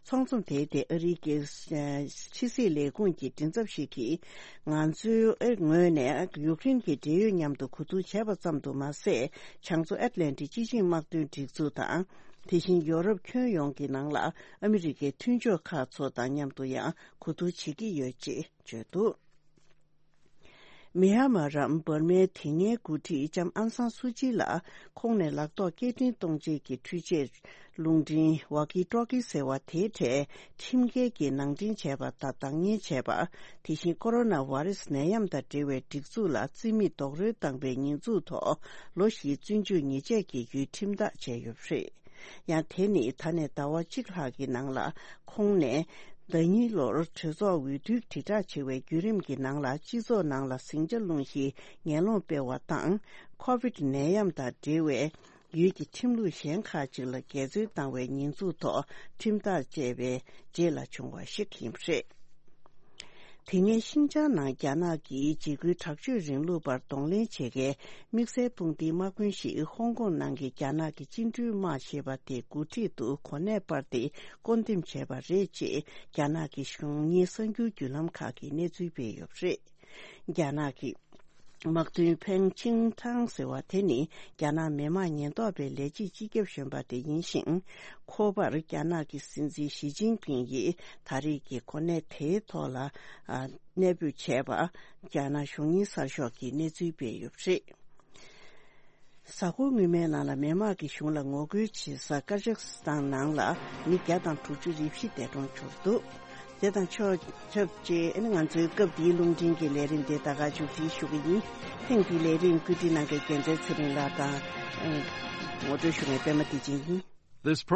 ཚོགས་འཛོམས་དེའི་ཐད་ཨ་རིའི་རྒྱལ་ཕྱི་སྲིད་ལས་ཁུངས་ཀྱི་མགྲིན་ཚབ་ཞིག་གིས། ང་ཚོའི་ངོས་ནས་ཡུཀ་རེན་གྱི་འབྲེལ་ཡོད་མཉམ་དུ་གོ་བསྡུར་བྱས་པ་ཙམ་དུ་མ་ཟད། བྱང་མཚོ་ཨེཊ་ལན་ཊིག་སྤྱི་ཆིངས་དམག་དོན་སྒྲིག་འཛུགས་དང་། དེ་བཞིན་ཡོ་རོབ་ཁྱོན་ཡོངས་ཀྱི་ནང་ལ་ཨ་མི་རི་ཀའི་མཐུན་ཕྱོགས་ཁག་ཚོ་དང་མཉམ་དུ་ཡང་གོ་བསྡུར་བྱེད་ཀྱི་ཡོད་ཅེས་བརྗོད་འདུག་མི་ཧ་མ་རམ་འབར་མའི་དེ་སྔའི་འགོ་ཁྲིད་ལྕམ་ཨན་སང་སུ་ཅི་ལ་ཁོང་ནས་ལག་ཐོགས་སྐད་འཕྲིན་གཏོང་བྱེད་ཀྱི་འཕྲུལ་ཆས་རླུང་འཕྲིན་ཝ་ཀི་ཏྲོ་ཀི་ཟེར་བ་དེའི་གྲས་ཁྲིམས་འགལ་གྱིས་ནང་འདྲེན་བྱས་པ་དང་བདག་གཉེར་བྱས་པ། དེ་བཞིན་ཀོ་རོ་ན་ཝ་རེ་སི་ནད་ཡམས་དང་འབྲེལ་བའི་སྒྲིག་འཛུགས་ལ་རྩིས་མེད་རྡོག་རོལ་བཏང་པའི་ཉེས་འཛུགས་ཐོག་ལོ་བཞིའི་བཙོན་འཇུག་ཉེས་ཆད་ཀྱི་ཡུལ་ཁྲིམས་ཐག་བཅད་ཡོད་པ་རེད། ཡང་དེ་ནི་ད་ནས་ཟླ་བ་གཅིག་ལྷག་གི་ནང་ལ་ཁོང་ནས་ཟླ་ཉིན་ལོར་གྲོས་ཚོགས་འོས་བསྡུ་དྲིལ་བསྒྲགས་བྱེད་པའི་བརྒྱུད་རིམ་གྱི་ནང་ལ་སྤྱི་ཚོགས་ནང་ལ་ཟིང་ཆ་སློང་གཞིའི་ངན་སློང་སྤེལ་བ་དང་། ཁོ་བིད་ནད་ཡམས་དང་འབྲེལ་བའི་ ཡུལ་གྱི་ཁྲིམས་ལུགས་གཞན་ཁག་ཅིག་ལ་འགལ་འཛོལ་བཏང་བའི་ཉེས་འཛུགས་ཐོག་ཁྲིམས་ཐག་བཅད་པའི་རྗེས་ལ་བྱུང་བ་ཞིག་ཡིན་པ་རེད། དེ་སྔའི་ཤིན་ཅང་ནང་རྒྱ་ནག་གིས་འཇིགས་སྐུལ་དྲག་སྤྱོད་རིང་ལུགས་པར་གདོང་ལེན་བྱེད་མཁན་དམིགས་བསལ་དཔུང་སྡེའི་དམག་དཔོན་ཞིག་ཧོང་ཀོང་ནང་གི་རྒྱ་ནག་གི་བཅིངས་འགྲོལ་དམག་ཞེས་པ་དེའི་འགོ་ཁྲིད་དུ་གོ་གནས་སྤར་ཏེ་བསྐོ་འདེམས་བྱས་པ་རེད་ཅེས་རྒྱ་ནག་གི་གཞུང་གཉེར་གསར་འགྱུར་བརྒྱུད་ལམ་ཁག་གིས་གནས་ཚུལ་སྤེལ་ཡོད་པ་རེད། རྒྱ་ནག་གི་དམག་དོན་ཕེང་ཆིང་ཐང་ཟེར་བ་དེ་ནི་རྒྱ་ནག་མི་དམངས་ཉེན་རྟོག་པའི་ལས་བྱེད་སྤྱི་ཁྱབ་གཞོན་པ་དེ་ཡིན་ཞིང་། ཁོ་པར་རྒྱ་ནག་གི་སྲིད་འཛིན་ཞི་ཅིན་ཕིང་ཡིས་ད་རེས་ཀྱི་གོ་གནས་དེའི་ཐོག་ལ་ཨ་གནས་སྤོས་བྱས་པ་རྒྱ་ནག་གཞུང་གཉེར་གསར་ཤོག་གིས་གནས་ཚུལ་སྤེལ་ཡོད་པ་རེད། གཟའ་འཁོར་སྔོན་མའི་ནང་ལ་མི་དམངས་ཀྱི་གཞུང་ལ་ངོ་རྒོལ་བྱེད་ས་ཀ་ཟག་སི་ཐན་ནང་ལ་མི་བརྒྱ་དང་དྲུག་ཅུ་རེ་བཞི་འདས་གྲོངས་གྱུར་འདུག་དེ་དང་ཕྱོགས་ཆབས་ཅིག་ཨ་ནི་ང་ཚོའི་སྐབས་འདིའི་རླུང་འཕྲིན་གྱི་ལས་རིམ་འདི་ད་ག་མཇུག་སྒྲིལ་ཞུ་གི་ཡིན། ཐེངས་འདིའི་ལས་རིམ་བཀོད་སྒྲིག་གནང་མཁན་རྒྱལ་མཚན་ཚེ་རིང་ལགས་དང་། ངོ་སྤྲོད་ཞུ་མཁན་པད་མ་བདེ་ཆེན་ཡིན། This program